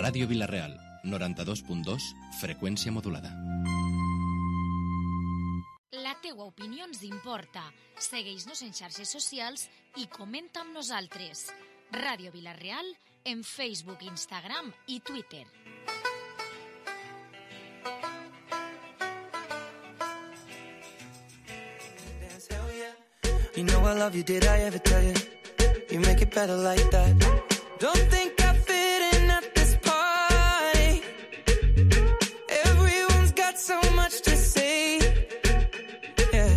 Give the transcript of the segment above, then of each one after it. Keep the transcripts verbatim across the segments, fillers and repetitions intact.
Ràdio Vila-real, noranta-dos punt dos, freqüència modulada. La teua opinió ens importa. Segueix-nos en xarxes socials i comenta amb nosaltres. Ràdio Vila-real en Facebook, Instagram i Twitter. You know I love you, did I ever tell you? You make it better like that. Don't think I fit in at this party. Everyone's got so much to say. Yeah,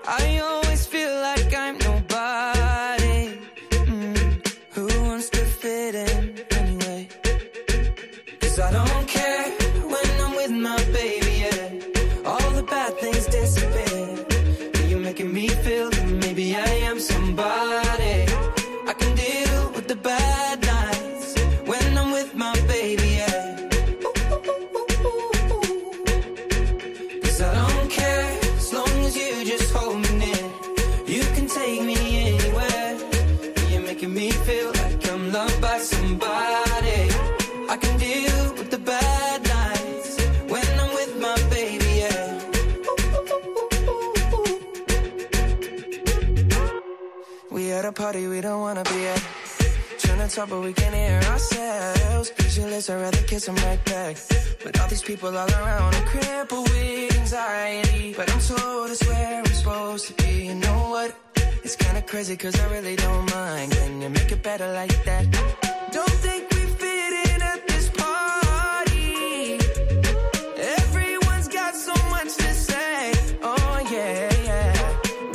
I always feel like I'm nobody. Mm. Who wants to fit in anyway? 'Cause I don't care when I'm with my baby, yeah. All the bad things disappear. You're making me feel that maybe I am somebody. I can deal with the bad nights when I'm with my baby, yeah. 'Cause I don't care as long as you just hold me near. You can take me anywhere. You're making me feel like I'm loved by somebody. I can deal with the bad nights when I'm with my baby, yeah. We at a party we don't wanna be at. Trying to talk but we can't hear ourselves. Pictureless, I'd rather kiss them right back. But all these people all around, I'm crippled with anxiety. But I'm told it's where I'm supposed to be. You know what? It's kinda crazy 'cause I really don't mind. Can you make it better like that? Don't think we fit in at this party. Everyone's got so much to say. Oh yeah, yeah.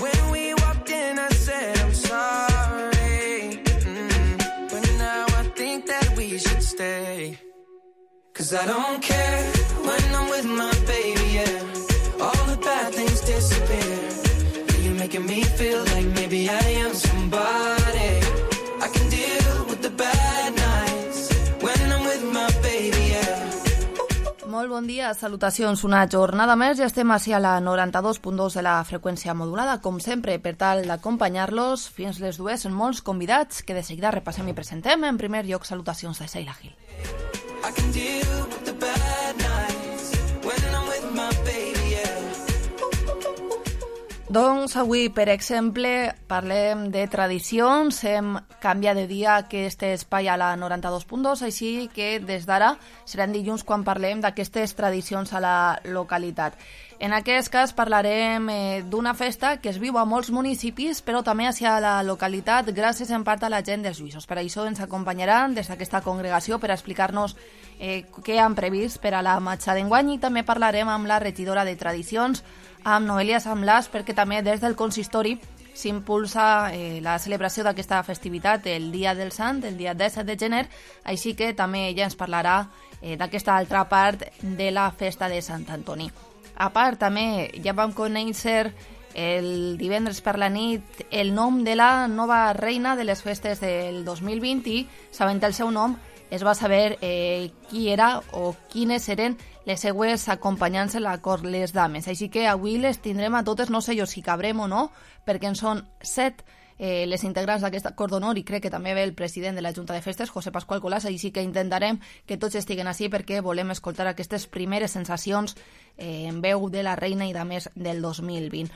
When we walked in I said I'm sorry. Mm. But now I think that we should stay. 'Cause I don't care when I'm with my baby, yeah. All the bad things disappear. You're making me feel like maybe I am somebody. I can deal with the bad nights when I'm with my baby, yeah. Molt bon dia, salutacions. Una jornada més, ja estem així a la noranta-dos punt dos de la freqüència modulada, com sempre, per tal d'acompanyar-los fins les dues en molts convidats que de seguida repassem i presentem. En primer lloc, salutacions de Sheila Gil. I can deal with the bad nights when I'm with my baby, yeah. Doncs avui, per exemple, parlem de tradicions, hem canviat de dia aquest espai a la noranta-dos punt dos, així que des d'ara seran dilluns quan parlem d'aquestes tradicions a la localitat. En aquest cas parlarem eh, d'una festa que es viu a molts municipis, però també hacia la localitat, gràcies en part a la gent dels Lluïsos. Per això ens acompanyaran des d'aquesta congregació per explicar-nos eh, què han previst per a la marxa d'enguany, i també parlarem amb la regidora de Tradicions, amb Noelia Samblàs, perquè també des del consistori s'impulsa eh, la celebració d'aquesta festivitat el dia del Sant, el dia disset de gener, així que també ella ens parlarà eh, d'aquesta altra part de la festa de Sant Antoni. A part, també ja vam conèixer el divendres per la nit el nom de la nova reina de les festes del dos mil vint i, sabent el seu nom, es va saber eh, qui era o quines eren les seues acompanyants a la cort, les dames. Així que avui les tindrem a totes, no sé jo si cabrem o no, perquè en són set eh, les integrants d'aquest cort d'honor, i crec que també ve el president de la Junta de Festes, José Pascual Colàs, així que intentarem que tots estiguen així perquè volem escoltar aquestes primeres sensacions eh, en veu de la reina i dames del dos mil vint.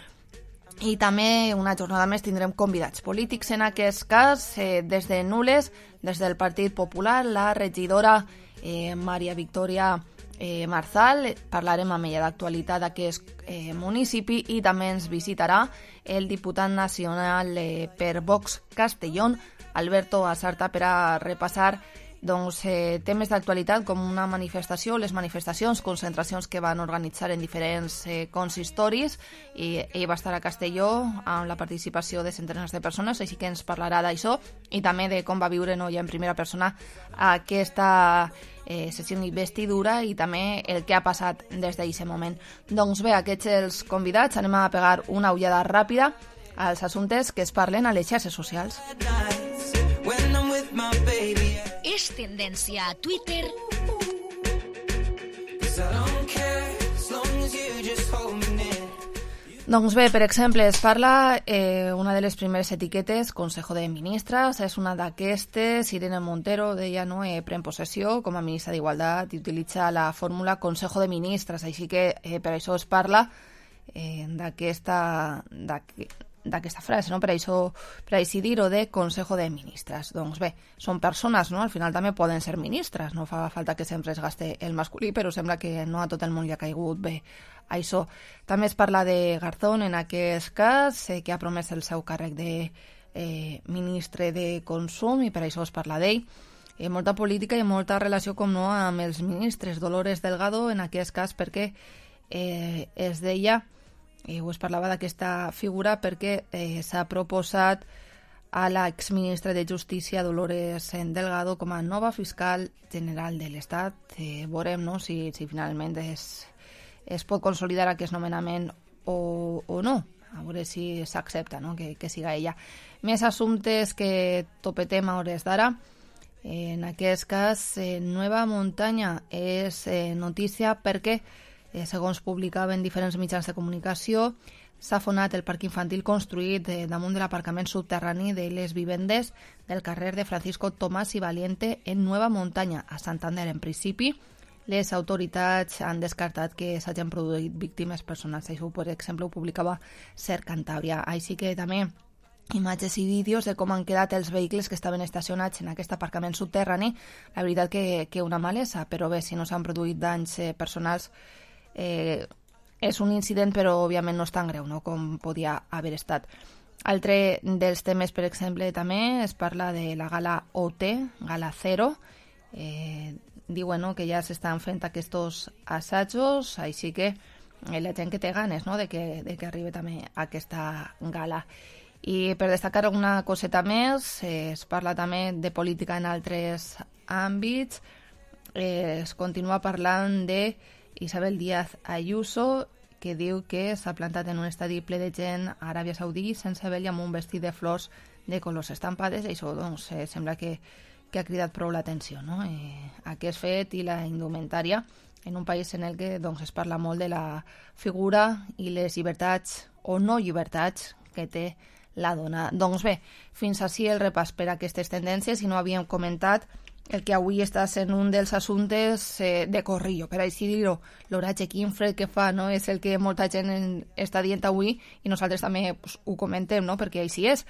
I també una jornada més tindrem convidats polítics, en aquest cas eh, des de Nules, des del Partit Popular, la regidora eh, Maria Victòria eh, Marzal, parlarem amb ella d'actualitat d'aquest eh, municipi, i també ens visitarà el diputat nacional eh, per Vox Castellón, Alberto Asarta, per a repassar doncs, eh, temes d'actualitat com una manifestació, les manifestacions, concentracions que van organitzar en diferents eh, consistoris, i ell va estar a Castelló amb la participació de centenars de persones, així que ens parlarà d'això i també de com va viure no, ja en primera persona aquesta eh, sessió d'investidura i també el que ha passat des d'aquest moment. Doncs bé, aquests els convidats, anem a pegar una ullada ràpida als assumptes que es parlen a les xarxes socials. És tendència a Twitter. Doncs bé, per exemple, es parla eh, una de les primeres etiquetes, Consejo de Ministres, és una d'aquestes, Irene Montero deia, no, eh, pren possessió com a ministra d'Igualtat i utilitza la fórmula Consejo de Ministres, així que eh, per això es parla eh, d'aquesta d'aquesta frase, no? Per això, per així dir-ho, de Consejo de Ministres. Doncs bé, són persones, no? Al final també poden ser ministres, no fa falta que sempre es gaste el masculí, però sembla que no a tot el món li ha caigut bé això. També es parla de Garzón en aquest cas, eh, que ha promès el seu càrrec de eh, ministre de Consum i per això es parla d'ell. Eh, molta política i molta relació, com no, amb els ministres. Dolores Delgado en aquest cas perquè eh, es deia, eh, o es parlava d'aquesta figura perquè eh, s'ha proposat a l'exministra de Justícia Dolores Delgado com a nova fiscal general de l'Estat. Eh, veurem, no?, si, si finalment és es pot consolidar aquest nomenament o, o no, a veure si s'accepta, no?, que, que siga ella. Més assumptes que topetem a hores d'ara. En aquest cas, eh, Nueva Montaña és eh, notícia perquè, eh, segons publicaven diferents mitjans de comunicació, s'ha fonat el parc infantil construït eh, damunt de l'aparcament subterrani de les vivendes del carrer de Francisco Tomás y Valiente en Nueva Montaña, a Santander. En principi, les autoritats han descartat que s'hagin produït víctimes personals. Això, per exemple, ho publicava Ser Cantàbria. Així que també imatges i vídeos de com han quedat els vehicles que estaven estacionats en aquest aparcament subterrani. La veritat que, que una malesa, però bé, si no s'han produït danys eh, personals, eh, és un incident, però òbviament no és tan greu, no?, com podia haver estat. Altre dels temes, per exemple, també es parla de la gala O T, Gala Zero. Eh, diuen, no?, que ja s'estan fent aquests assajos, així que eh, la gent que té ganes, no?, de que, de que arribi també aquesta gala. I per destacar alguna coseta més, eh, es parla també de política en altres àmbits. Eh, es continua parlant de Isabel Díaz Ayuso, que diu que s'ha plantat en un estadi ple de gent a Aràbia Saudí sense vell amb un vestit de flors de colors estampades. Això, doncs, eh, sembla que que ha cridat prou l'atenció, no?, eh, aquest fet i la indumentària en un país en el que, doncs, es parla molt de la figura i les llibertats o no llibertats que té la dona. Doncs bé, fins així el repàs per a aquestes tendències, i no havíem comentat el que avui està sent un dels assumptes eh, de corrillo, per així dir-ho. L'oratge quin fred que fa, no?, és el que molta gent en, està dient avui i nosaltres també pues, ho comentem, no?, perquè així és.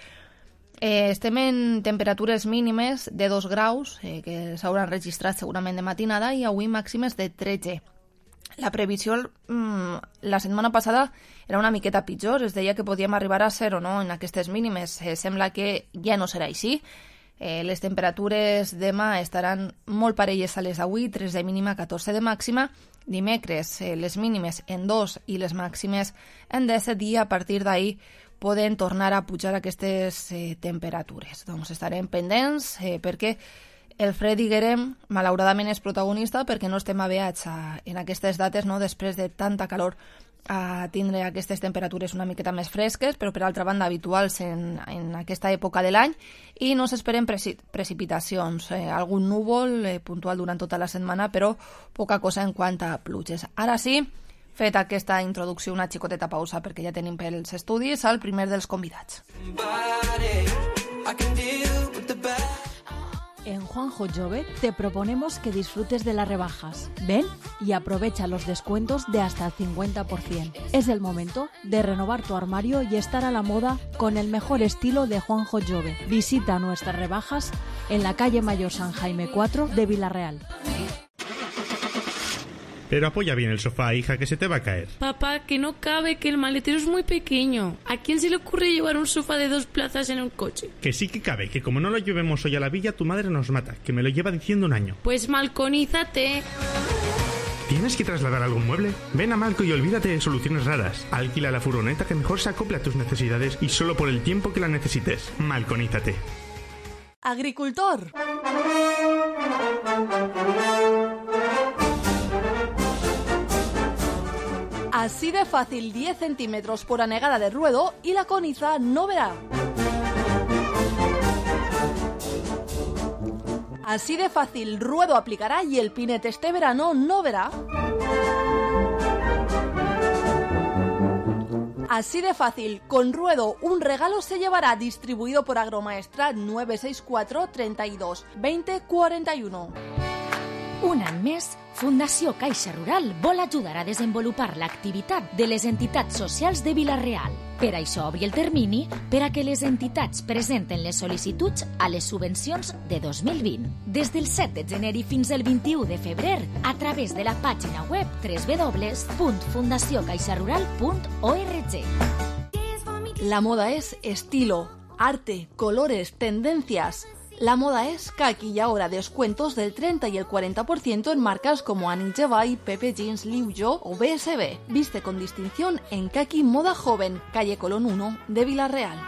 Eh, estem en temperatures mínimes de dos graus, eh, que s'hauran registrat segurament de matinada, i avui màximes de tretze. La previsió mmm, la setmana passada era una miqueta pitjor, es deia que podíem arribar a zero, no?, en aquestes mínimes. Eh, sembla que ja no serà així. Eh, les temperatures demà estaran molt parelles a les d'avui, tres de mínima, catorze de màxima. Dimecres, eh, les mínimes en dos i les màximes en disset, i a partir d'ahir poden tornar a pujar aquestes eh, temperatures. Doncs estarem pendents eh, perquè el fred, diguem, malauradament és protagonista perquè no estem aviats a, en aquestes dates, no?, després de tanta calor, a tindre aquestes temperatures una miqueta més fresques, però per altra banda habituals en, en aquesta època de l'any, i no s'esperen preci precipitacions, eh, algun núvol eh, puntual durant tota la setmana, però poca cosa en quant a pluges. Ara sí, feta aquesta introducció, una xicoteta pausa perquè ja tenim pels estudis al primer dels convidats. En Juanjo Jove te proponemos que disfrutes de las rebajas. Ven y aprovecha los descuentos de hasta el cincuenta por ciento. Es el momento de renovar tu armario y estar a la moda con el mejor estilo de Juanjo Jove. Visita nuestras rebajas en la calle Mayor San Jaime cuatro de Villarreal. Pero apoya bien el sofá, hija, que se te va a caer. Papá, que no cabe, que el maletero es muy pequeño. ¿A quién se le ocurre llevar un sofá de dos plazas en un coche? Que sí que cabe, que como no lo llevemos hoy a la villa, tu madre nos mata, que me lo lleva diciendo un año. Pues malconízate. ¿Tienes que trasladar algún mueble? Ven a Malco y olvídate de soluciones raras. Alquila la furgoneta que mejor se acopla a tus necesidades y solo por el tiempo que la necesites. Malconízate. Agricultor. Así de fácil, diez centímetros por anegada de ruedo y la coniza no verá. Así de fácil, ruedo aplicará y el pinete este verano no verá. Así de fácil, con Ruedo, un regalo se llevará, distribuido por Agromaestrat nueve seis cuatro, treinta y dos, veinte, cuarenta y uno. Un any més, Fundació Caixa Rural vol ajudar a desenvolupar l'activitat de les entitats socials de Vila-real. Per això obri el termini per a que les entitats presenten les sol·licituds a les subvencions de dos mil vint. Des del set de gener i fins al vint-i-u de febrer, a través de la pàgina web w w w punt fundació caixa rural punt org. La moda es estilo, arte, colores, tendencias. La moda es que aquí y ahora descuentos del treinta y el cuarenta por ciento en marcas como Annie Jevay, Pepe Jeans, Liu Yo o B S B. Viste con distinción en Kaki Moda Joven, calle Colón uno de Vila-real.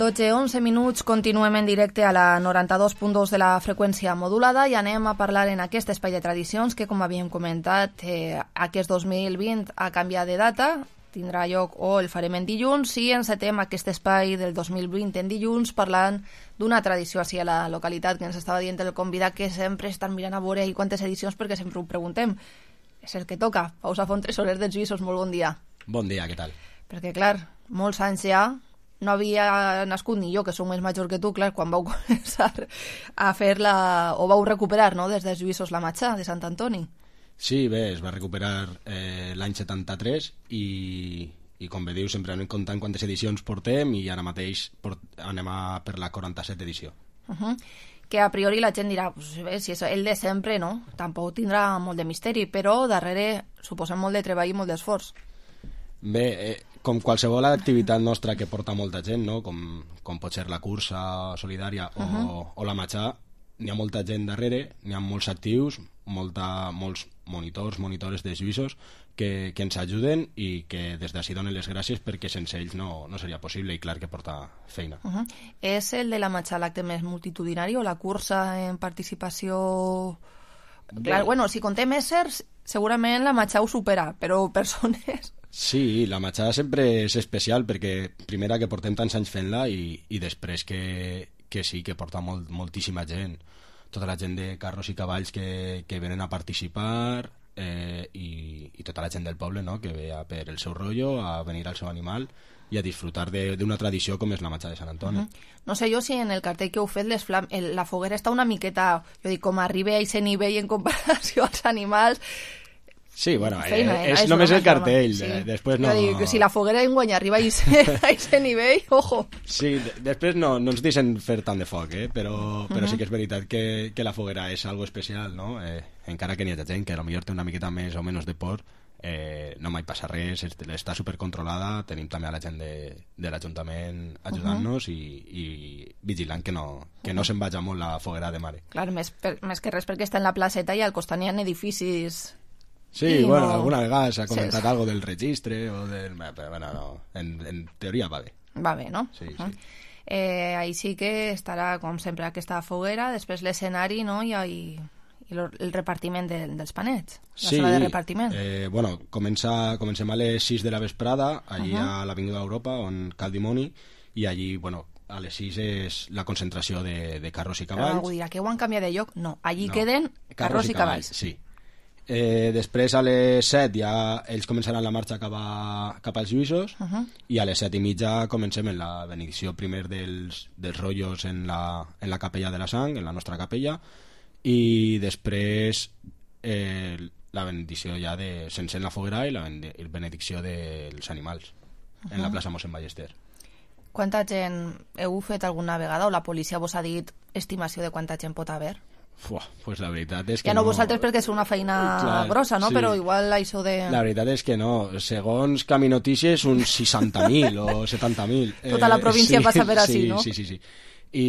dotze onze minuts, continuem en directe a la noranta-dos punt dos de la freqüència modulada i anem a parlar en aquest espai de tradicions que, com havíem comentat, eh, aquest dos mil vint ha canviat de data, tindrà lloc o el farem en dilluns i encetem aquest espai del dos mil vint en dilluns parlant d'una tradició així a la localitat que ens estava dient el convidat que sempre estan mirant a veure i quantes edicions perquè sempre ho preguntem. És el que toca. Pau Safont, tresorer dels Lluïssos, molt bon dia. Bon dia, què tal? Perquè, clar, molts anys ja no havia nascut ni jo, que som més major que tu, clar, quan vau començar a fer-la, o vau recuperar, no?, des dels Lluïssos la Matxà, de Sant Antoni. Sí, bé, es va recuperar eh, l'any setanta-tres i, i com bé diu, sempre anem comptant quantes edicions portem i ara mateix port, anem a per la quaranta-set edició. Uh -huh. Que a priori la gent dirà, pues, bé, si és el de sempre, no? Tampoc tindrà molt de misteri, però darrere suposem molt de treball i molt d'esforç. Bé, eh, com qualsevol activitat nostra que porta molta gent, no? com, com pot ser la cursa solidària o, uh-huh. o la matxà, n'hi ha molta gent darrere, n'hi ha molts actius, molta, molts monitors, monitores de Lluïssos que, que ens ajuden i que des d'ací donen les gràcies perquè sense ells no, no seria possible i clar que porta feina. Uh-huh. És el de la matxà l'acte més multitudinari o la cursa en participació? Bé. Clar, bueno, si contem éssers, segurament la matxà ho supera, però persones... Sí, la matxà sempre és especial perquè primera que portem tants anys fent-la i, i després que, que sí, que porta molt, moltíssima gent, tota la gent de carros i cavalls que, que venen a participar eh, i, i tota la gent del poble, no?, que ve a per el seu rotllo, a venir al seu animal i a disfrutar d'una tradició com és la matxà de Sant Antoni. Uh -huh. No sé jo si en el cartell que heu fet les flam el, la foguera està una miqueta, jo dic, com arriba a aquest nivell en comparació als animals. Sí, bueno, feina, eh, és, és només broma, el cartell, sí. eh, després no... Jo dic, si la foguera enguany arriba a aquest nivell, ojo. Sí, de, després no, no ens deixen fer tant de foc, eh? però, però uh -huh. sí que és veritat que, que la foguera és algo especial, no? Eh, encara que n'hi ha gent que potser té una miqueta més o menys de por, eh, no mai passa res, està supercontrolada, tenim també a la gent de, de l'Ajuntament ajudant-nos uh -huh. i, i vigilant que no, que no se'n vagi molt la foguera de mare. Clar, més, per, més que res perquè està en la placeta i al costat n'hi ha edificis... Sí, I bueno, no... alguna vegada s'ha comentat sí. algo del registre o del... Però bueno, no, en, en teoria va bé. Va bé, no? Sí, uh-huh. sí. Eh, ahí sí que estarà, com sempre, aquesta foguera, després l'escenari, no?, i, i, i el repartiment de, dels panets, la sí, sala de repartiment. Eh, bueno, comença, comencem a les sis de la vesprada, allí uh-huh. a l'Avinguda d'Europa, on cal dimoni, i allí, bueno, a les sis és la concentració de, de carros i cavalls. Però algú dirà que ho han canviat de lloc? No, allí no. queden carros, carros i cavalls. cavalls. Sí. Eh, després a les set ja ells començaran la marxa cap, a, cap als Lluïssos uh-huh. i a les set i mitja comencem en la benedicció primer dels, dels rotllos en la, en la capella de la sang, en la nostra capella, i després eh, la benedicció ja de, sense la foguera i la benedicció dels animals uh-huh. en la plaça Mossèn Ballester. Quanta gent heu fet alguna vegada o la policia vos ha dit estimació de quanta gent pot haver? Fuà, pues la veritat és que ja no, no... vosaltres perquè és una feina Clar, grossa, no? sí. Però igual això de... La veritat és que no. Segons Caminotícies, uns seixanta mil o setanta mil. Tota la província sí, passa per sí, així, no? Sí, sí, sí. I,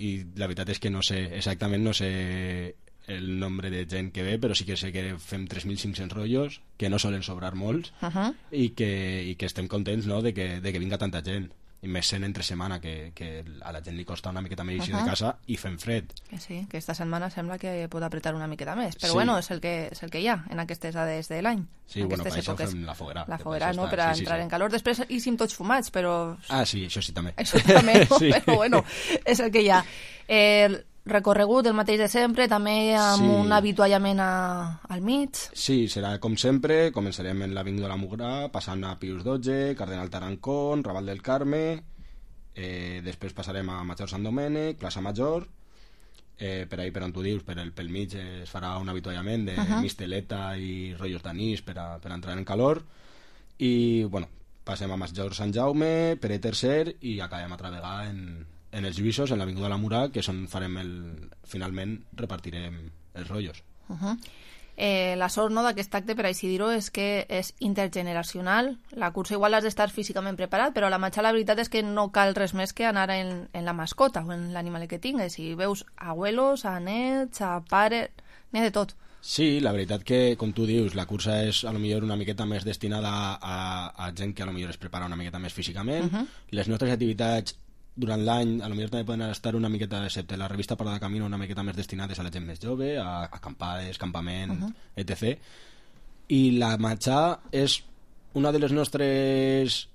I la veritat és que no sé, exactament no sé el nombre de gent que ve, però sí que sé que fem tres mil cinc-cents rotllos, que no solen sobrar molts, Uh -huh. i, que, i que estem contents, no?, de que, de que vinga tanta gent. I més sent entre setmana, que, que a la gent li costa una miqueta més eixir Uh-huh. de casa i fem fred. Que sí, que esta setmana sembla que pot apretar una miqueta més, però Sí. bueno, és el que, és el que hi ha en aquestes dades de l'any. Sí, en bueno, per aquestes això èpoques. fem la foguera. La que foguera, per això no?, està- per a sí, sí, entrar sí. en calor. Després hi sim tots fumats, però... Ah, sí, això sí també. Això també, no? Sí. Però bueno, és el que hi ha. Eh, recorregut el mateix de sempre, també amb Sí. un avituallament a, al mig. Sí, serà com sempre, començarem en l'Avinguda de la Mugrà, passant a Pius dotze, Cardenal Tarancón, Raval del Carme, eh, després passarem a Major Sant Domènec, Plaça Major, eh, per ahí per on tu dius, per el, pel mig es farà un avituallament de Uh-huh. misteleta i rotllos d'anís per, a, per a entrar en calor, i bueno, passem a Major Sant Jaume, Pere tercer, i acabem altra vegada en, en els Lluïssos, en l'Avinguda de la Mugrà, que és on farem el, finalment repartirem els rotllos. Uh -huh. eh, la sort, no, d'aquest acte, per així dir-ho, és que és intergeneracional. La cursa igual has d'estar físicament preparat, però la matxa la veritat és que no cal res més que anar en, en la mascota o en l'animal que tingues. Si veus abuelos, a nets, a pares, n'hi ha de tot. Sí, la veritat que, com tu dius, la cursa és a lo millor una miqueta més destinada a, a gent que a lo millor es prepara una miqueta més físicament. Uh-huh. Les nostres activitats durant l'any a lo millor també poden estar una miqueta, excepte la revista Parada de Camino, una miqueta més destinades a la gent més jove, a acampades, campament, Uh-huh. etcètera. I la matxà és una de les nostres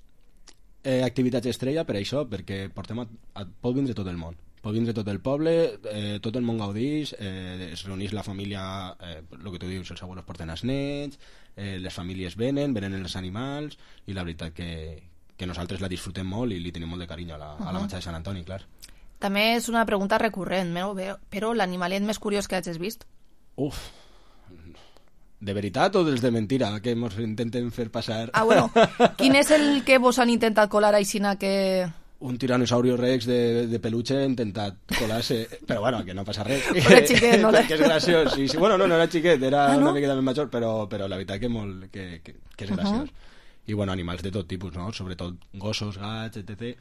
eh, activitats estrella per això, perquè portem a, a, pot vindre tot el món. Pot vindre tot el poble, eh, tot el món gaudís, eh, es reuneix la família, eh, el que tu dius, els abuelos porten els nets, eh, les famílies venen, venen els animals, i la veritat que, que nosaltres la disfrutem molt i li tenim molt de carinyo a la, uh-huh. a la matxa de Sant Antoni, clar. També és una pregunta recurrent, no? Però l'animalet més curiós que hagis vist? Uf, de veritat o dels de mentira, que ens intenten fer passar? Ah, bueno, quin és el que vos han intentat colar aixina que... Un tiranosaurio rex de, de peluche ha intentat colar-se, però bueno, que no passa res. Era xiquet, no? Que és graciós. Sí, sí. Bueno, no, no era xiquet, era Ah, no? una miqueta més major, però, però la veritat que, molt, que, que, que és graciós. Uh-huh. I bueno, animals de tot tipus, no? Sobretot gossos, gats, etcètera.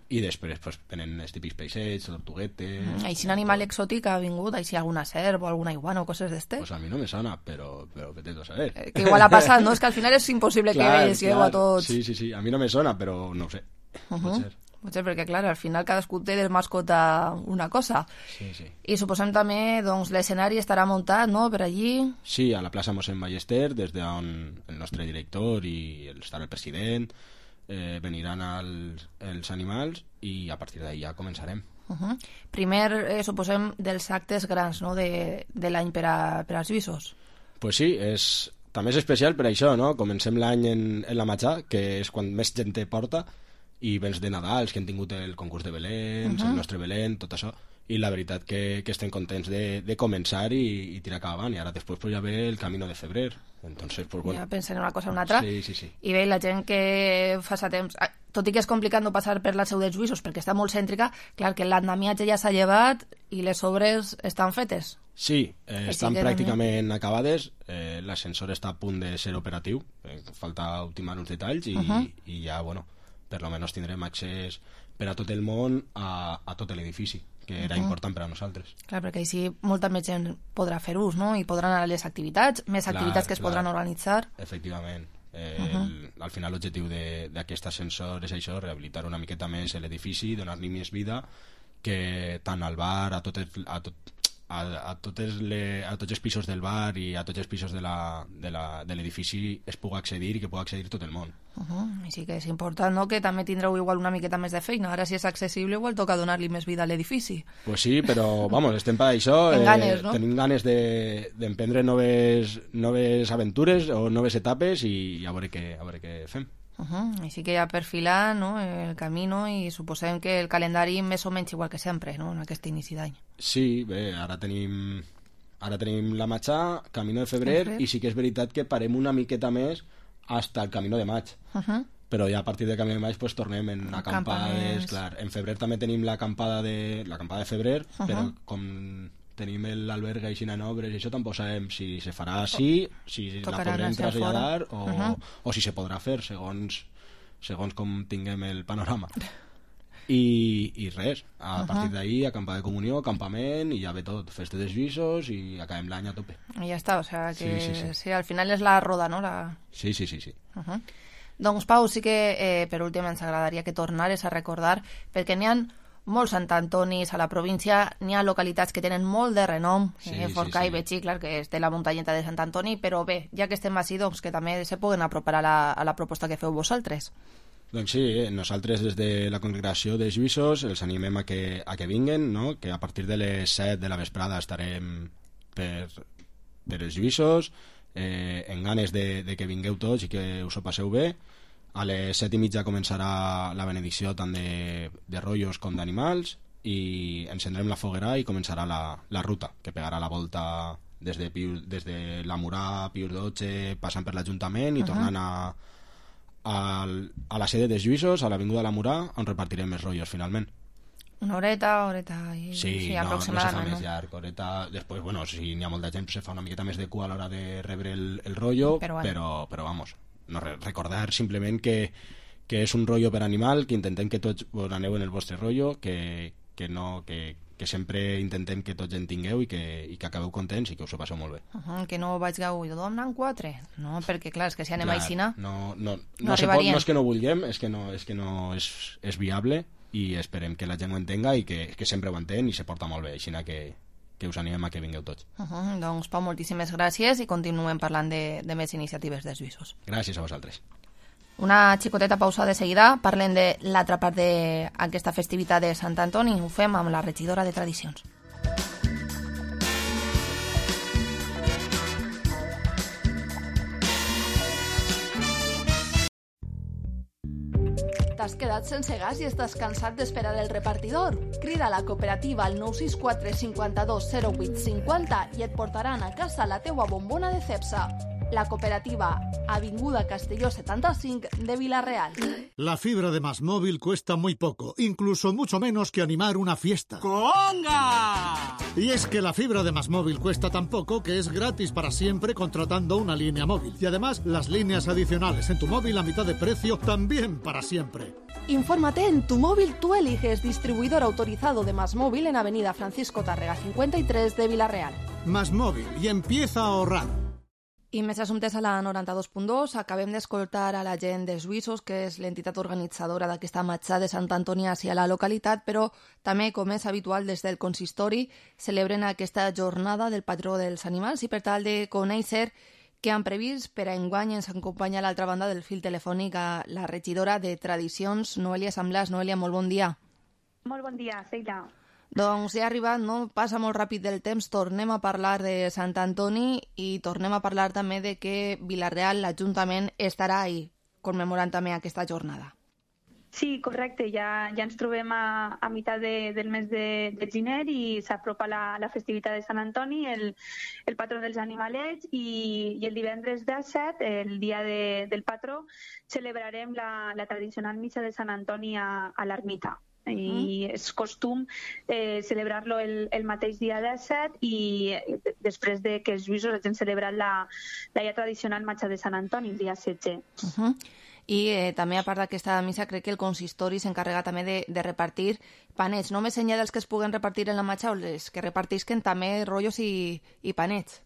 I després pues, venen els típics peixets, tortuguetes... Així un animal exòtic ha vingut, així alguna serp o alguna iguana o coses d'este? Pues a mi no me sona, però, però vete tú a saber. Eh, que igual ha passat, no? És que al final és impossible que veieu a tots... Sí, sí, sí, a mi no me sona, però no ho sé. Uh-huh. Pot ser. Potser perquè, clar, al final cadascú té de mascota una cosa. Sí, sí. I suposem també, doncs, l'escenari estarà muntat, no?, per allí. Sí, a la plaça Mossèn Ballester, des d'on el nostre director i el, estarà el president, eh, veniran els, els animals i a partir d'ahí ja començarem. Uh-huh. Primer, eh, suposem, dels actes grans, no?, de, de l'any per, a, per als Lluïssos. Pues sí, és, també és especial per això, no? Comencem l'any en, en la Matxà, que és quan més gent te porta, i vens de Nadals, que hem tingut el concurs de Belén, uh-huh. el nostre Belén, tot això, i la veritat que, que estem contents de, de començar i, i tirar cap avant, i ara després pues, ja ve el Camino de Febrer, entonces, pues, bueno. Ja pensem en una cosa o una altra. Sí, sí, sí. I bé, la gent que fa sa temps, tot i que és complicat no passar per la seu dels Lluïssos perquè està molt cèntrica, clar que l'andamiatge ja s'ha llevat i les obres estan fetes. Sí, eh, Així estan que pràcticament també... acabades, eh, l'ascensor està a punt de ser operatiu, eh, falta ultimar uns detalls i, Uh-huh. i ja, bueno, per lo menos tindrem accés per a tot el món a, a tot l'edifici, que era Uh-huh. important per a nosaltres. Clar, perquè així molta més gent podrà fer ús, no?, i podran anar a les activitats, més Clar, activitats que es clar. podran organitzar. Efectivament. Eh, Uh-huh. el, al final l'objectiu d'aquest ascensor és això, rehabilitar una miqueta més l'edifici, donar-li més vida, que tant al bar, a tot, el, a tot a, a, totes le, a tots els pisos del bar i a tots els pisos de la- de la- de l'edifici es pugui accedir i que pugui accedir tot el món. Uh-huh. Així que és important, no?, que també tindreu igual una miqueta més de feina. Ara, si és accessible, igual toca donar-li més vida a l'edifici. Pues sí, però vamos, estem per això. En ganes, no? Tenim ganes de- d'emprendre de, noves, noves aventures o noves etapes i, i a veure què, a veure què fem. Uh-huh. Així que ja perfilar, no?, el camino, i suposem que el calendari més o menys igual que sempre, no?, en aquest inici d'any. Sí, bé, ara tenim ara tenim la Matxà, Camino de Febrer, Febrer. i sí que és veritat que parem una miqueta més hasta el Camino de Maig. Uh-huh. Però ja a partir del Camino de Maig pues, tornem en acampades, Campaments. clar. En febrer també tenim l'acampada de l'acampada de febrer, Uh-huh. però com tenim l'alberga així en obres i això tampoc sabem si se farà així, si la podrem traslladar o, uh -huh. o si se podrà fer segons, segons com tinguem el panorama. I, i res, a uh-huh. partir d'ahí acampa de comunió, campament i ja ve tot, festes de juïssos i acabem l'any a tope. I ja està, o sea que sí, sí, sí. sí, al final és la roda, no? La... Sí, sí, sí, sí. Uh-huh. Doncs Pau, sí que eh, per últim ens agradaria que tornares a recordar, perquè n'hi ha molts Sant Antonis a la província, n'hi ha localitats que tenen molt de renom, sí, eh, Forcà sí, sí. i Betxí, clar, que és de la muntanyeta de Sant Antoni, però bé, ja que estem així, doncs que també se puguen apropar a la, a la proposta que feu vosaltres. Doncs sí, eh? nosaltres des de la congregació de Juïssos els animem a que, a que vinguen, no? Que a partir de les set de la vesprada estarem per, per els Juïssos, eh, en ganes de, de que vingueu tots i que us ho passeu bé. A les set i mitja començarà la benedicció tant de, de rotllos com d'animals i encendrem la foguera i començarà la, la ruta, que pegarà la volta des de, Piu, des de la Murà, Pius dotze, passant per l'Ajuntament i uh-huh. tornant a Al, a la sede dels Juïssos, a l'Avinguda de la Murà, on repartirem els rotllos finalment. Una horeta, horeta i... Sí, sí no, no se fa més llarg, horeta... Després, bueno, si n'hi ha molta gent, se fa una miqueta més de cua a l'hora de rebre el, el rotllo, però, bueno. però, però vamos, no, recordar simplement que, que és un rotllo per animal, que intentem que tots vos aneu en el vostre rotllo, que, que no... Que, que sempre intentem que tots en tingueu i que, i que acabeu contents i que us ho passeu molt bé. Uh -huh, que no vaig gaudir, tothom n'han quatre. No, perquè clar, és que si anem clar, a Aixina... No, no, no, no, se pot, no és que no vulguem, és que no és, que no és, és viable i esperem que la gent ho entenga i que, que sempre ho entén i se porta molt bé, així que, que us animem a que vingueu tots. Uh -huh, doncs Pau, moltíssimes gràcies i continuem parlant de, de més iniciatives dels Juïssos. Gràcies a vosaltres. Una xicoteta pausa de seguida, parlem de l'altra part d'aquesta festivitat de Sant Antoni i ho fem amb la regidora de Tradicions. T'has quedat sense gas i estàs cansat d'esperar el repartidor? Crida a la cooperativa al nou sis quatre cinquanta-dos zero vuit cinquanta i et portaran a casa la teua bombona de Cepsa. La cooperativa Avinguda Castelló setenta-cinc de Vila-real. La fibra de MásMóvil cuesta muy poco, incluso mucho menos que animar una fiesta. ¡Conga! Y es que la fibra de MásMóvil cuesta tan poco que es gratis para siempre contratando una línea móvil. Y además, las líneas adicionales en tu móvil a mitad de precio también para siempre. Infórmate en Tu Móvil Tú Eliges, distribuidor autorizado de MásMóvil en Avenida Francisco Tárrega cincuenta y tres de Vila-real. MásMóvil, y empieza a ahorrar. I més assumptes a la noranta-dos punt dos. Acabem d'escoltar a la gent dels Juïssos, que és l'entitat organitzadora d'aquesta matxa de Sant Antoni hacia la localitat, però també, com és habitual des del consistori, celebren aquesta jornada del patró dels animals i per tal de conèixer què han previst per a enguany ens acompanya a l'altra banda del fil telefònic a la regidora de Tradicions, Noelia Samblàs. Noelia, molt bon dia. Molt bon dia, Seila. Doncs ja ha arribat, no? Passa molt ràpid del temps, tornem a parlar de Sant Antoni i tornem a parlar també de que Vila-real, l'Ajuntament, estarà ahí, commemorant també aquesta jornada. Sí, correcte, ja, ja ens trobem a, a meitat de, del mes de, de gener i s'apropa la, la festivitat de Sant Antoni, el, el patró dels animalets, i, i el divendres disset, el dia de, del patró, celebrarem la, la tradicional missa de Sant Antoni a, a l'ermita. I és costum eh, celebrar-lo el, el mateix dia disset i després de que els Juïssos hagin celebrat la, la ja tradicional matxa de Sant Antoni el dia setze. Uh -huh. I eh, també, a part d'aquesta missa, crec que el consistori s'encarrega també de, de repartir panets, no més enllà dels que es puguen repartir en la matxa, o les que repartisquen també rotllos i, i panets.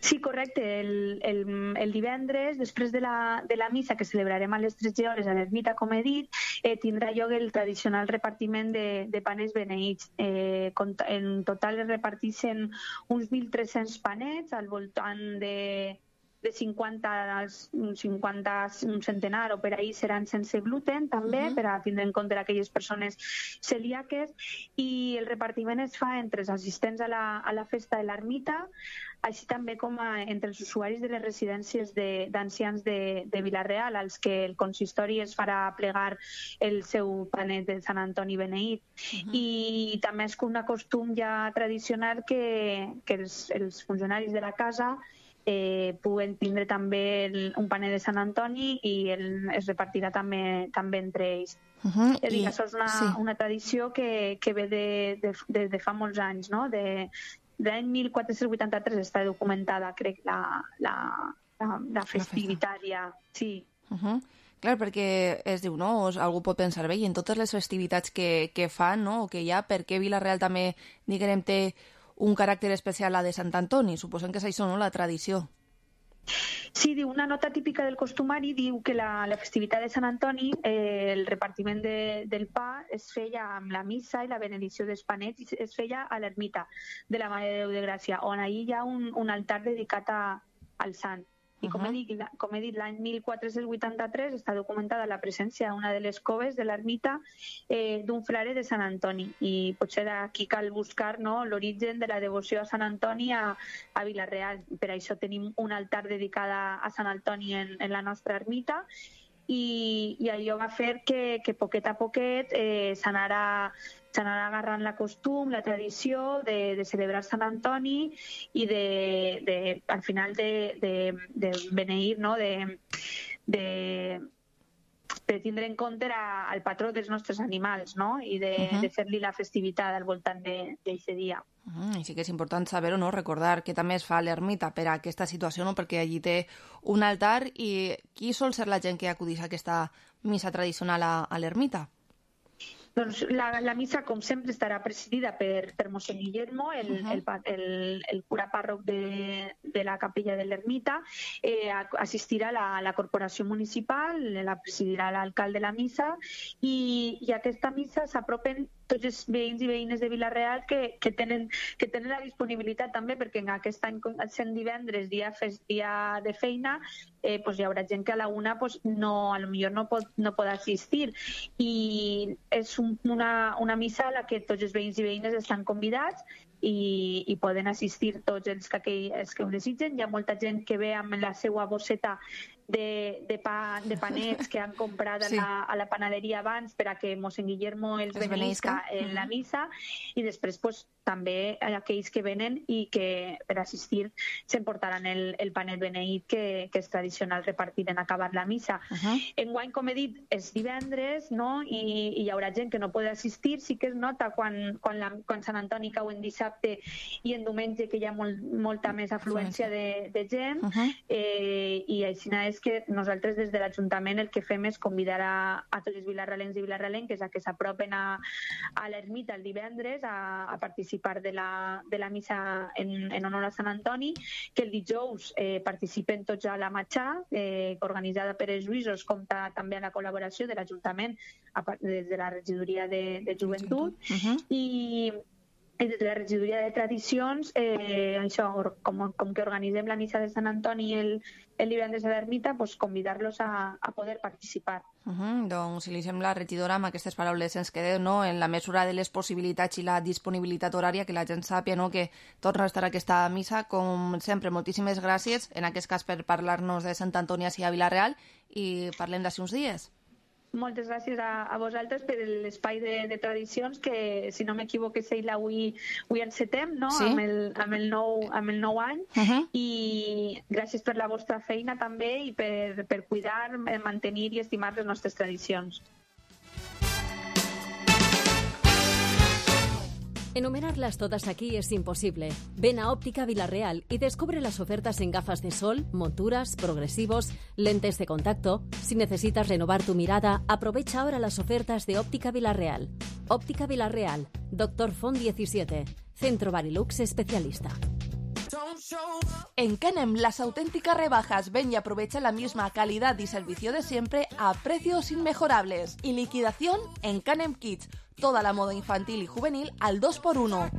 Sí, correcte. El, el, el divendres, després de la, de la missa que celebrarem a les tretze hores a l'ermita, com he dit, eh, tindrà lloc el tradicional repartiment de, de panets beneïts. Eh, en total es reparteixen uns mil tres-cents panets al voltant de, de cinquanta, cinquanta, un centenar o per ahí seran sense gluten també, uh-huh. per a tindre en compte aquelles persones celíaques, i el repartiment es fa entre els assistents a la, a la festa de l'ermita, així també com a, entre els usuaris de les residències d'ancians de, de, de Vila-real, als que el consistori es farà plegar el seu panet de Sant Antoni beneït. Uh-huh. I també és un costum ja tradicional que, que els, els funcionaris de la casa eh, puguen tindre també el, un paner de Sant Antoni i el, es repartirà també, també entre ells. Uh -huh. És a dir, I, això és una, sí. una tradició que, que ve de, de, de, de fa molts anys, no? De, de l'any mil quatre-cents vuitanta-tres està documentada, crec, la, la, la, la festivitat ja. Sí. Uh -huh. Clar, perquè es diu, no? Algú pot pensar, bé, i en totes les festivitats que, que fan, no?, o que hi ha, per què Vila-real també, diguem, té un caràcter especial a de Sant Antoni? Suposem que és això, no?, la tradició. Sí, diu, una nota típica del costumari diu que la, la festivitat de Sant Antoni, eh, el repartiment de, del pa es feia amb la missa i la benedicció dels panets, i es feia a l'ermita de la Mare de Déu de Gràcia, on ahir hi ha un, un altar dedicat a, al sant. I com, uh -huh. he dit, com he dit, l'any mil quatre-cents vuitanta-tres està documentada la presència a una de les coves de l'ermita eh, d'un frare de Sant Antoni. I potser d'aquí cal buscar, no?, l'origen de la devoció a Sant Antoni a, a Vila-real. Per això tenim un altar dedicat a Sant Antoni en, en la nostra ermita. I, i allò va fer que, que poquet a poquet eh, s'anara s'anarà agarrant la costum, la tradició de, de celebrar Sant Antoni i de, de al final de, de, de beneir, no?, de, de, de tindre en compte a, al patró dels nostres animals, no?, i de, uh -huh. de fer-li la festivitat al voltant d'aquest dia. Uh -huh. I sí que és important saber-ho, no?, recordar que també es fa a l'ermita per a aquesta situació, no?, perquè allí té un altar. I qui sol ser la gent que acudeix a aquesta missa tradicional a, a l'ermita? Doncs la, la missa, com sempre, estarà presidida per, per mossèn Guillermo, el, uh-huh. el, el, el cura pàrroc de, de la capella de l'ermita. Eh, assistirà la, la corporació municipal, la presidirà l'alcalde de la missa, i, i a aquesta missa s'apropen tots els veïns i veïnes de Vila-real que, que, tenen, que tenen la disponibilitat també, perquè en aquest any, sent divendres, dia, dia de feina, eh, pues hi haurà gent que a la una pues, no, a lo millor no pot, no pot assistir. I és un, una, una missa a la que tots els veïns i veïnes estan convidats i, i poden assistir tots els que, els que ho desitgen. Hi ha molta gent que ve amb la seva bosseta de, de, pa, de panets que han comprat sí. a, la, a la panaderia abans per a que mossèn Guillermo els beneïsca en la missa, i després pues, també aquells que venen i que per assistir s'emportaran el, el panet beneït que, que és tradicional repartir en acabar la missa. Uh-huh. Enguany, com he dit, és divendres, no?, i, i hi haurà gent que no pot assistir. Sí que es nota quan, quan, la, quan Sant Antoni cau en dissabte i en diumenge que hi ha molt, molta més afluència de, de gent, uh-huh. eh, i així és que nosaltres des de l'Ajuntament el que fem és convidar a, a tots els vilarrealencs i vilarrealenques a que s'apropen a, a l'ermita el divendres a, a participar de la, de la missa en, en honor a Sant Antoni, que el dijous eh, participen tots a la matxà, eh, organitzada per els Lluïsos, compta també amb la col·laboració de l'Ajuntament des de la regidoria de, de joventut, uh-huh. i i des de la regidoria de tradicions, eh, això, com, com que organitzem la missa de Sant Antoni el, el divendres a l'ermita, pues, convidar-los a, a poder participar. Uh-huh. Doncs, si li sembla, regidora, amb aquestes paraules ens quedem, no?, en la mesura de les possibilitats i la disponibilitat horària, que la gent sàpia, no?, que torna a estar a aquesta missa. Com sempre, moltíssimes gràcies, en aquest cas per parlar-nos de Sant Antoni a Vila-real, i parlem d'ací uns dies. Moltes gràcies a, a vosaltres per l'espai de, de tradicions, que, si no m'equivoco, Seila, avui, avui encetem, no?, sí. amb, el, amb, el nou, amb el nou any. Uh-huh. I gràcies per la vostra feina també i per, per cuidar, mantenir i estimar les nostres tradicions. Enumerarlas todas aquí es imposible. Ven a Óptica Vila-real y descubre las ofertas en gafas de sol, monturas, progresivos, lentes de contacto. Si necesitas renovar tu mirada, aprovecha ahora las ofertas de Óptica Vila-real. Óptica Vila-real, Doctor Font diecisiete, Centro Barilux especialista. En Canem, las auténticas rebajas. Ven y aprovecha la misma calidad y servicio de siempre a precios inmejorables. Y liquidación en Canem Kids. Toda la moda infantil y juvenil al dos por uno.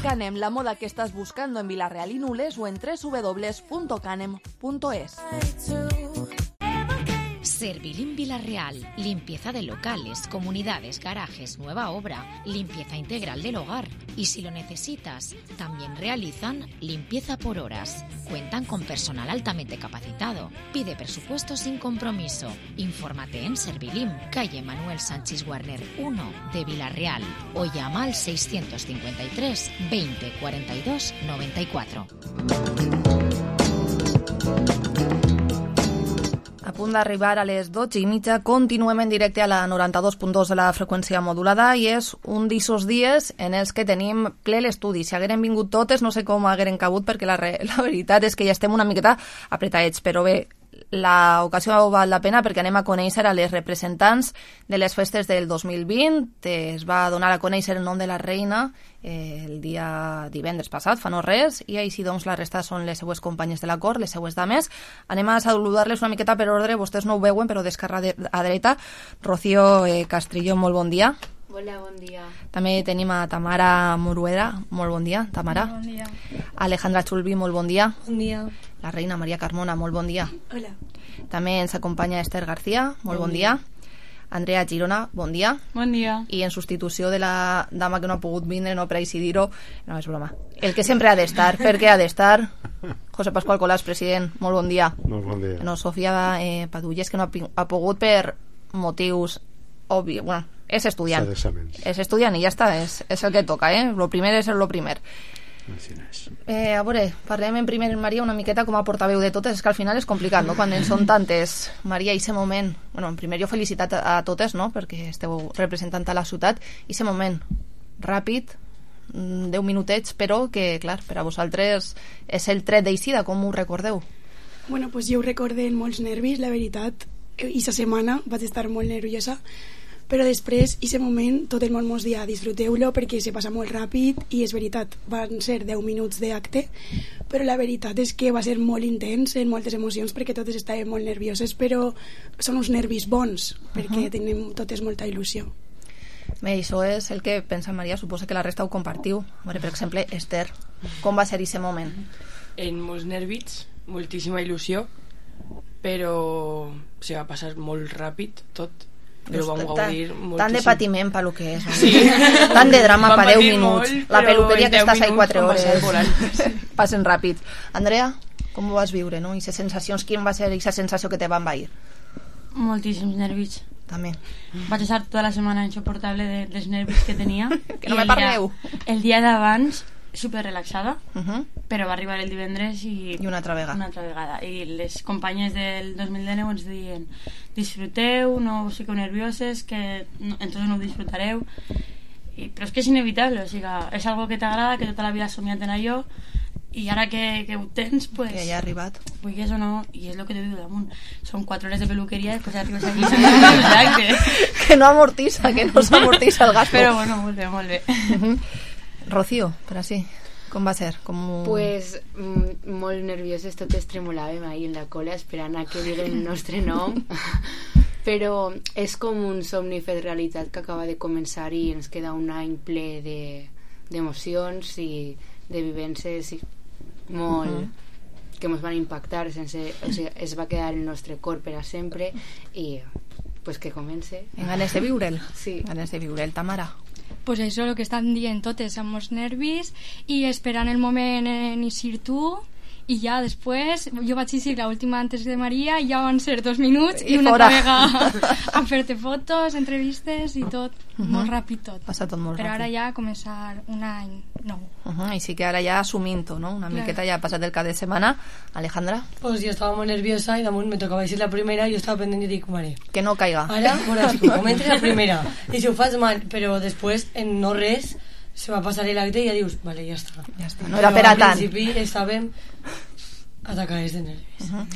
Canem, la moda que estás buscando en Vila-real y Nules o en doble u doble u doble u punto canem punto es. Servilim Vila-real, limpieza de locales, comunidades, garajes, nueva obra, limpieza integral del hogar. Y si lo necesitas, también realizan limpieza por horas. Cuentan con personal altamente capacitado. Pide presupuesto sin compromiso. Infórmate en Servilim, calle Manuel Sánchez Warner uno de Vila-real, o llama al seiscientos cincuenta y tres veinte cuarenta y dos noventa y cuatro. punt d'arribar a les dotze i mitja, continuem en directe a la noranta-dos punt dos de la freqüència modulada i és un d'aquests dies en els que tenim ple l'estudi. Si hagueren vingut totes, no sé com hagueren cabut, perquè la, re, la veritat és que ja estem una miqueta apretadets, però bé, l'ocasió val la pena perquè anem a conèixer a les representants de les festes del dos mil vint. Es va donar a conèixer el nom de la reina eh, el dia divendres passat, fa no res, i així doncs la resta són les seues companyes de la cort, les seues dames. Anem a saludar-les una miqueta per ordre, vostès no ho veuen, però d'esquerra a dreta. Rocío eh, Castrillo, molt bon dia. Hola, bon dia. També tenim a Tamara Morueda, molt bon dia, Tamara. Bon dia. Alejandra Chulbi, molt bon dia. Bon dia. La reina Maria Carmona, molt bon dia. Hola. També ens acompanya Esther García, molt bon, bon dia. dia. Andrea Girona, bon dia. Bon dia. I en substitució de la dama que no ha pogut vindre, no per així dir-ho, no, és broma. El que sempre ha d'estar, perquè ha d'estar, José Pascual Colás, president, molt bon dia. Molt bon dia. No, Sofia eh, Padulles, que no ha, ha pogut per motius obvis, bueno, és estudiant. És estudiant i ja està, és, és el que toca, eh? Lo primer és el lo primer. Eh, a veure, parlem en primer, Maria, una miqueta com a portaveu de totes, és que al final és complicat, no?, quan en són tantes. Maria, i aquest moment, bueno, en primer jo felicitat a, a totes, no?, perquè esteu representant a la ciutat, i aquest moment ràpid, deu minutets, però que, clar, per a vosaltres és el tret d'eixida, com ho recordeu? Bueno, pues jo ho recorde amb molts nervis, la veritat, i sa setmana vaig estar molt nerviosa, però després, i aquest moment, tot el món mos dia disfruteu-lo perquè se passa molt ràpid i és veritat, van ser deu minuts d'acte, però la veritat és que va ser molt intens, en moltes emocions, perquè totes estàvem molt nervioses, però són uns nervis bons, perquè uh-huh. tenim totes molta il·lusió. Bé, això és el que pensa Maria, suposa que la resta ho compartiu. Veure, per exemple, Esther, com va ser aquest moment? En molts nervis, moltíssima il·lusió, però se va passar molt ràpid tot. Però vam gaudir moltíssim. Tant de patiment per lo que és, sí. Tant de drama per deu minuts, molt, la peluqueria que estàs ahí quatre hores passen ràpid. Andrea, com ho vas viure, no? I les sensacions, quin va ser aquesta sensació que te va envair? Moltíssims nervis. També. Vaig estar tota la setmana insoportable de, dels nervis que tenia. Que no me parleu. El dia d'abans super relaxada, uh-huh. però va arribar el divendres i... I una altra vegada. Una altra vegada. I les companyes del dos mil dinou ens diuen disfruteu, no us fiqueu nervioses, que no, entonces no ho disfrutareu. I, però és que és inevitable, o sigui, és algo que t'agrada, que tota la vida has somiat en allò, i ara que, que ho tens, pues... Que ja ha arribat. Vulguis o no, i és el que te diu damunt. Són quatre hores de peluqueria i després arribes aquí i que... que no amortissa, que no s'amortissa el gasto. Però bueno, molt bé, molt bé. Uh-huh. Rocío, per així, com va ser? Com... Pues mm, molt nervioses, totes tremolàvem ahí en la cola esperant a que diguen el nostre nom, però és com un somni fet realitat que acaba de començar i ens queda un any ple de, d'emocions i de vivències i molt... Uh-huh. que ens van impactar, sense, o sigui, es va quedar el nostre cor per a sempre i pues que comence. En ganes de viure'l? Sí. Ganes de viure'l, Tamara. Pues això, el que estan dient totes, amb els nervis i esperant el moment en eixir tu i ja després jo vaig eixir l'última antes de Maria i ja van ser dos minuts i, i una altra vegada a fer-te fotos, entrevistes i tot, uh-huh. molt ràpid tot. Passa tot molt però ràpid. Ara ja començar un any nou. Uh-huh. I sí que ara ja assumint-ho, no? Una claro. Miqueta ja ha passat el cap de setmana. Alejandra? Pues jo estava molt nerviosa i damunt me tocava eixir la primera i jo estava pendent i dic, mare, que no caiga. Ara, bueno, si com entri la primera i si ho faig mal, però després en no res se va passar l'acte i ja dius, vale, ja està. Ja està. No era per a tant. Al principi estàvem atacades de nervis. Uh-huh.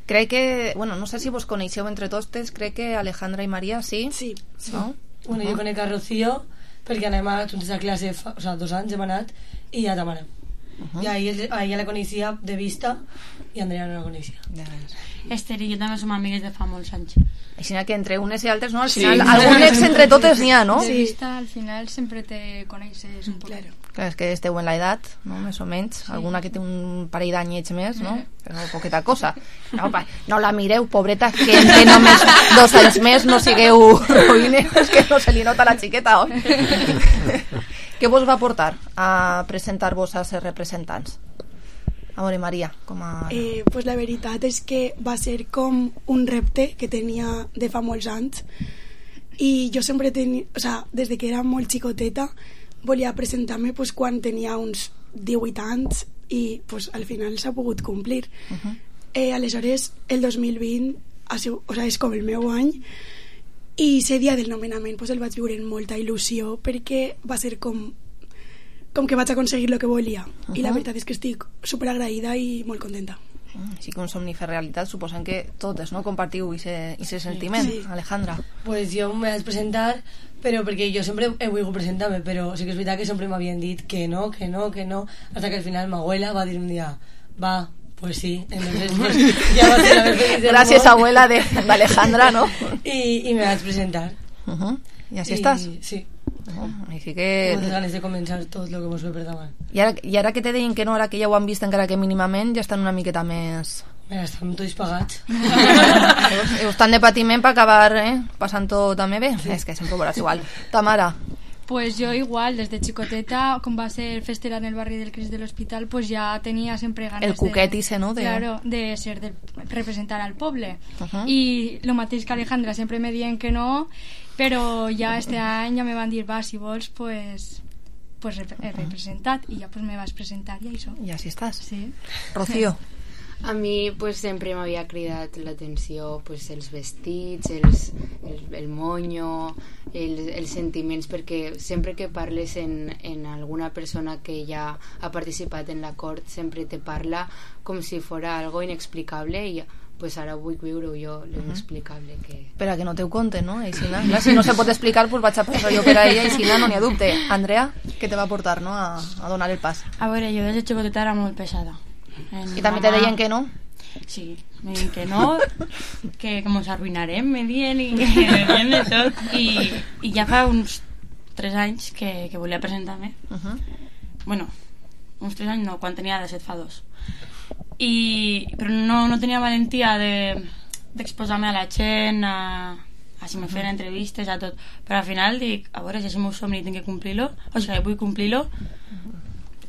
Crec que, bueno, no sé si vos coneixeu entre totes, crec que Alejandra i Maria, sí? Sí. ¿No? Bueno, uh-huh. jo conec a Rocío perquè anem a juntes a classe, fa, o sea, dos anys hem anat, i ja Tamara. Uh-huh. I a ella, a ella la coneixia de vista i Andrea no la coneixia. Ja Esther i jo també som amigues de fa molts anys. Així que entre unes i altres, no? Al final, sí. Algun ex entre totes n'hi ha, no? De vista, al final, sempre te coneixes un poc. Claro. Clar, és que esteu en l'edat, no? Més o menys. Sí. Alguna que té un parell d'anyets més, no? Però poqueta cosa. No, pa, no la mireu, pobreta, que entre només dos anys més no sigueu ruïnes, que no se li nota la xiqueta, oi? Què vos va portar a presentar-vos a ser representants? A veure, Maria, com a... Eh, pues la veritat és que va ser com un repte que tenia de fa molts anys i jo sempre tenia, o sea, des de que era molt xicoteta volia presentar-me pues, quan tenia uns divuit anys i pues, al final s'ha pogut complir. Uh-huh. eh, aleshores el dos mil vint ha sigut, o sigui, és com el meu any, i ese dia del nomenament pues, el vaig viure amb molta il·lusió perquè va ser com com que vaig aconseguir el que volia. Uh -huh. I la veritat és que estic superagraïda i molt contenta. Així que un somni fer realitat, suposem que totes, no?, compartiu aquest sentiment. Sí. Alejandra. Pues jo me vaig presentar, però perquè jo sempre he volgut presentar-me, però sí que és veritat que sempre m'havien dit que no, que no, que no, hasta que al final ma abuela va dir un dia, va, pues sí, entonces pues, ya va a ser la vez feliz del Gràcies, món. abuela de, de Alejandra, ¿no? I, i me vaig presentar. Uh -huh. I així estàs? Sí. Uh, així que... Moltes ganes de començar tot el que mos ve per davant. I ara, I ara que te deien que no, ara que ja ho han vist encara que mínimament, ja estan una miqueta més... Mira, estan tots pagats. Ho estan de patiment per acabar eh, passant-ho també bé. Sí. És que sempre ho veuràs igual. Tamara. Pues yo igual, desde chicoteta, como va a ser festera en el barrio del Cristo del Hospital, pues ya tenía siempre ganas el cuquet de... ese, ¿no? De... Claro, de ser, de representar al poble. Uh-huh. Y lo mateix que Alejandra, siempre me diuen que no, pero ya este any ya me van dir, va, si vols, pues... pues he representat, i ja pues me vas presentar i això. I així estàs. Sí. Rocío. A mi pues, sempre m'havia cridat l'atenció pues, els vestits, els, el, el monyo, el, els sentiments, perquè sempre que parles en, en alguna persona que ja ha participat en la cort, sempre te parla com si fora algo inexplicable i pues ara vull viure jo l'inexplicable que... Per a que no te ho conten, no? Aixina. Clar, si no se pot explicar, pues vaig a passar jo per a ella, aixina, no n'hi ha dubte. Andrea, què te va portar, no?, a, a donar el pas. A veure, jo des de xicoteta era molt pesada. I també te deien que no? Sí, me diuen que no, que, que mos arruïnarem, me diuen, i que me diuen de tot. I, i ja fa uns tres anys que, que volia presentar-me. Uh-huh. Bueno, uns tres anys no, quan tenia de set fa dos. I, però no, no tenia valentia de, d'exposar-me a la gent, a, a si me feien entrevistes, a tot. Però al final dic, a veure, si és el meu somni i tinc que complir-lo, o sigui, vull complir-lo,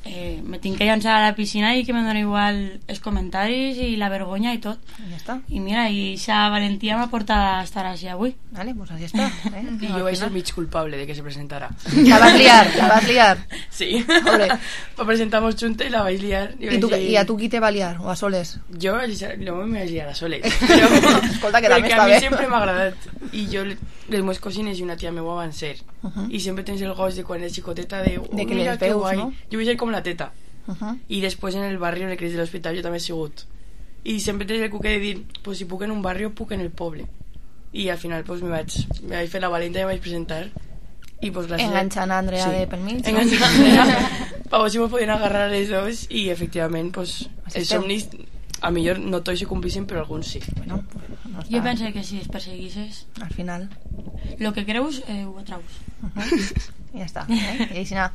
eh, me tinc que llançar a la piscina i que me dona igual els comentaris i la vergonya i tot. I ja està. I mira, i aquesta valentia m'ha portat a estar així avui. Vale, pues així està. Eh? I jo vaig ser mig culpable de que se presentara. La vas liar, la vas liar. Sí. Va presentar-nos junta i la vaig liar. I, I, tu, dir... I a tu qui te va liar? O a soles? Jo no me vaig liar a soles. Però, escolta, que també està bé. Perquè a mi sempre m'ha agradat. I jo, les meves cosines i una tia meva van ser. Uh -huh. I sempre tens el goig de quan és xicoteta de, oh, de que mira les veus, guai. No? Jo vull ser com la teta. Uh -huh. I després en el barri on el Cristo de l'Hospital jo també he sigut. I sempre tens el cuquet de dir, pues si puc en un barri puc en el poble. I al final pues, me, vaig, me vaig fer la valenta i me vaig presentar. I, pues, gràcies... Enganxant a Andrea sí. de pel mig. Enganxant a Andrea. Per veure si me podien agarrar les dos i efectivament pues, els somnis a millor no tots se complixen però alguns sí. Bueno, no jo penso que si es perseguisses al final lo que creus eh, ho atraus. Uh-huh. I ja està. Eh? I així anar.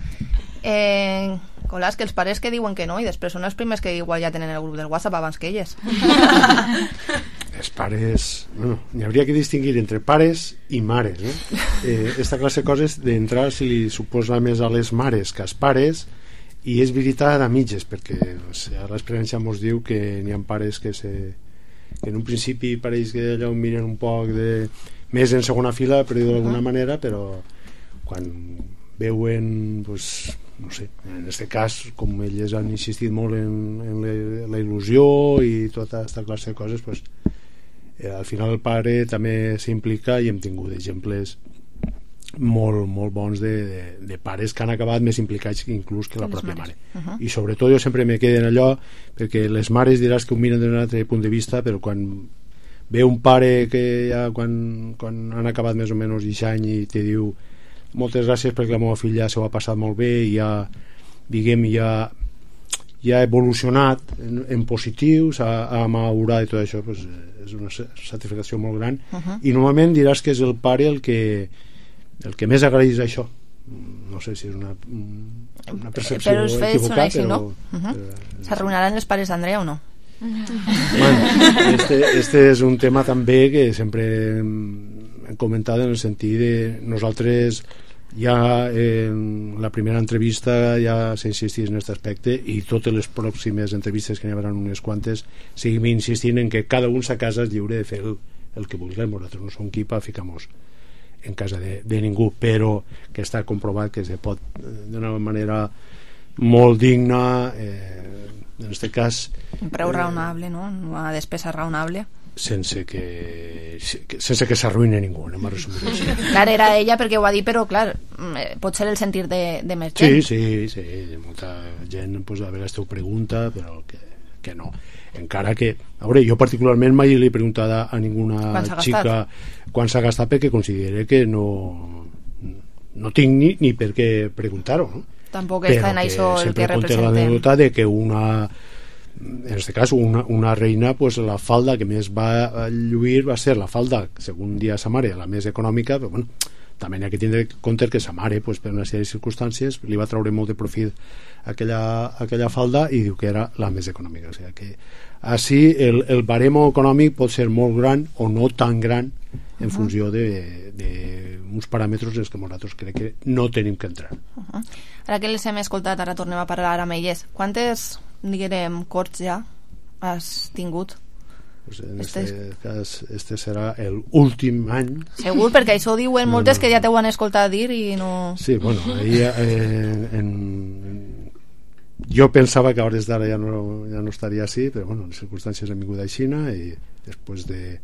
Eh, Colàs, que els pares que diuen que no i després són els primers que igual ja tenen el grup del WhatsApp abans que elles. Els pares... Bueno, n'hi hauria que distingir entre pares i mares, no? Eh, esta classe de coses d'entrar si li suposa més a les mares que als pares, i és veritat a mitges, perquè o sigui, l'experiència ens diu que n'hi ha pares que, se, que en un principi pareix que allò miren un poc de, més en segona fila, per dir-ho d'alguna manera, però quan veuen pues, no sé, en aquest cas com elles han insistit molt en, en la, la il·lusió i tota aquesta classe de coses pues, eh, al final el pare també s'implica i hem tingut exemples molt, molt bons de, de, de pares que han acabat més implicats inclús que la pròpia mare. Uh-huh. I sobretot jo sempre me quedo en allò perquè les mares diràs que ho miren d'un altre punt de vista, però quan ve un pare que ja quan, quan han acabat més o menys aquest any i te diu moltes gràcies perquè la meva filla s'ho ha passat molt bé i ja, diguem, ja, ja ha evolucionat en, en positiu, s'ha madurat i tot això, pues, és una satisfacció molt gran. Uh-huh. I normalment diràs que és el pare el que el que més agraeix això. No sé si és una, una percepció però els fets equivocada, són així, no? però, uh-huh. S'arruïnaran els pares d'Andrea o no? Bueno, este, este és un tema també que sempre hem comentat en el sentit de nosaltres ja en la primera entrevista ja s'insistís en aquest aspecte i totes les pròximes entrevistes que n'hi haurà unes quantes seguim insistint en que cada un a casa és lliure de fer el, el que vulgui. Nosaltres no som qui per ficar-nos en casa de, de ningú, però que està comprovat que se pot d'una manera molt digna, eh, en aquest cas un preu raonable, no? Una despesa raonable. sense que sense que s'arruïni ningú, anem a resumir això. Clar, era ella perquè ho ha dit, però clar, pot ser el sentir de, de més gent. Sí, sí, sí, molta gent pues, a vegades t'ho pregunta, però que, que no. Encara que, a veure, jo particularment mai li he preguntat a ninguna xica quan s'ha gastat, perquè considere que no no tinc ni, ni per què preguntar-ho, no? Tampoc està en això el que representen. Sempre conté l'anècdota de que una, en aquest cas, una, una reina, pues, la falda que més va lluir va ser la falda, segons dia sa mare, la més econòmica, però bueno, també hi ha que tindre en compte que sa mare, pues, per una sèrie de circumstàncies, li va treure molt de profit aquella, aquella falda i diu que era la més econòmica. O sigui que així el, el baremo econòmic pot ser molt gran o no tan gran en funció d'uns paràmetres en què nosaltres crec que no tenim que entrar. Uh -huh. Ara que les hem escoltat, ara tornem a parlar amb elles. Quantes, diguem, corts ja has tingut? Pues en este, este cas, este serà l'últim any. Segur, perquè això ho diuen no, moltes no, no. que ja t'ho han escoltat dir i no... Sí, bueno, ahí eh, en, en... jo pensava que a hores d'ara ja no, ja no estaria així, però bueno, les circumstàncies han vingut a Xina i després de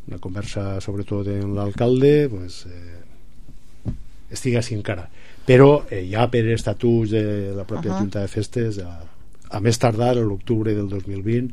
una conversa sobretot amb l'alcalde, pues, eh, estic així encara. Però eh, ja per estatuts de la pròpia uh -huh. Junta de Festes, a, a més tardar, a l'octubre del dos mil vint,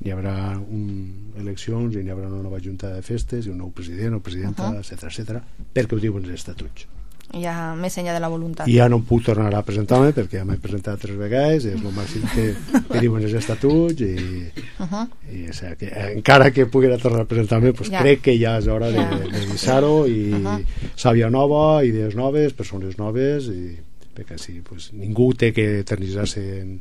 hi haurà un, eleccions i hi haurà una nova Junta de Festes i un nou president o presidenta, uh -huh. etcètera, etcètera, perquè ho diuen els estatuts. Ja més enllà de la voluntat. I ja no puc tornar a presentar-me perquè ja m'he presentat tres vegades, és el màxim que, que diuen els estatuts i, uh -huh. i o sigui, que, encara que puguera tornar a presentar-me, pues ja. crec que ja és hora de, ja. de deixar-ho i uh -huh. sàvia nova, idees noves, persones noves i perquè així pues, ningú té que eternitzar-se en,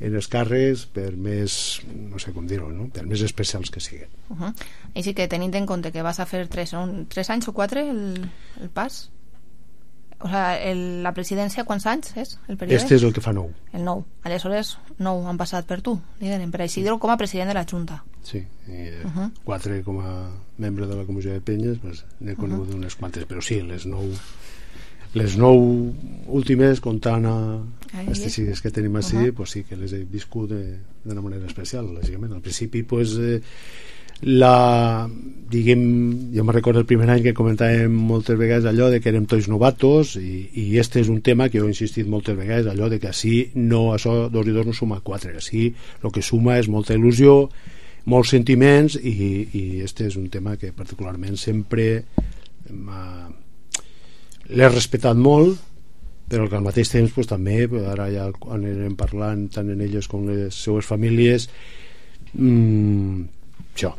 en els càrrecs per més, no sé com dir-ho, no? per més especials que siguin. Uh -huh. I sí que tenint en compte que vas a fer tres, un, tres anys o quatre el, el pas? O sea, el, la presidència, quants anys és el període? Este és el que fa nou. El nou. Aleshores, nou han passat per tu, diguem, per Isidro com a president de la Junta. Sí, i uh -huh. quatre com a membre de la comissió de penyes, pues, n'he conegut uh -huh. unes quantes, però sí, les nou les nou últimes, comptant a aquestes sigues que tenim així, uh -huh. pues sí que les he viscut d'una manera especial, lògicament. Al principi, pues... Eh, la, diguem, jo me recordo el primer any que comentàvem moltes vegades allò de que érem tots novatos i, i este és un tema que jo he insistit moltes vegades, allò de que així no, això dos i dos no suma quatre, així el que suma és molta il·lusió, molts sentiments i, i este és un tema que particularment sempre l'he respectat molt, però que al mateix temps pues, també, ara ja anirem parlant tant en elles com les seues famílies, mmm, això,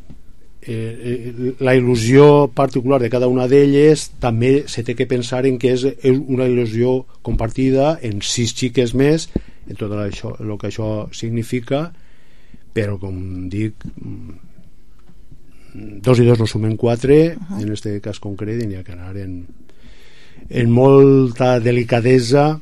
eh, la il·lusió particular de cada una d'elles també se té que pensar en que és una il·lusió compartida en sis xiques més, en tot això, el que això significa, però com dic, dos i dos no sumen quatre, uh -huh. en aquest cas concret, i n'hi ha que anar en, en molta delicadesa,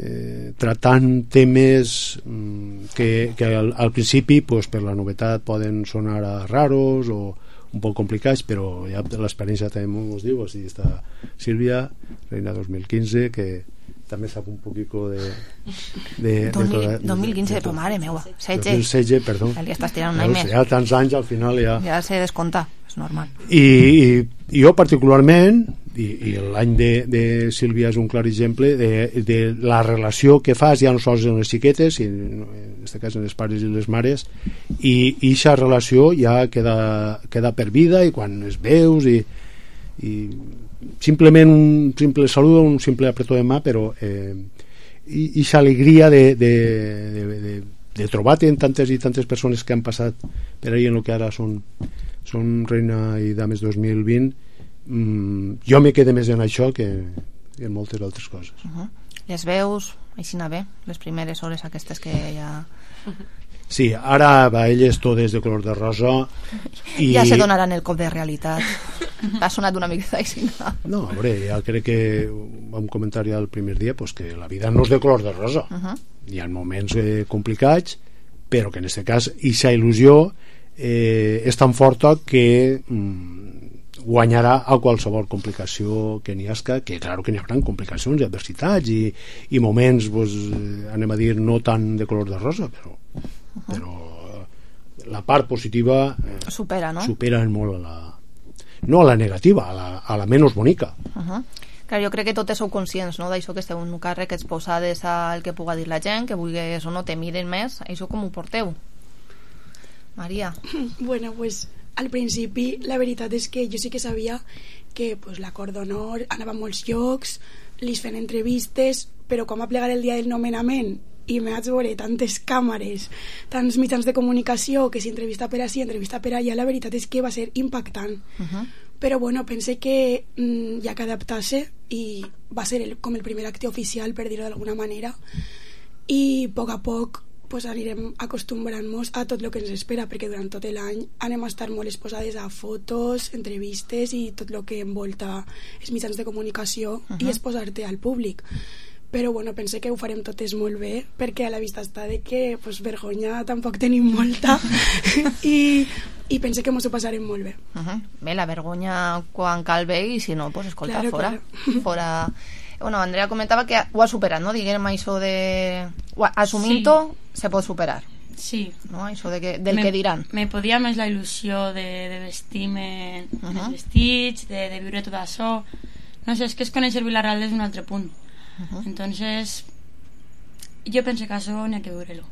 Eh, tratant temes mm, que, que al, al principi pues, per la novetat poden sonar a raros o un poc complicats, però ja l'experiència també ens diu, així està Sílvia, reina dos mil quinze, que també sap un poquito de... de, dos mil, de, de dos mil quinze, de, de, de mare meua, setze. dos mil setze, perdó. Ja li estàs tirant un any més. Ja tants anys al final ja... Ja se descompta, és normal. I, i, i jo particularment, i, i l'any de, de Sílvia és un clar exemple de, de la relació que fas ja no sols en les xiquetes, i en aquest cas en els pares i les mares, i aquesta relació ja queda, queda per vida, i quan es veus i, i simplement un simple saludo, un simple apretó de mà, però eh, i aquesta alegria de, de, de, de, de trobar-te en tantes i tantes persones que han passat per ahí en el que ara són, són Reina i Dames dos mil vint, mm, jo me quedé més en això que, que en moltes altres coses. Uh -huh. Les veus, així anar bé, les primeres hores aquestes que ja... Sí, ara va elles totes de color de rosa i... Ja se donaran el cop de realitat. Ha sonat una mica així. No, a veure, ja crec que vam comentar ja el primer dia pues, que la vida no és de color de rosa. Uh -huh. Hi ha moments eh, complicats, però que en aquest cas aquesta il·lusió eh, és tan forta que mm, guanyarà a qualsevol complicació que n'hi hagi, que clar que n'hi haurà complicacions i adversitats i, i moments, pues, anem a dir, no tan de color de rosa, però, uh -huh. però la part positiva eh, supera, no? supera molt a la... no a la negativa, a la, a la menys bonica. Uh -huh. Clar, jo crec que totes sou conscients, no?, d'això, que esteu en un càrrec exposades al que puga dir la gent, que vulguis o no te miren més, això com ho porteu? Maria. Bueno, pues al principi la veritat és que jo sí que sabia que pues, la Cor d'Honor anava a molts llocs, li feien entrevistes, però quan va plegar el dia del nomenament i me vaig veure tantes càmeres, tants mitjans de comunicació, que si entrevista per ací, entrevista per allà, la veritat és que va ser impactant. Uh-huh. Però bueno, pensé que mmm, hi ha que adaptar-se i va ser el, com el primer acte oficial, per dir-ho d'alguna manera, i a poc a poc pues, anirem acostumbrant-nos a tot el que ens espera, perquè durant tot l'any anem a estar molt exposades a fotos, entrevistes i tot el que envolta els mitjans de comunicació uh-huh. i exposar-te al públic. Però bueno, pensé que ho farem totes molt bé, perquè a la vista està de que pues, vergonya tampoc tenim molta i, i pensé que mos ho passarem molt bé. Uh-huh. Bé, la vergonya quan cal bé, i si no, pues escolta, claro, fora, claro. fora. Bueno, Andrea comentava que ho ha superat, no? Diguem això de... Assumint-ho, sí. Se pot superar. Sí. No? Això de que, del me, que diran. Me podia més la il·lusió de, de vestir-me uh-huh. els vestits, de, de viure tot això. No sé, és que és conèixer Vila-real des d'un altre punt. Uh-huh. Entonces, jo penso que això n'hi ha que veure-lo.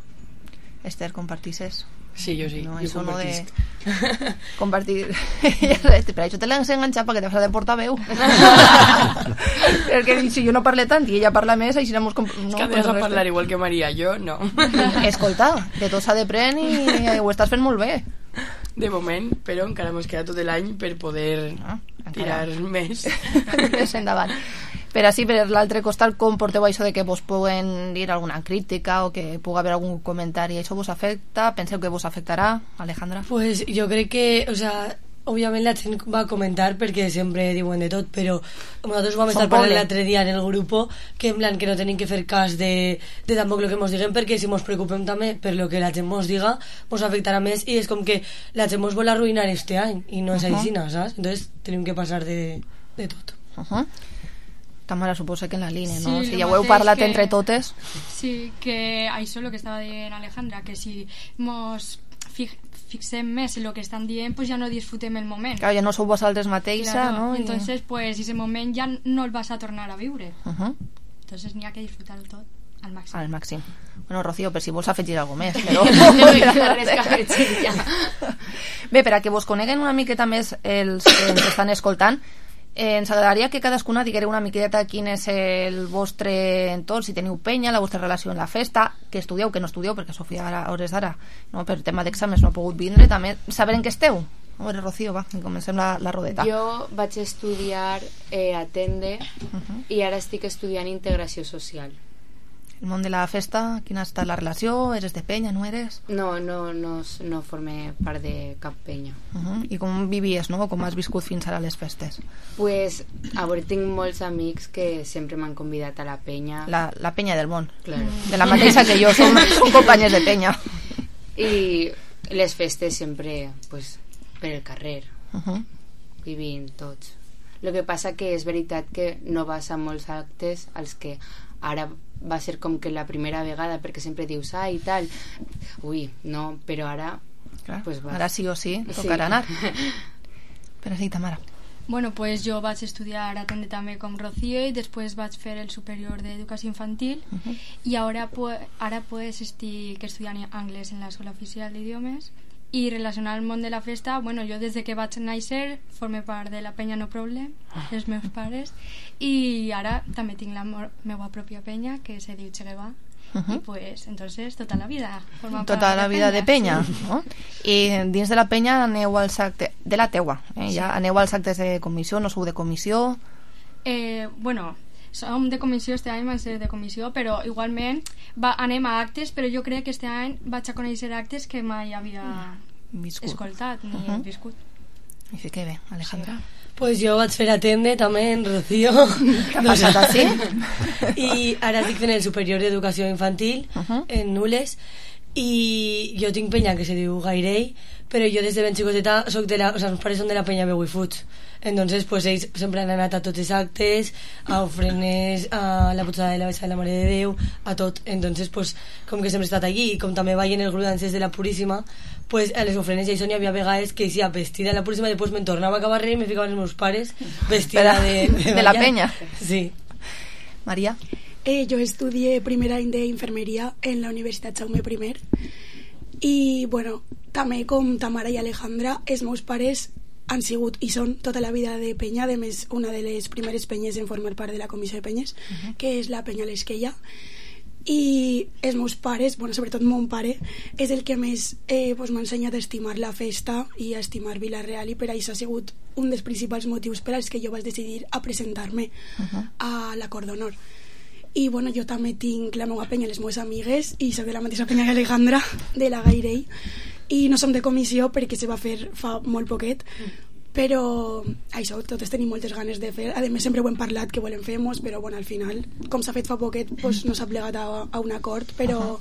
Esther, compartisses? Sí, jo sí, no, jo compartisc. De... Compartir... per això te l'has enganxat, perquè te fas de portaveu. Perquè si jo no parle tant i ella parla més, així no... És que has de parlar igual que Maria, jo no. Escolta, de tot s'ha de pren i ho estàs fent molt bé. De moment, però encara mos queda tot l'any per poder ah, tirar més. Més endavant. Per així, per l'altre costat, com porteu això de que vos puguen dir alguna crítica o que pugui haver algun comentari? Això vos afecta? Penseu que vos afectarà, Alejandra? Pues jo crec que, o sea, òbviament la gent va a comentar perquè sempre diuen de tot, però nosaltres vam estar parlant l'altre dia en el grup que en plan que no tenim que fer cas de, de tampoc el que mos diguen, perquè si mos preocupem també per lo que la gent mos diga mos afectarà més, i és com que la gent mos vol arruïnar este any i no és uh -huh. així, saps? Entonces tenim que passar de, de tot. Uh -huh. Tamara, suposa que en la línia, no? Sí, si ja ho heu parlat que, entre totes. Sí, que això és el que estava dient Alejandra, que si mos fi, fixem més en el que estan dient, pues ja no disfrutem el moment. Clar, ja no sou vosaltres mateixa, claro, no? Entonces, pues, ese moment ja no el vas a tornar a viure. Uh -huh. Entonces, n'hi ha que disfrutar tot al màxim. Al màxim. Bueno, Rocío, per si vols afegir alguna més, però... Bé, per a que vos coneguen una miqueta més els que ens estan escoltant, Eh, ens agradaria que cadascuna diguera una miqueta quin és el vostre entorn, si teniu penya, la vostra relació en la festa, que estudieu, que no estudieu, perquè Sofia ara, a hores d'ara, no, per tema d'exàmens no ha pogut vindre, també saber en què esteu. A veure, Rocío, va, comencem la, la rodeta. Jo vaig estudiar eh, a Tende uh -huh. i ara estic estudiant integració social. El món de la festa, quina ha estat la relació? Eres de penya, no eres? No, no, no, no formé part de cap penya. Uh -huh. I com vivies, no? Com has viscut fins ara les festes? Pues, a veure, tinc molts amics que sempre m'han convidat a la penya. La, la penya del món. Claro. De la mateixa que jo, som, som companyes de penya. I les festes sempre, pues, per el carrer. Uh -huh. Vivint tots. El que passa que és veritat que no vas a molts actes als que ara va ser com que la primera vegada, perquè sempre dius ah i tal, ui, no, però ara clar, pues va. Ara sí o sí tocarà sí. anar. Però sí, Tamara. Bueno, pues jo vaig estudiar a Tende també com Rocío i després vaig fer el superior d'educació infantil uh -huh. i ara, ara pues estic estudiant anglès en l'Escola Oficial d'Idiomes. I relacionat al món de la festa, bueno, jo des de que vaig néixer formé part de la penya No Problem, els meus pares, i ara també tinc la meva pròpia penya que se diu Chegueva, uh -huh. i pues entonces tota la vida tota la vida de penya, no? I dins de la penya aneu als actes de la teua, eh? Ja aneu als actes de comissió, no sou de comissió? Eh, bueno, som de comissió, este any vam ser de comissió, però igualment va, anem a actes, però jo crec que este any vaig a conèixer actes que mai havia viscut. escoltat ni uh -huh. viscut. I sí que bé, Alejandra. Sí. Pues jo vaig fer a Tende també en Rocío. Què ha passat així? I ara estic fent el superior d'educació infantil uh -huh. en Nules i jo tinc penya que se diu Gairei, però jo des de ben xicoteta soc de la, o sea, els pares són de la penya Beu i Fuig, entonces pues ells sempre han anat a tots els actes, a ofrenes, a la putzada de la Bessa de la Mare de Déu, a tot, entonces pues com que sempre he estat allí, i com també vaig en el grup d'ances de la Puríssima, pues a les ofrenes ja hi hi havia vegades que hi vestida de la Puríssima, després me'n tornava a acabar i me ficaven els meus pares vestida de, de, de la penya. Sí. Maria? Eh, jo estudié primer any d'infermeria en la Universitat Jaume I i, bueno, també com Tamara i Alejandra, els meus pares han sigut i són tota la vida de penya, a més una de les primeres penyes en formar part de la comissió de penyes, uh -huh. que és la penya L'Esquella, i els meus pares, bueno, sobretot mon pare, és el que més eh, pues, m'ha ensenyat a estimar la festa i a estimar Vila-real, i per això ha sigut un dels principals motius per als que jo vaig decidir a presentar-me uh -huh. a la Cor d'Honor. I bueno, jo també tinc la meva penya, les meves amigues, i soc de la mateixa penya que Alejandra, de la Gairei, i no som de comissió perquè se va fer fa molt poquet, però això, totes tenim moltes ganes de fer. A més, sempre ho hem parlat que volem fer-nos, però bueno, al final, com s'ha fet fa poquet, pues, no s'ha plegat a, a un acord, però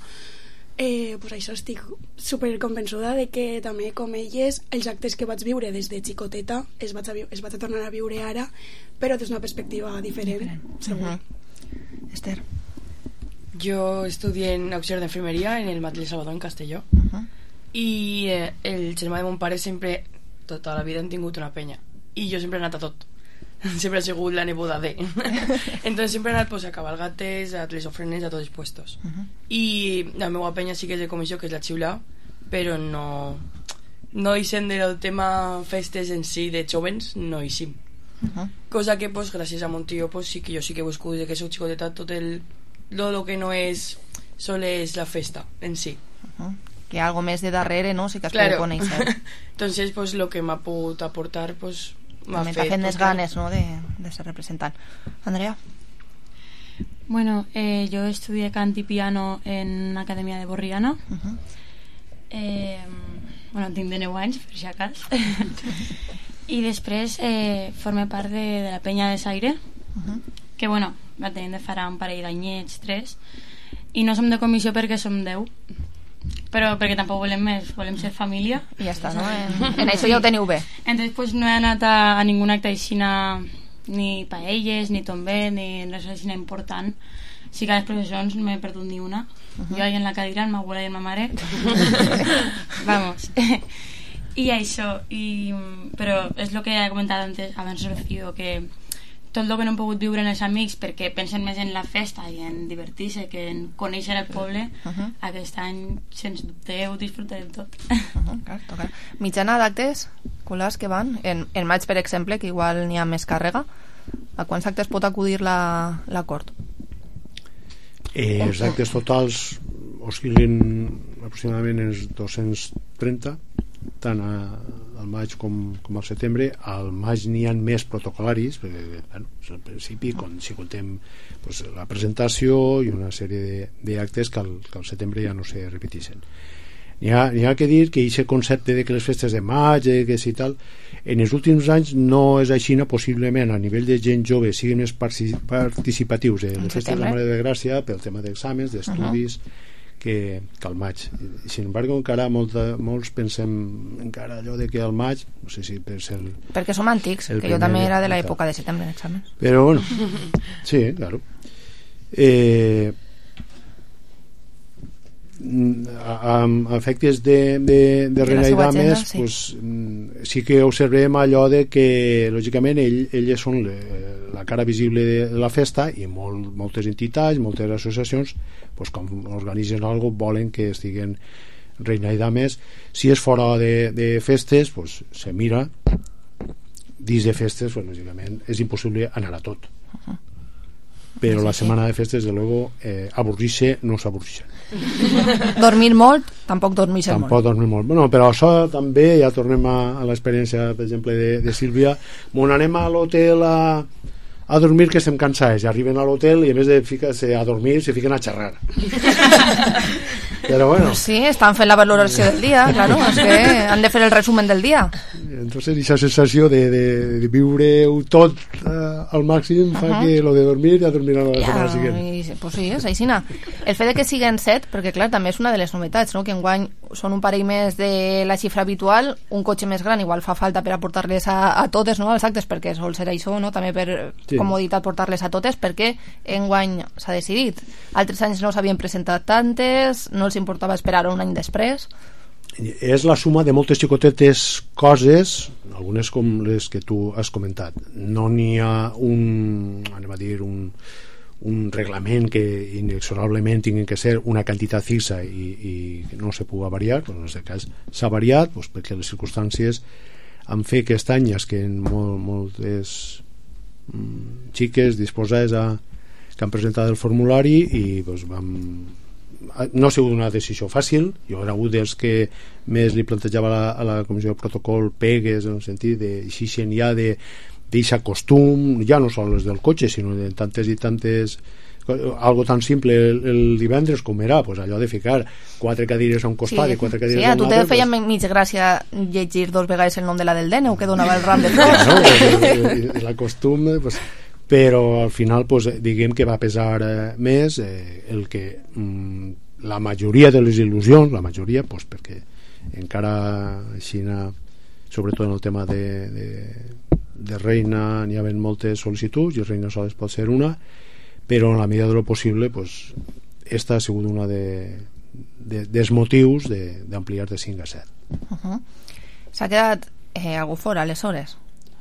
eh, pues això, estic super convençuda de que també, com elles, els actes que vaig viure des de xicoteta es vaig a, es vaig a tornar a viure ara, però des d'una perspectiva diferent, diferent. Segur. Uh-huh. Esther? Jo estudié en auxiliar d'enfermeria en el Matlle Salvador, en Castelló, uh-huh. i eh, el germà de mon pare sempre, tota la vida, han tingut una penya, i jo sempre he anat a tot, sempre he sigut la neboda de entonces sempre he anat pues, a cabalgates, a les ofrenes, a tots els puestos, uh-huh. i la meva penya sí que és de comissió, que és la Xiula, però no no hi sent del tema festes en si de jovens, no hi sim. Uh-huh. Cosa que pues, gràcies a mon tio pues, sí que jo sí que he buscat des que soc xicoteta tot el lo, lo que no és sols és la festa en si, uh-huh. que hi ha algo més de darrere, no? Sí que es claro. pot conèixer. Entonces pues lo que m'ha pogut aportar pues m'ha fet fet fet més ganes, no? de, de ser representant. Andrea? Bueno, eh, jo estudié cant i piano en una acadèmia de Borriana. Uh-huh. eh, bueno, tinc de nou anys per si acas. I després eh, formé part de, de la penya de Saire, uh-huh. que bueno, la tenim de farà un parell d'anyets, tres, i no som de comissió perquè som deu, però perquè tampoc volem més, volem ser família i ja està, no? En, en això ja ho teniu bé. Entonces pues no he anat a, a ningun acte aixina, ni paelles, ni tombé, ni res aixina important. Sí que a les professions no m'he perdut ni una. Uh-huh. Jo ahí en la cadira, amb ma abuela i amb ma mare. Vamos. I això, i, però és el que he comentat antes, abans Rocío, que tot el que no hem pogut viure en els amics perquè pensen més en la festa i en divertir-se que en conèixer el poble, uh-huh. aquest any, sens dubte, ho disfrutarem tot. Uh-huh, clar, toca. Mitjana d'actes, culars que van, en, en maig, per exemple, que igual n'hi ha més càrrega, a quants actes pot acudir la, la cort? Eh, els actes totals oscil·len aproximadament els dos-cents trenta, tant a, al maig com, com al setembre. Al maig n'hi ha més protocolaris perquè, bueno, al principi quan, si contem pues, la presentació i una sèrie d'actes que, que al setembre ja no se repeteixen. N'hi ha, n'hi ha que dir que aquest concepte de que les festes de maig eh, que si tal, en els últims anys no és així, possiblement a nivell de gent jove siguin més participatius en les festes de la Mare de Gràcia pel tema d'exàmens, d'estudis, uh-huh. que, que al maig. Sin embargo, encara molta, molts pensem encara allò de que al maig, no sé si per ser el, perquè som antics, que jo també era de l'època de setembre d'exàmens. Però bueno, sí, claro. Eh, a, a efectes de, de, de Reina i Dames, sí. Pues, sí que observem allò de que lògicament ell, elles són le, la cara visible de la festa i molt, moltes entitats, moltes associacions pues, com organitzen algo volen que estiguen Reina i Dames. Si és fora de, de festes pues, se mira, dins de festes pues, lògicament és impossible anar a tot. Uh-huh. Però sí, la setmana sí. de festes, de luego, eh, avorrir-se no s'avorrir. Dormir molt, tampoc dormir-se molt. Tampoc dormir molt. Bueno, però això també, ja tornem a, a l'experiència, per exemple, de, de Sílvia. Bon, anem a l'hotel a, a dormir que estem cansats, i arriben a l'hotel i en vez de ficar-se a dormir se fiquen a xerrar. Però bueno, sí, estan fent la valoració del dia, claro, és que han de fer el resumen del dia. Entonces esa sensació de, de, de viure-ho tot uh, al màxim fa uh -huh. que lo de dormir ja dormir a la ja, setmana següent. I, pues sí, és aixina. El fet de que siguen set, perquè clar, també és una de les novetats, no? Que enguany són un parell més de la xifra habitual, un cotxe més gran igual fa falta per aportar-les a, a totes, no? Als actes, perquè sol ser això, no? També per sí. comoditat portar-les a totes, perquè enguany s'ha decidit. Altres anys no s'havien presentat tantes, no els importava esperar un any després. És la suma de moltes xicotetes coses, algunes com les que tu has comentat. No n'hi ha un, anem a dir, un, un reglament que inexorablement tingui que ser una quantitat fixa i, i no se pugui variar, però en aquest cas s'ha variat doncs, perquè les circumstàncies han fet aquest any és que en molt, moltes mm, xiques disposades a, que han presentat el formulari i doncs, vam no ha sigut una decisió fàcil. Jo era un dels que més li plantejava a la, a la comissió de protocol pegues en el sentit de xixen ja de d'aquest costum, ja no sols del cotxe sinó de tantes i tantes algo tan simple el, el divendres com era pues allò de ficar quatre cadires a un costat sí, i quatre cadires sí, a un altre. Sí, a tu te feia pues... mig gràcia llegir dos vegades el nom de la del D N U que donava el ram de flors. Claro, pues, el costum pues, però al final pues, diguem que va pesar eh, més eh, el que mm, la majoria de les il·lusions, la majoria pues, perquè encara així sobretot en el tema de, de, de Reina n'hi havia moltes sol·licituds i Reina sols pot ser una, però en la medida de lo possible pues, esta ha sigut una de, de, dels motius d'ampliar de, de cinc a set. Uh -huh. S'ha quedat eh, algú fora aleshores?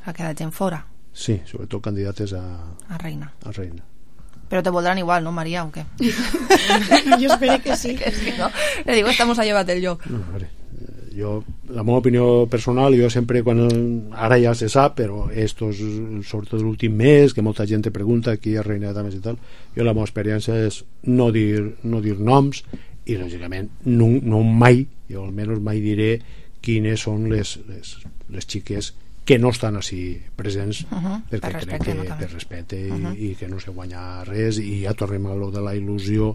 S'ha quedat gent fora? Sí, sobretot candidates a, a Reina. A Reina. Pero te voldrán igual, ¿no, María? ¿O qué? Yo espero que sí. Que sí, ¿no? Le digo, estamos a llevar del yo. No, vale. Jo, la meva opinió personal, jo sempre, quan ara ja se sap, però estos, sobretot l'últim mes, que molta gent te pregunta aquí a Reina de Dames i tal, jo la meva experiència és no dir, no dir noms i, lògicament, no, no mai, jo almenys mai diré quines són les, les, les xiques que no estan així presents uh -huh, perquè per crec que no, per respecte uh -huh. i, i que no se guanya res i ja tornem a lo de la il·lusió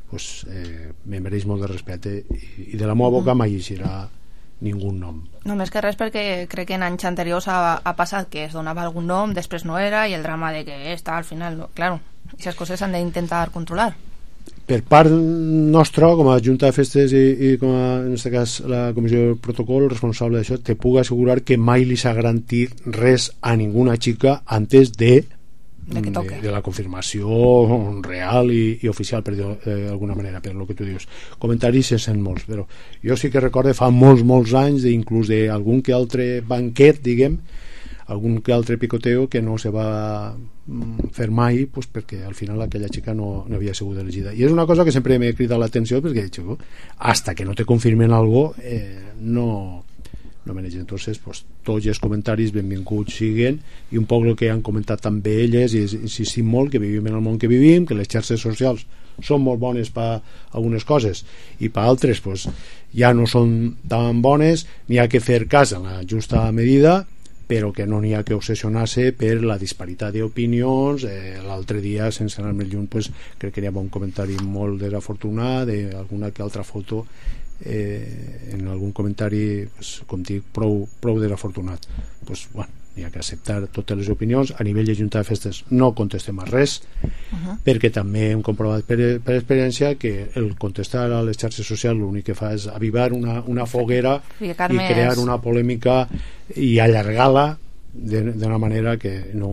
pues, eh, me mereix molt de respecte i, i de la meva boca uh -huh. mai eixirà ningú nom. No més que res perquè crec que en anys anteriors ha, ha passat que es donava algun nom, després no era i el drama de que està al final, no, claro, aquestes coses s'han d'intentar controlar. Per part nostra, com a Junta de Festes i, i com a, en aquest cas, la Comissió de Protocol responsable d'això, te puc assegurar que mai li s'ha garantit res a ninguna xica antes de de, que toque. de, de la confirmació real i, i oficial, per dir d'alguna manera, per lo que tu dius. Comentaris se sent molts, però jo sí que recordo fa molts, molts anys, inclús d'algun que altre banquet, diguem, algun que altre picoteo que no se va fer mai pues, perquè al final aquella xica no, no havia sigut elegida i és una cosa que sempre m'he cridat l'atenció perquè he dit, hasta que no te confirmen algo eh, no no me n'he. Entonces pues, tots els comentaris benvinguts siguen i un poc el que han comentat també elles i insistim molt que vivim en el món que vivim, que les xarxes socials són molt bones per algunes coses i per altres pues, ja no són tan bones, n'hi ha que fer cas en la justa medida però que no n'hi ha que obsessionar-se per la disparitat d'opinions. Eh, l'altre dia, sense anar més lluny, pues, crec que hi havia un comentari molt desafortunat d'alguna que altra foto eh, en algun comentari pues, com dic, prou, prou desafortunat. Pues, bueno, n'hi ha que acceptar totes les opinions. A nivell de Junta de Festes no contestem a res uh -huh. perquè també hem comprovat per, per experiència que el contestar a les xarxes socials l'únic que fa és avivar una, una foguera i crear una polèmica i allargar-la d'una manera que no,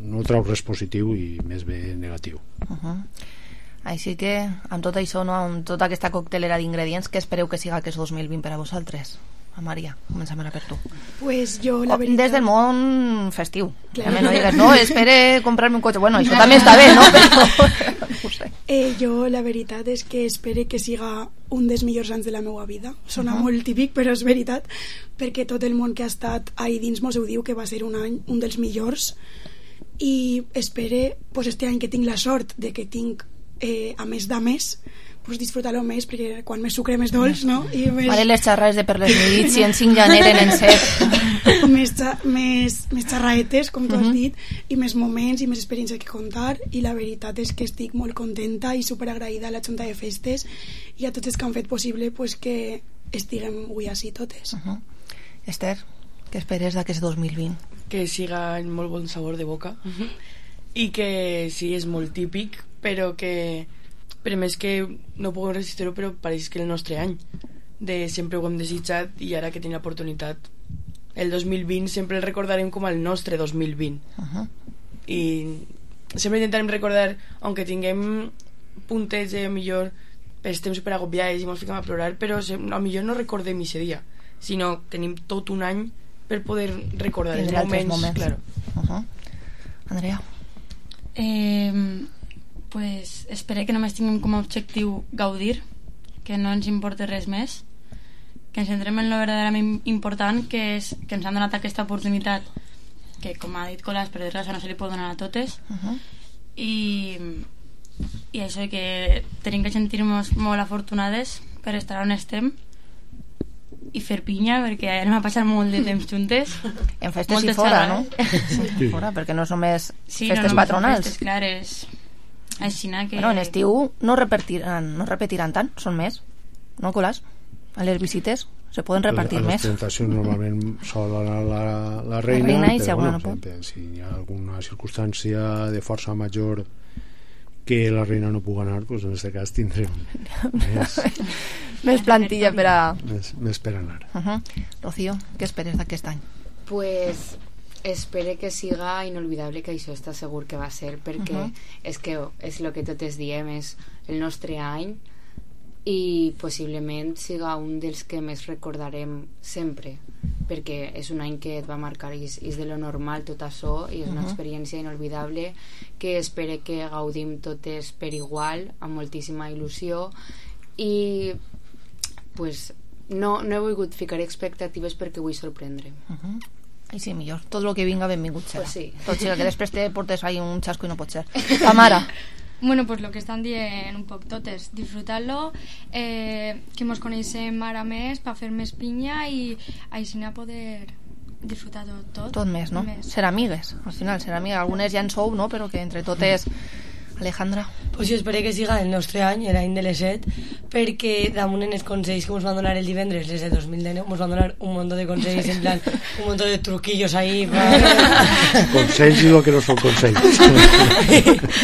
no trau res positiu i més bé negatiu. Uh -huh. Així que amb tot això, no, amb tota aquesta coctelera d'ingredients, què espereu que siga aquest dos mil vint per a vosaltres? A Maria, comencem ara per tu. Pues jo, la veritat... Des del món festiu. Claro. No digues, no, espere comprarme un cotxe. Bueno, això també està bé, no? Però... no sé. Eh, jo, la veritat és que espere que siga un dels millors anys de la meva vida. Sona uh -huh. molt típic, però és veritat, perquè tot el món que ha estat ahí dins mos ho diu que va ser un any, un dels millors, i espere, pues, este any que tinc la sort de que tinc, eh, a més de més, pues, disfrutar-lo més, perquè quan més sucre més dolç, no? I més... Vale, les xarrades de per les nits, si en cinc ja n'eren en set. més, més, més xarraetes, com tu has dit, i més moments i més experiències que contar, i la veritat és que estic molt contenta i superagraïda a la Junta de Festes i a tots els que han fet possible pues, que estiguem avui així totes. Uh -huh. Esther, què esperes d'aquest dos mil vint? Que siga en molt bon sabor de boca uh -huh. i que sí, és molt típic, però que per més que no puguem resistir-ho, però pareix que el nostre any de sempre ho hem desitjat i ara que tenim l'oportunitat el dos mil vint sempre el recordarem com el nostre dos mil vint uh -huh. i sempre intentarem recordar, aunque tinguem puntets de millor estem superagobiats i ens fiquem a plorar, però a millor no recordem aquest dia, sinó tenim tot un any per poder recordar els moments, moments. Claro. Uh -huh. Andrea? Eh, pues espero que només tinguem com a objectiu gaudir, que no ens importi res més, que ens centrem en lo verdaderament important, que és que ens han donat aquesta oportunitat que, com ha dit Colàs, per desgràcia no se li pot donar a totes uh -huh. i, i això, que tenim que sentir-nos molt afortunades per estar on estem i fer pinya, perquè anem a passar molt de temps juntes en festes Moltes i fora, no? Sí. Fora, perquè no és només sí, festes no, no, patronals festes, clar, és així que... Bueno, en estiu no repetiran, no repetiran tant, són més, no, Colàs? A les visites se poden repartir a les més. presentacions normalment sol anar la, la reina, la reina i però si alguna bueno, no pot. Si hi ha alguna circumstància de força major que la reina no pugui anar, doncs en aquest cas tindrem més, més plantilla per a... més, més per anar. Uh -huh. Rocío, què esperes d'aquest any? Pues espero que siga inolvidable, que això està segur que va ser, perquè uh -huh. és que és el que totes diem, és el nostre any i possiblement siga un dels que més recordarem sempre, perquè és un any que et va marcar i és, és de lo normal tot això i és una uh -huh. experiència inolvidable que espero que gaudim totes per igual, amb moltíssima il·lusió i pues no, no he volgut ficar expectatives perquè vull sorprendre. Uh -huh. I sí, millor, tot el que vinga benvingut serà. Pues sí. Tot siga que després te portes ahí un xasco i no pot ser. Tamara. Bueno, pues lo que estan dient un poc totes, disfrutar-lo, eh, que mos coneixem ara més per fer més pinya i així a poder disfrutar tot, tot. Tot més, no? Més. Ser amigues, al final, ser amigues. Algunes ja en sou, no? Però que entre totes... Alejandra? Pues jo espero que siga el nostre any, l'any de les set, perquè damunt en els consells que ens van donar el divendres, les de dos mil dinou, ens van donar un munt de consells, en plan, un munt de truquillos ahí. Consells i el que no són consells.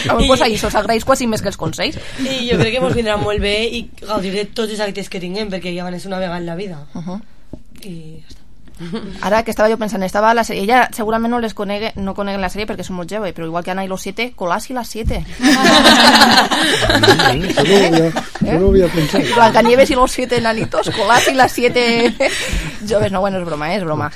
Doncs pues ahí s'os agraeix quasi més que els consells. I jo crec que ens vindrà molt bé i gaudiré tots els actes que tinguem, perquè ja van ser una vegada en la vida. Uh -huh. I ja està. Ara que estava jo pensant, estava a la sèrie, ella segurament no les conegue, no coneguen la sèrie perquè són molt jove, però igual que Ana i los siete, Colàs i las siete. Yo no había pensado. Blancanieves y los siete enanitos, Colàs i las siete joves. No, bueno, és broma, eh? És broma.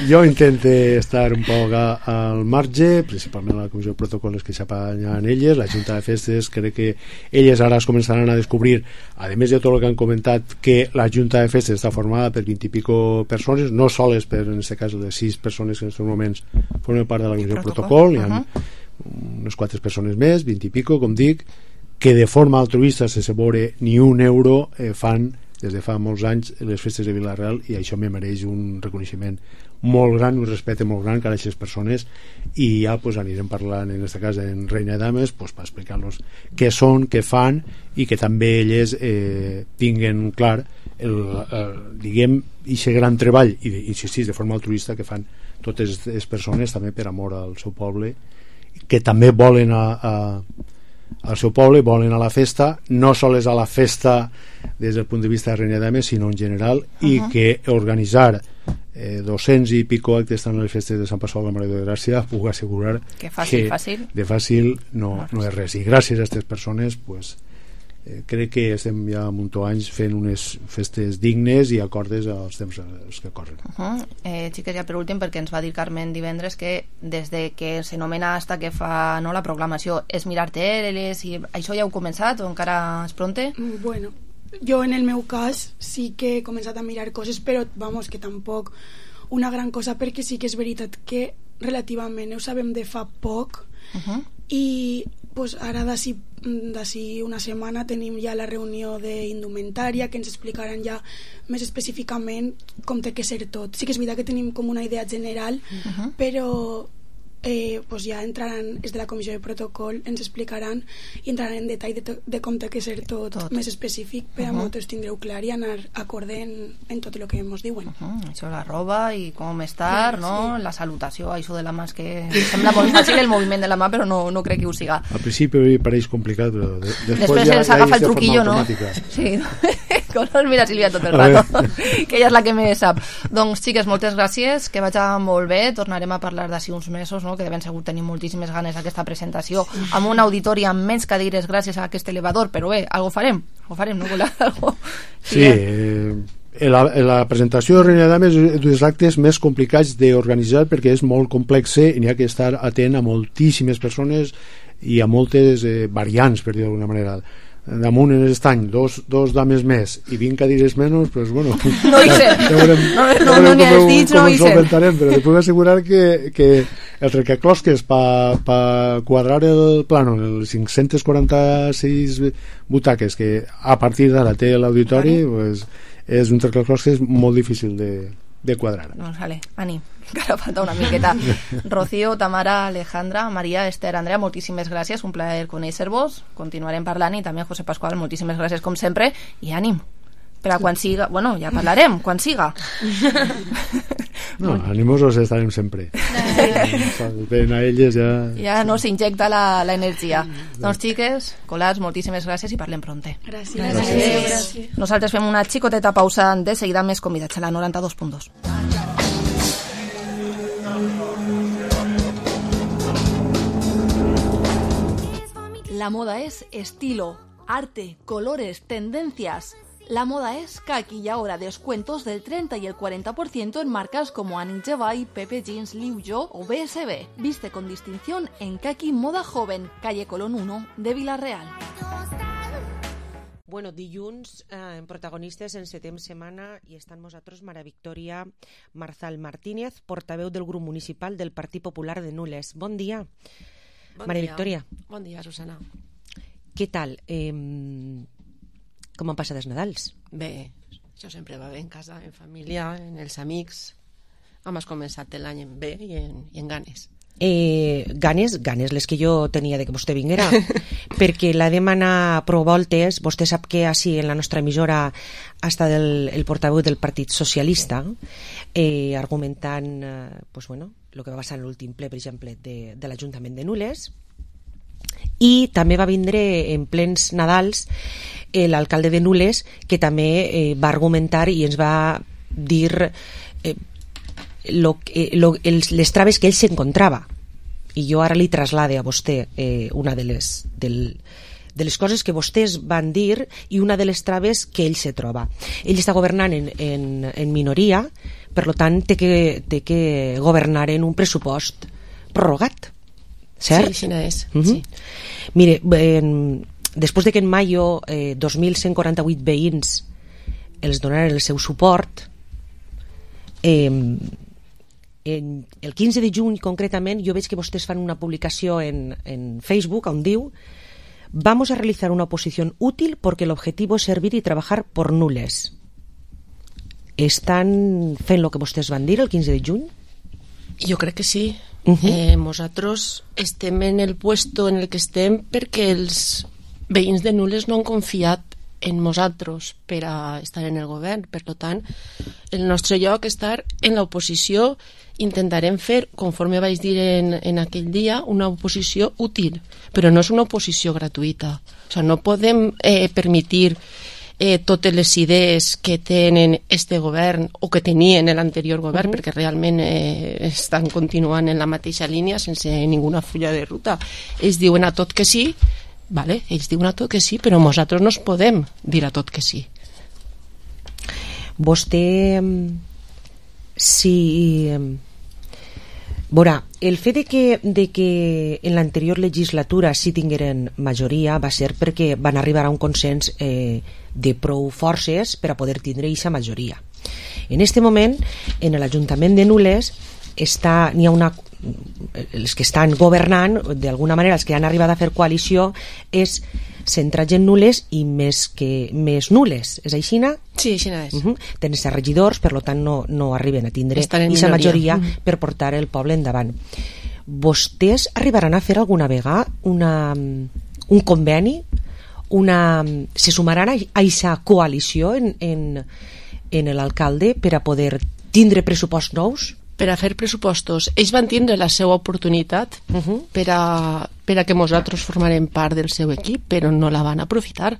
Jo intente estar un poc a, al marge, principalment a la comissió de protocols que s'apanyen elles, la Junta de Festes, crec que elles ara es començaran a descobrir, a més de tot el que han comentat, que la Junta de Festes està formada per vint i pico persones, no soles per en aquest cas de sis persones que en aquests moments formen part de la comissió de protocol, hi ha uh-huh. unes quatre persones més, vint i pico, com dic, que de forma altruista, sense veure ni un euro, eh, fan des de fa molts anys les festes de Vila-real, i això me mereix un reconeixement molt gran, un respecte molt gran a aquestes persones, i ja pues, anirem parlant en aquest cas en Reina de Dames pues, per explicar-los què són, què fan, i que també elles eh, tinguen clar el, el, diguem, aquest gran treball i insistir de forma altruista que fan totes les persones també per amor al seu poble, que també volen a, a, al seu poble, volen a la festa, no sols a la festa des del punt de vista de Reina de Dames, sinó en general, uh-huh. i que organitzar eh, dos-cents i pico actes tant a les festes de Sant Pasqual de la Mare de Gràcia puc assegurar que, fàcil, que fàcil. de fàcil no, no és res, i gràcies a aquestes persones pues, eh, crec que estem ja munt anys fent unes festes dignes i acordes als temps als que corren. Uh -huh. eh, xiques, ja per últim, perquè ens va dir Carmen divendres que des de que s'anomena hasta que fa no, la proclamació és mirar teles, i això ja heu començat o encara és pronte? Bueno, jo en el meu cas sí que he començat a mirar coses, però vamos, que tampoc una gran cosa, perquè sí que és veritat que relativament ho sabem de fa poc, uh -huh. i pues ara d'ací d'ací una setmana tenim ja la reunió d'indumentària que ens explicaran ja més específicament com té que ser tot. Sí que és veritat que tenim com una idea general, uh-huh. però eh, pues ja entraran, des de la comissió de protocol ens explicaran i entraran en detall de, to, de com té que ser tot, tot. més específic per a uh-huh. vosaltres tindreu clar i anar acorde en, en tot el que ens diuen. Uh-huh. Això, la roba i com estar, sí, no? Sí. La salutació, això de la mà, és que sembla molt fàcil el moviment de la mà, però no, no crec que ho siga. Al principi pareix complicat, però de, després, després ja, s'agafa ja el truquillo, no? Sí, com no mira Sílvia tot el rato, que ella és la que més sap. Doncs, xiques, moltes gràcies, que vaig molt bé, tornarem a parlar d'ací uns mesos, no? Que de ben segur tenim moltíssimes ganes d'aquesta presentació, amb un auditori amb menys cadires gràcies a aquest elevador, però bé, algo farem, algo farem, no? Algo... Sí, sí eh, la, la presentació de Reina Dames és dels actes més complicats d'organitzar perquè és molt complex i n'hi ha que estar atent a moltíssimes persones i a moltes eh, variants, per dir d'alguna manera. Damunt en l'estany dos, dos dames més i vint cadires menys, pues bueno, no hi sé, ja veurem, no, no, ja no n'hi has dit, com no hi sé, però te puc assegurar que, que el recaclosques per pa quadrar el plano, els cinc-centes quaranta-sis butaques que a partir d'ara té l'auditori, pues, és un recaclosques molt difícil de, de quadrar. Doncs vale, Ani, encara falta una miqueta. Rocío, Tamara, Alejandra, Maria, Esther, Andrea, moltíssimes gràcies, un plaer conèixer-vos, continuarem parlant, i també José Pascual, moltíssimes gràcies com sempre, i ànim per a quan siga, bueno, ja parlarem quan siga. No, animosos estarem sempre. Ben a elles ja... Ja no s'injecta la, la energia. Doncs, xiques, colats, moltíssimes gràcies i parlem pronte. Gràcies. Gràcies. Gràcies. Nosaltres fem una xicoteta pausa, de seguida més convidats a la noranta-dos punt dos. La moda es estilo, arte, colores, tendencias. La moda es Kaki y ahora descuentos del treinta y el cuarenta por ciento en marcas como Annie Jevay, Pepe Jeans, Liu Yo o B S B. Viste con distinción en Kaki Moda Joven, calle Colón uno de Vila-real. Bueno, dilluns eh, en protagonistes encetem setmana i està amb nosaltres Mara Victòria Marzal Martínez, portaveu del grup municipal del Partit Popular de Nules. Bon dia. Bon Mara dia. Victòria. Bon dia, Susana. Què tal? Eh, com han passat els Nadals? Bé, això sempre va bé en casa, en família, en els amics. Hem començat l'any en bé i en, i en ganes. Eh, ganes, ganes les que jo tenia de que vostè vinguera perquè la demana prou voltes. Vostè sap que així en la nostra emissora ha estat el, el portaveu del Partit Socialista eh, argumentant eh, pues bueno, el que va passar en l'últim ple, per exemple, de, de l'Ajuntament de Nules, i també va vindre en plens Nadals eh, l'alcalde de Nules, que també eh, va argumentar i ens va dir eh, Lo, eh, lo, els, les traves que ell s'encontrava, i jo ara li traslade a vostè eh, una de les, del, de les coses que vostès van dir i una de les traves que ell se troba. Ell està governant en, en, en minoria, per tant té que, té que governar en un pressupost prorrogat, cert? Sí, així és. Uh-huh. Sí. Mire, en, després de que en maio eh, dos mil cent quaranta-vuit veïns els donaren el seu suport, eh, En el quinze de juny concretament jo veig que vostès fan una publicació en, en Facebook on diu: vamos a realizar una oposición útil porque el objetivo es servir y trabajar por Nules. Estan fent el que vostès van dir el quinze de juny? Jo crec que sí. Uh-huh. eh, nosaltres estem en el puesto en el que estem perquè els veïns de Nules no han confiat en nosaltres per a estar en el govern. Per tant, el nostre lloc és estar en l'oposició. Intentarem fer, conforme vaig dir en, en aquell dia, una oposició útil, però no és una oposició gratuïta. O sigui, no podem eh, permetir eh, totes les idees que tenen este govern o que tenien l'anterior govern, uh-huh. perquè realment eh, estan continuant en la mateixa línia sense ninguna fulla de ruta. Ells diuen a tot que sí, vale, ells diuen a tot que sí, però nosaltres no es podem dir a tot que sí. Vostè, si veurà, el fet de que, de que en l'anterior legislatura sí tingueren majoria va ser perquè van arribar a un consens eh, de prou forces per a poder tindre aquesta majoria. En aquest moment, en l'Ajuntament de Nules està, n'hi ha una, els que estan governant, d'alguna manera els que han arribat a fer coalició, és centrar gent nules i més, que, més nules. És aixina? Sí, aixina és. Uh -huh. Tenen ser regidors, per tant no, no arriben a tindre aquesta majoria uh -huh. per portar el poble endavant. Vostès arribaran a fer alguna vegada una, un conveni? Una, se sumaran a aquesta coalició en, en, en l'alcalde per a poder tindre pressuposts nous? Per a fer pressupostos. Ells van tindre la seva oportunitat uh -huh. per, a, per a que nosaltres formarem part del seu equip, però no la van aprofitar.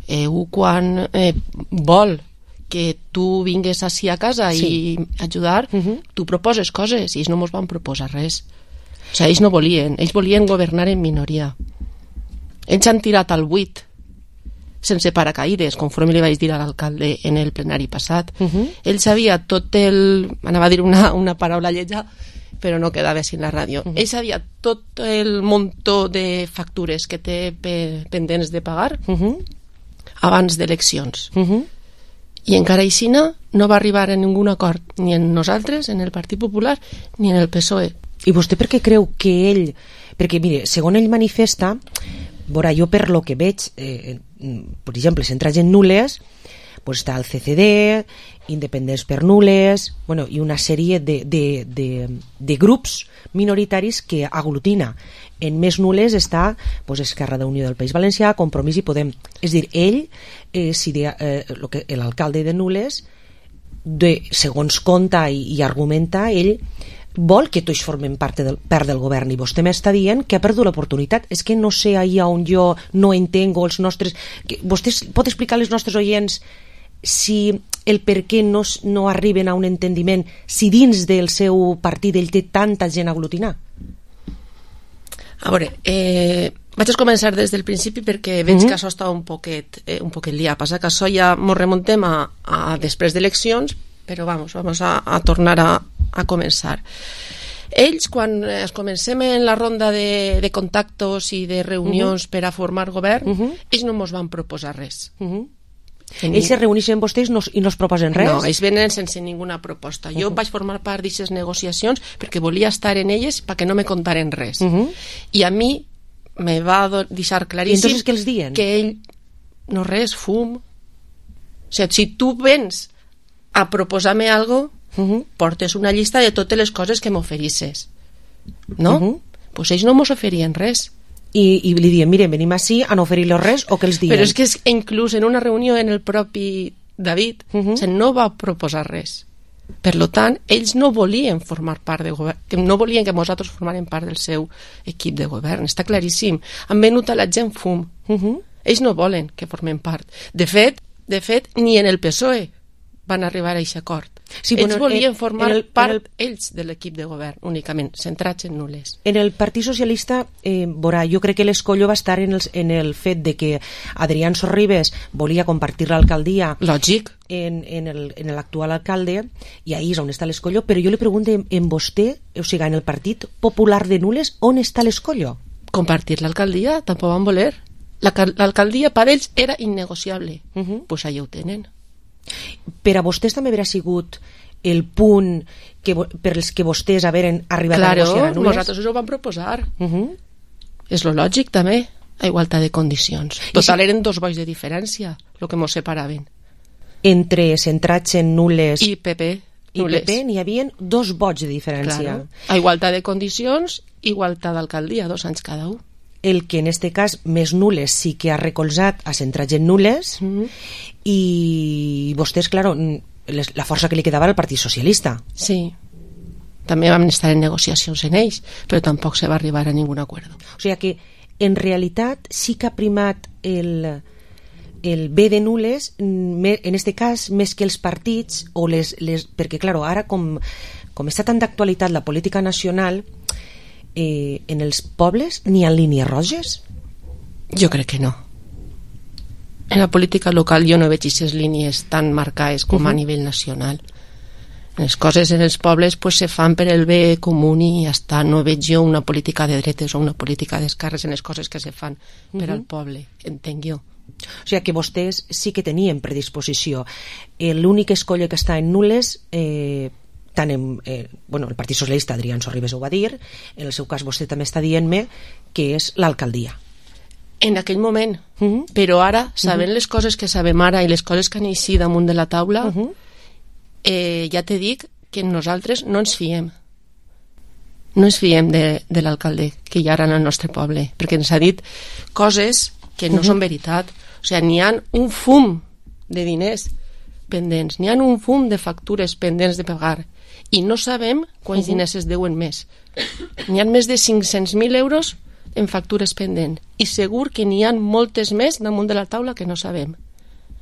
Eh, quan eh, vol que tu vingues així a casa sí. i ajudar, uh -huh. tu proposes coses i ells no mos van proposar res. O sigui, ells no volien, ells volien governar en minoria. Ells han tirat al buit sense paracaïdes, conforme li vaig dir a l'alcalde en el plenari passat. Uh -huh. Ell sabia tot el... anava a dir una, una paraula lletja, però no quedava així en la ràdio. Uh -huh. Ell sabia tot el muntó de factures que té pe pendents de pagar uh -huh. abans d'eleccions. Uh -huh. I encara així no va arribar a ningun acord, ni en nosaltres, en el Partit Popular, ni en el P S O E. I vostè per què creu que ell... Perquè, mire, segons ell manifesta, veurà, jo per lo que veig, eh, per exemple, centrar gent nules, pues està el C C D, Independents per Nules, bueno, i una sèrie de, de, de, de grups minoritaris que aglutina. En més nules està pues, Esquerra d'Unió del País Valencià, Compromís i Podem. És dir, ell, eh, si de, eh, lo que, l'alcalde de Nules, de, segons conta i, i argumenta, ell vol que tots formen part del, part del govern, i vostè m'està dient que ha perdut l'oportunitat. És que no sé ahir on jo no entengo els nostres... Que, vostè pot explicar als nostres oients si el per què no, no arriben a un entendiment, si dins del seu partit ell té tanta gent a aglutinar? A veure, eh, vaig a començar des del principi perquè veig mm-hmm. que això està un poquet, eh, un poquet liat. Passa que això ja mos remontem a, a després d'eleccions, però vamos, vamos a, a tornar a, a començar. Ells, quan es comencem en la ronda de, de contactos i de reunions uh-huh. per a formar govern, uh-huh. ells no ens van proposar res. Uh-huh. Tenia... Ells se reuneixen amb vostès no, i no es proposen res? No, ells venen sense ninguna proposta. Jo uh-huh. vaig formar part d'aquestes negociacions perquè volia estar en elles perquè no me contaren res. Uh-huh. I a mi me va deixar claríssim... I entonces què els diuen? Que ell... No res, fum. O sigui, si tu vens a proposar-me algo... Uh-huh. portes una llista de totes les coses que m'oferisses, no? Uh-huh. Pues ells no mos oferien res. I, i li diuen, miren, venim així a no oferir-los res, o què els diuen? Però és que és, inclús en una reunió en el propi David uh-huh. se no va proposar res. Per lo tant, ells no volien formar part de govern, no volien que nosaltres formàrem part del seu equip de govern, està claríssim. Han venut a la gent fum. Uh-huh. Ells no volen que formem part. De fet, de fet, ni en el P S O E van arribar a aquest acord. Sí, ells bueno, volien formar el, part el, ells de l'equip de govern, únicament, centrats en nules. En el Partit Socialista, eh, veurà, jo crec que l'escollo va estar en el, en el fet de que Adrián Sorribes volia compartir l'alcaldia lògic en, en l'actual alcalde, i ahí és on està l'escollo, però jo li pregunto en, en vostè, o sigui, en el Partit Popular de Nules, on està l'escollo? Compartir l'alcaldia, tampoc van voler. L'alcaldia per ells era innegociable. Uh -huh. Pues allà ho tenen. Per a vostès també haurà sigut el punt que, per els que vostès haveren arribat claro, a negociar a Nules? Claro, nosaltres ho vam proposar. Uh -huh. És lo lògic també, a igualtat de condicions. Total, si... eren dos vots de diferència el que mos separaven. Entre centrats en Nules i P P, i P P n'hi havia dos vots de diferència. Claro. A igualtat de condicions, igualtat d'alcaldia, dos anys cada un. El que en este cas més Nules sí que ha recolzat a centrats en Nules, mm-hmm. i vostès, claro, la força que li quedava al Partit Socialista. Sí, també vam estar en negociacions en ells, però tampoc se va arribar a ningun acord. O sigui que en realitat sí que ha primat el, el bé de Nules, en este cas més que els partits, o les, les, perquè claro, ara com, com està tan d'actualitat la política nacional, Eh, en els pobles n'hi ha línies roges? Jo crec que no. En la política local jo no veig aquestes línies tan marcades com uh-huh. a nivell nacional. Les coses en els pobles pues, se fan per el bé comú i ja està. No veig jo una política de dretes o una política d'esquerres en les coses que se fan uh-huh. per al poble, entenc jo. O sigui que vostès sí que tenien predisposició. L'únic escolla que està en Nules... Eh, tant en, eh, bueno, el Partit Socialista, Adrián Sorribes ho va dir, en el seu cas vostè també està dient-me que és l'alcaldia. En aquell moment, uh -huh. però ara, sabent uh -huh. les coses que sabem ara i les coses que han eixit damunt de la taula, uh -huh. eh, ja te dic que nosaltres no ens fiem. No ens fiem de, de l'alcalde que hi ha ara en el nostre poble, perquè ens ha dit coses que no uh -huh. són veritat. O sigui, n'hi ha un fum de diners pendents, n'hi ha un fum de factures pendents de pagar i no sabem quants uh -huh. diners es deuen més. N'hi ha més de cinc-cents mil euros en factures pendents i segur que n'hi ha moltes més damunt de la taula que no sabem.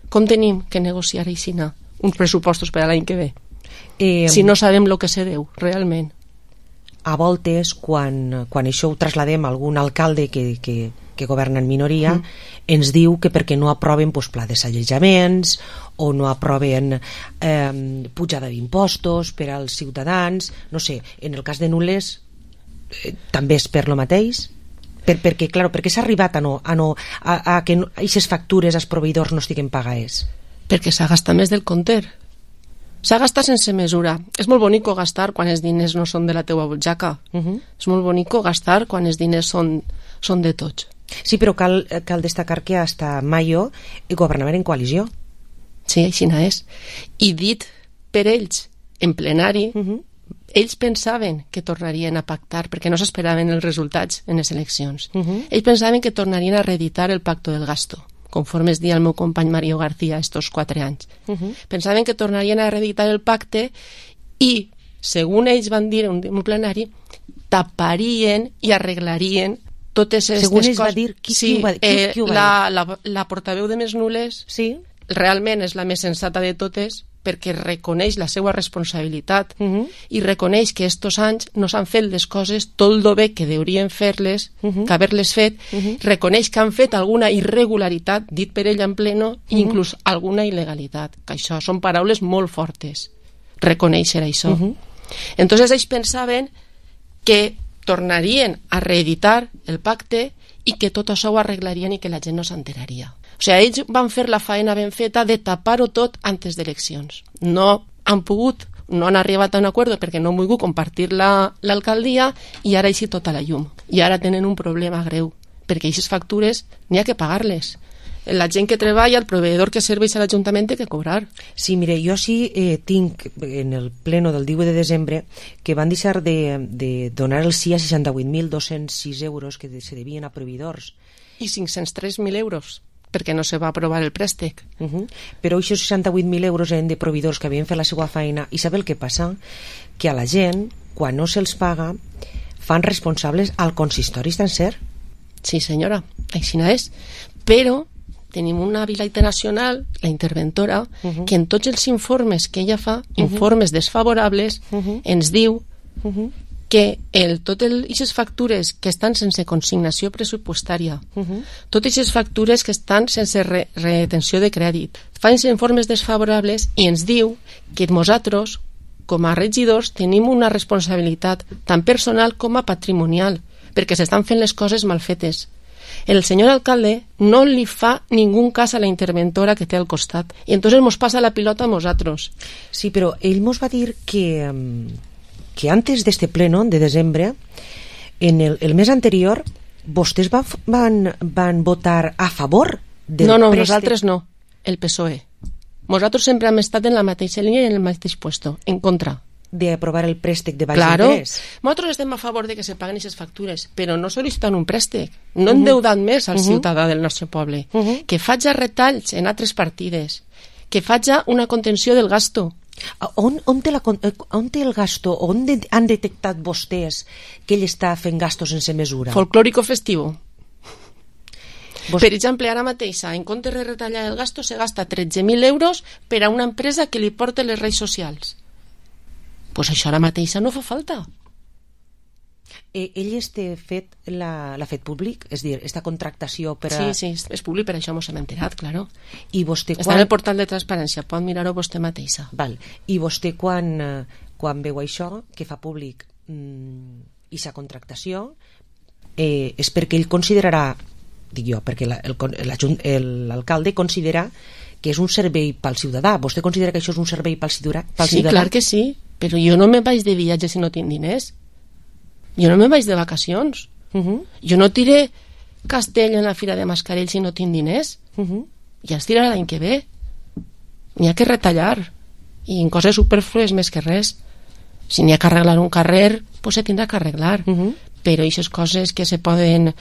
Com tenim que negociar aixina uns pressupostos per a l'any que ve eh, si no sabem el que se deu realment? A voltes, quan, quan això ho trasladem a algun alcalde que, que, que governa en minoria, mm. ens diu que perquè no aproven pues, pla de sallejaments o no aproven eh, pujada d'impostos per als ciutadans, no sé, en el cas de Nules eh, també és per lo mateix? Per, perquè, claro, perquè s'ha arribat a, no, a, no, a, a que aquestes factures als proveïdors no estiguen pagades? Perquè s'ha gastat més del compte. S'ha gastat sense mesura. És molt bonico gastar quan els diners no són de la teua butxaca. Uh -huh. És molt bonico gastar quan els diners són, són de tots. Sí, però cal, cal destacar que hasta mayo governaven en coalició. Sí, així és. I dit per ells, en plenari, uh -huh. ells pensaven que tornarien a pactar perquè no s'esperaven els resultats en les eleccions. Uh -huh. Ells pensaven que tornarien a reeditar el pacto del gasto, conforme es dia el meu company Mario García estos quatre anys. Uh -huh. Pensaven que tornarien a reeditar el pacte i, segons ells van dir en un plenari, taparien i arreglarien totes aquestes coses. Segons ells va dir, qui, sí, qui, ho va, qui, eh, qui ho va la, dir? La, la portaveu de Més Nules sí? realment és la més sensata de totes perquè reconeix la seva responsabilitat uh -huh. i reconeix que estos anys no s'han fet les coses tot el bé que deurien fer-les, uh -huh. que haver-les fet, uh -huh. reconeix que han fet alguna irregularitat, dit per ell en pleno, uh -huh. inclús alguna il·legalitat, que això són paraules molt fortes, reconèixer això. Uh -huh. Entonces ells pensaven que tornarien a reeditar el pacte i que tot això ho arreglarien i que la gent no s'enteraria. O sigui, ells van fer la faena ben feta de tapar-ho tot antes d'eleccions. No han pogut, no han arribat a un acord perquè no han volgut compartir l'alcaldia i ara així tota la llum. I ara tenen un problema greu, perquè aquestes factures n'hi ha que pagar-les. La gent que treballa, el proveïdor que serveix a l'Ajuntament té que cobrar. Sí, mire, jo sí eh, tinc en el pleno del divuit de desembre que van deixar de, de donar el sí a seixanta-vuit mil dos-cents sis euros que se devien a proveïdors. I cinc-cents tres mil euros. Perquè no se va aprovar el préstec. Uh -huh. Però aquests seixanta-vuit mil euros eren de proveïdors que havien fet la seva feina i sabe el que passa? Que a la gent, quan no se'ls paga, fan responsables al consistori sencer. Sí, senyora, així és. Però tenim una vila internacional, la interventora, uh -huh. que en tots els informes que ella fa, uh -huh. informes desfavorables, uh -huh. ens diu uh -huh. que el, tot aquestes factures que estan sense consignació pressupostària, uh -huh. totes aquestes factures que estan sense re, retenció de crèdit, fan informes desfavorables i ens diu que nosaltres, com a regidors, tenim una responsabilitat tant personal com a patrimonial, perquè s'estan fent les coses mal fetes. El senyor alcalde no li fa ningú cas a la interventora que té al costat, i entonces mos passa la pilota a nosaltres. Sí, però ell mos va dir que... Um... que antes de este pleno de desembre, en el, el mes anterior, vostès van, van, van votar a favor del No, no, préstec. nosaltres no, el P S O E. Nosaltres sempre hem estat en la mateixa línia i en el mateix puesto, en contra. De aprovar el préstec de baix claro. interès. Nosaltres estem a favor de que se paguen aquestes factures, però no sol·licitant un préstec, no endeudant uh -huh. més al uh -huh. ciutadà del nostre poble, uh -huh. que faig retalls en altres partides, que faig una contenció del gasto. On, on, té la, on té el gasto? On de, han detectat vostès que ell està fent gastos sense mesura? Folclòrico festivo. Vos... Per exemple, ara mateix, en comptes de retallar el gasto, se gasta tretze mil euros per a una empresa que li porta les reis socials. Pues això ara mateix no fa falta. Eh, ell este fet l'ha fet públic? És dir, esta contractació per Sí, a... sí, és públic, per això mos hem enterat, claro. I vostè quan... Està en el portal de transparència, pot mirar-ho vostè mateixa. Val. I vostè quan, quan veu això, que fa públic mmm, aquesta contractació, eh, és perquè ell considerarà, dic jo, perquè l'alcalde considera que és un servei pel ciutadà. Vostè considera que això és un servei pel ciutadà? Sí, clar que sí. però jo no me vaig de viatge si no tinc diners. Jo no me vaig de vacacions. Uh-huh. Jo no tiré castell en la Fira de Mascarell si no tinc diners. Uh-huh. Ja es tirarà l'any que ve. N'hi ha que retallar. I en coses superflues més que res. Si n'hi ha que arreglar un carrer, pues se tindrà que arreglar. Uh-huh. Però aquestes coses que se poden...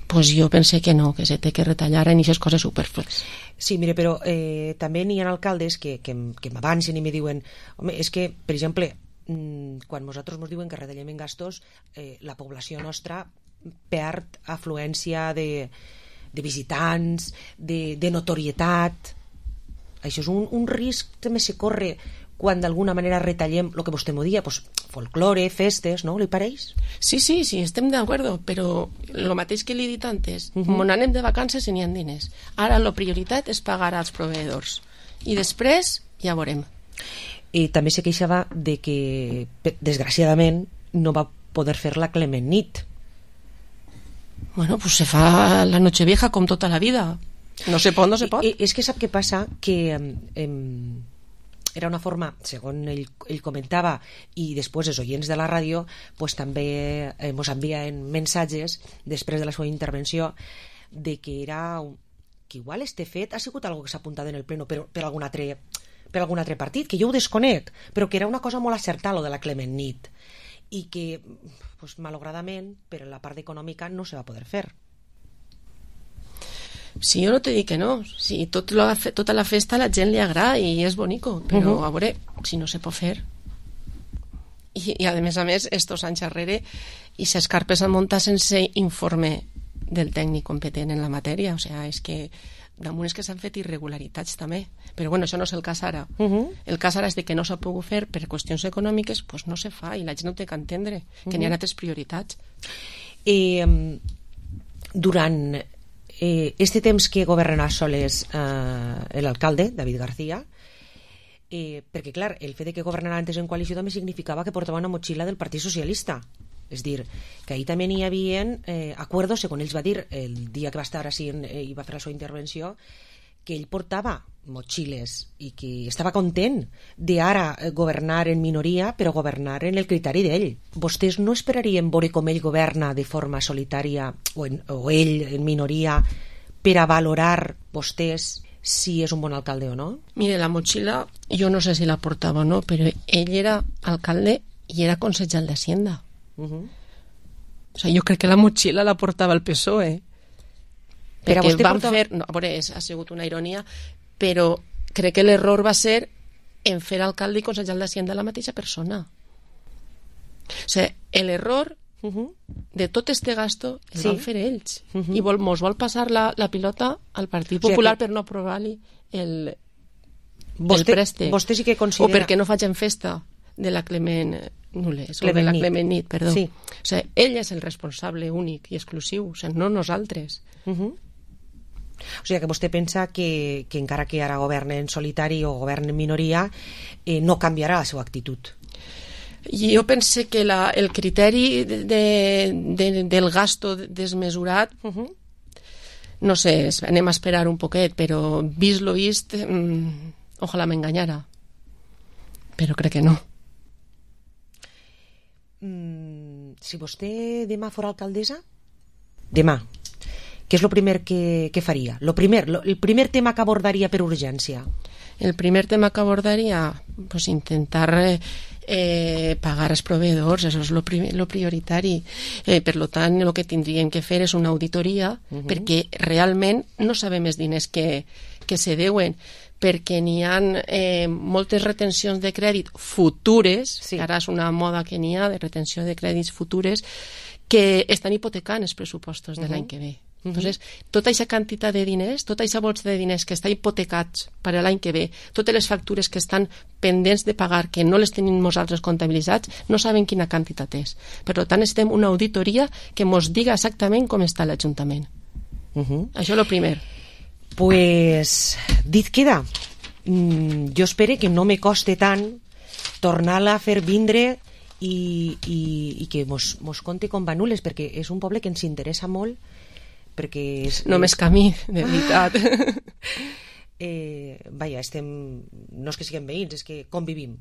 Pues jo pensé que no, que se té que retallar en aquestes coses superflues. Sí, mire, però eh, també n'hi ha alcaldes que, que, que m'avancen i me diuen, home, és que, per exemple, quan nosaltres ens diuen que retallem en gastos, eh, la població nostra perd afluència de, de visitants, de, de notorietat. Això és un, un risc que també se corre quan d'alguna manera retallem el que vostè m'ho dia, pues, folklore, festes, no? Li pareix? Sí, sí, sí, estem d'acord, però el mateix que li he dit antes, uh -huh. on anem de vacances i n'hi ha diners. Ara la prioritat és pagar als proveïdors i després ja veurem. I també se queixava de que, desgraciadament, no va poder fer la Clement nit. Bueno, pues se fa la Nochevieja com tota la vida. No se pot, no se pot. I, és que sap què passa? Que... Eh, era una forma, segons ell, ell comentava, i després els oients de la ràdio pues, també eh, ens envien mensatges després de la seva intervenció de que era un, que igual este fet ha sigut algo que s'ha apuntat en el pleno per, per, algun altre, per algun altre partit, que jo ho desconec, però que era una cosa molt acertada lo de la Clement nit i que pues, malauradament per la part econòmica no se va poder fer. Si jo no te dic que no, si tot la, tota la festa a la gent li agrada i és bonico, però uh -huh. a veure, si no se pot fer. I, i a més a més, estos anys darrere, i ses carpes han muntat sense informe del tècnic competent en la matèria, o sigui, és que damunt és que s'han fet irregularitats també, però bueno, això no és el cas ara. Uh -huh. El cas ara és de que no s'ha pogut fer per qüestions econòmiques, pues no se fa i la gent no té que entendre que uh -huh. n'hi ha altres prioritats. I um, durant Eh, este temps que governarà soles eh, l'alcalde, David García, eh, perquè clar, el fet de que governarà antes en coalició també significava que portava una motxilla del Partit Socialista, és dir, que ahir també n'hi havia eh, acuerdos, segons ells va dir el dia que va estar així en, eh, i va fer la seva intervenció, que ell portava motxilles i que estava content d'ara governar en minoria, però governar en el criteri d'ell. Vostès no esperarien veure com ell governa de forma solitària o, en, o ell en minoria per a valorar vostès si és un bon alcalde o no? Mire, la motxilla jo no sé si la portava o no, però ell era alcalde i era consejal d'Hacienda. Uh -huh. O sigui, jo crec que la motxilla la portava el P S O E. Però perquè van porta... fer, no, a veure, és, ha sigut una ironia, però crec que l'error va ser en fer alcalde i consejal d'Hacienda la mateixa persona. O sigui, l'error uh -huh. de tot este gasto el sí. van fer ells. Uh -huh. I vol, mos vol passar la, la pilota al Partit Popular, o sigui que... per no aprovar-li el, vostè, el préstec. Vostè sí que considera... O perquè no facin festa de la Clement Nules, o de la Clement nit, perdó. Sí. O sigui, ell és el responsable únic i exclusiu, o sigui, no nosaltres. Uh -huh. O sigui que vostè pensa que, que encara que ara governe en solitari o governe en minoria, eh, no canviarà la seva actitud. Jo pense que la, el criteri de, de, del gasto desmesurat, uh -huh. no sé, anem a esperar un poquet, però vist lo vist, mmm, ojalà m'enganyara. Però crec que no. Mm, si vostè demà fora alcaldessa, demà, què és el primer que, que faria? Lo primer, lo, el primer tema que abordaria per urgència? El primer tema que abordaria, pues intentar eh, eh, pagar els proveïdors, això és lo, pri lo prioritari. Eh, per lo tant, el que tindríem que fer és una auditoria, uh -huh. perquè realment no sabem els diners que, que se deuen, perquè n'hi ha eh, moltes retencions de crèdit futures, sí. Ara és una moda que n'hi ha de retenció de crèdits futures, que estan hipotecant els pressupostos de uh -huh. l'any que ve. Entonces, tota aquesta quantitat de diners, tota aquesta bolsa de diners que està hipotecats per a l'any que ve, totes les factures que estan pendents de pagar, que no les tenim nosaltres comptabilitzats, no saben quina quantitat és. Per tant, estem una auditoria que ens diga exactament com està l'Ajuntament. Uh -huh. Això és el primer. Pues, dit queda. Mm, jo espero que no me coste tant tornar-la a fer vindre i, i, i que mos, mos conti com va Nules, perquè és un poble que ens interessa molt, perquè és, només és... camí, de veritat. eh, vaja, estem, no és que siguem veïns, és que convivim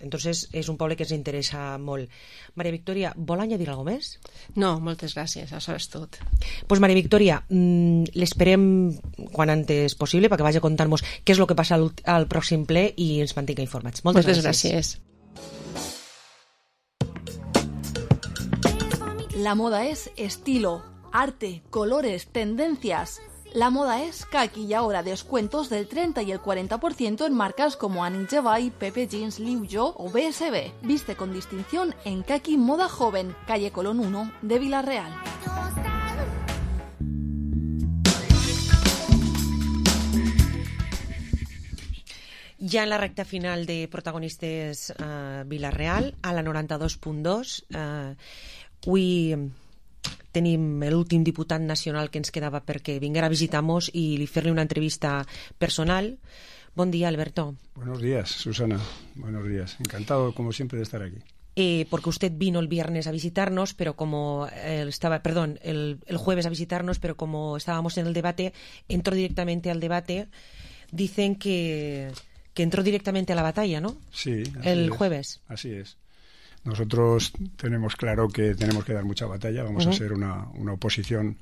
Entonces és un poble que ens interessa molt. Maria Victòria, vol añadir alguna cosa més? No, moltes gràcies, això és tot. Pues Maria Victòria, l'esperem quan antes possible perquè vagi a contar-nos què és el que passa al, al pròxim ple i ens mantinga informats. Moltes, moltes gràcies. gràcies. La moda es estilo, arte, colores, tendencias. La moda es que aquí y ahora descuentos del treinta y el cuarenta por ciento en marcas como Annie Jevay, Pepe Jeans, Liu Yo o B S B. Viste con distinción en Kaki Moda Joven, calle Colón uno de Villarreal. Ja en la recta final de protagonistes uh, Villarreal, a la noranta-dos punt dos, uh, avui tenim l'últim diputat nacional que ens quedava perquè vinguera a visitar-nos i li fer-li una entrevista personal. Bon dia, Alberto. Buenos días, Susana. Buenos días. Encantado, como siempre, de estar aquí. Eh, porque usted vino el viernes a visitarnos, pero como eh, estaba, perdón, el, el jueves a visitarnos, pero como estábamos en el debate, entró directamente al debate. Dicen que, que entró directamente a la batalla, ¿no? Sí. Así el es. jueves. Así es. Nosotros tenemos claro que tenemos que dar mucha batalla, vamos uh-huh. a ser una, una oposición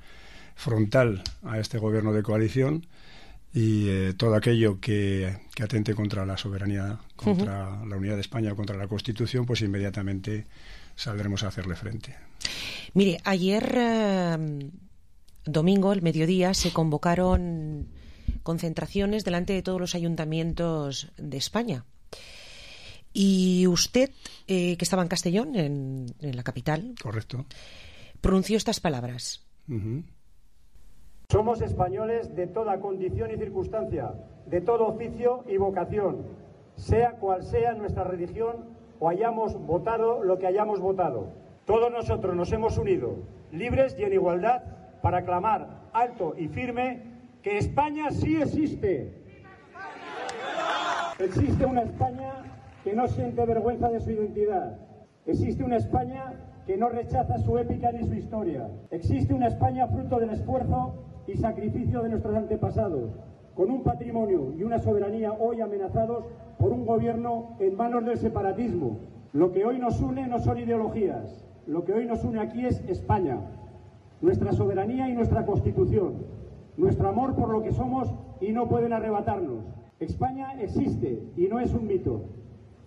frontal a este gobierno de coalición y eh, todo aquello que, que atente contra la soberanía, contra uh-huh. la unidad de España, contra la Constitución, pues inmediatamente saldremos a hacerle frente. Mire, ayer eh, domingo, el mediodía, se convocaron concentraciones delante de todos los ayuntamientos de España. Y usted, eh, que estaba en Castellón, en, en la capital, correcto, pronunció estas palabras. Uh-huh. Somos españoles de toda condición y circunstancia, de todo oficio y vocación, sea cual sea nuestra religión o hayamos votado lo que hayamos votado. Todos nosotros nos hemos unido, libres y en igualdad, para clamar alto y firme que España sí existe. Existe una España que no siente vergüenza de su identidad. Existe una España que no rechaza su épica ni su historia. Existe una España fruto del esfuerzo y sacrificio de nuestros antepasados, con un patrimonio y una soberanía hoy amenazados por un gobierno en manos del separatismo. Lo que hoy nos une no son ideologías, lo que hoy nos une aquí es España, nuestra soberanía y nuestra Constitución, nuestro amor por lo que somos y no pueden arrebatarnos. España existe y no es un mito.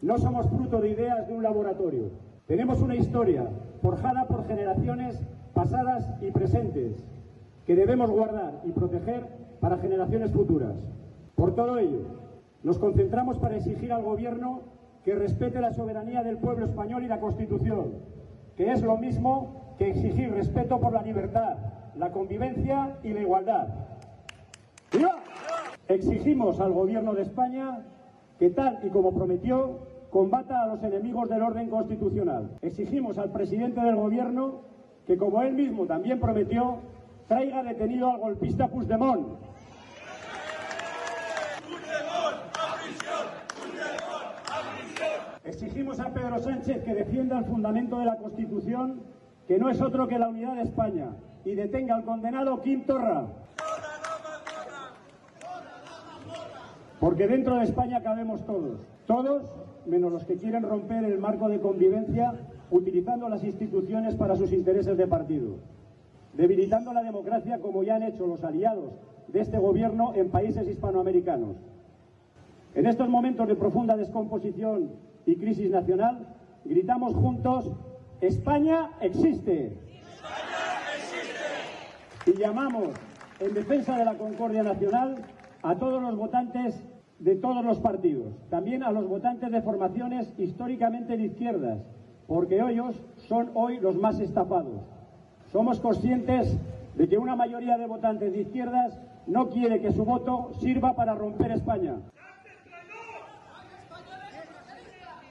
No somos fruto de ideas de un laboratorio. Tenemos una historia forjada por generaciones pasadas y presentes que debemos guardar y proteger para generaciones futuras. Por todo ello, nos concentramos para exigir al Gobierno que respete la soberanía del pueblo español y la Constitución, que es lo mismo que exigir respeto por la libertad, la convivencia y la igualdad. ¡Viva! Exigimos al Gobierno de España que, tal y como prometió, combata a los enemigos del orden constitucional. Exigimos al presidente del Gobierno que, como él mismo también prometió, traiga detenido al golpista Puigdemont. Exigimos a Pedro Sánchez que defienda el fundamento de la Constitución, que no es otro que la unidad de España, y detenga al condenado Quim Torra. Porque dentro de España cabemos todos, todos menos los que quieren romper el marco de convivencia utilizando las instituciones para sus intereses de partido, debilitando la democracia como ya han hecho los aliados de este gobierno en países hispanoamericanos. En estos momentos de profunda descomposición y crisis nacional, gritamos juntos: ¡España existe! ¡España existe! Y llamamos, en defensa de la concordia nacional, a todos los votantes de todos los partidos, también a los votantes de formaciones históricamente de izquierdas, porque ellos son hoy los más estafados. Somos conscientes de que una mayoría de votantes de izquierdas no quiere que su voto sirva para romper España.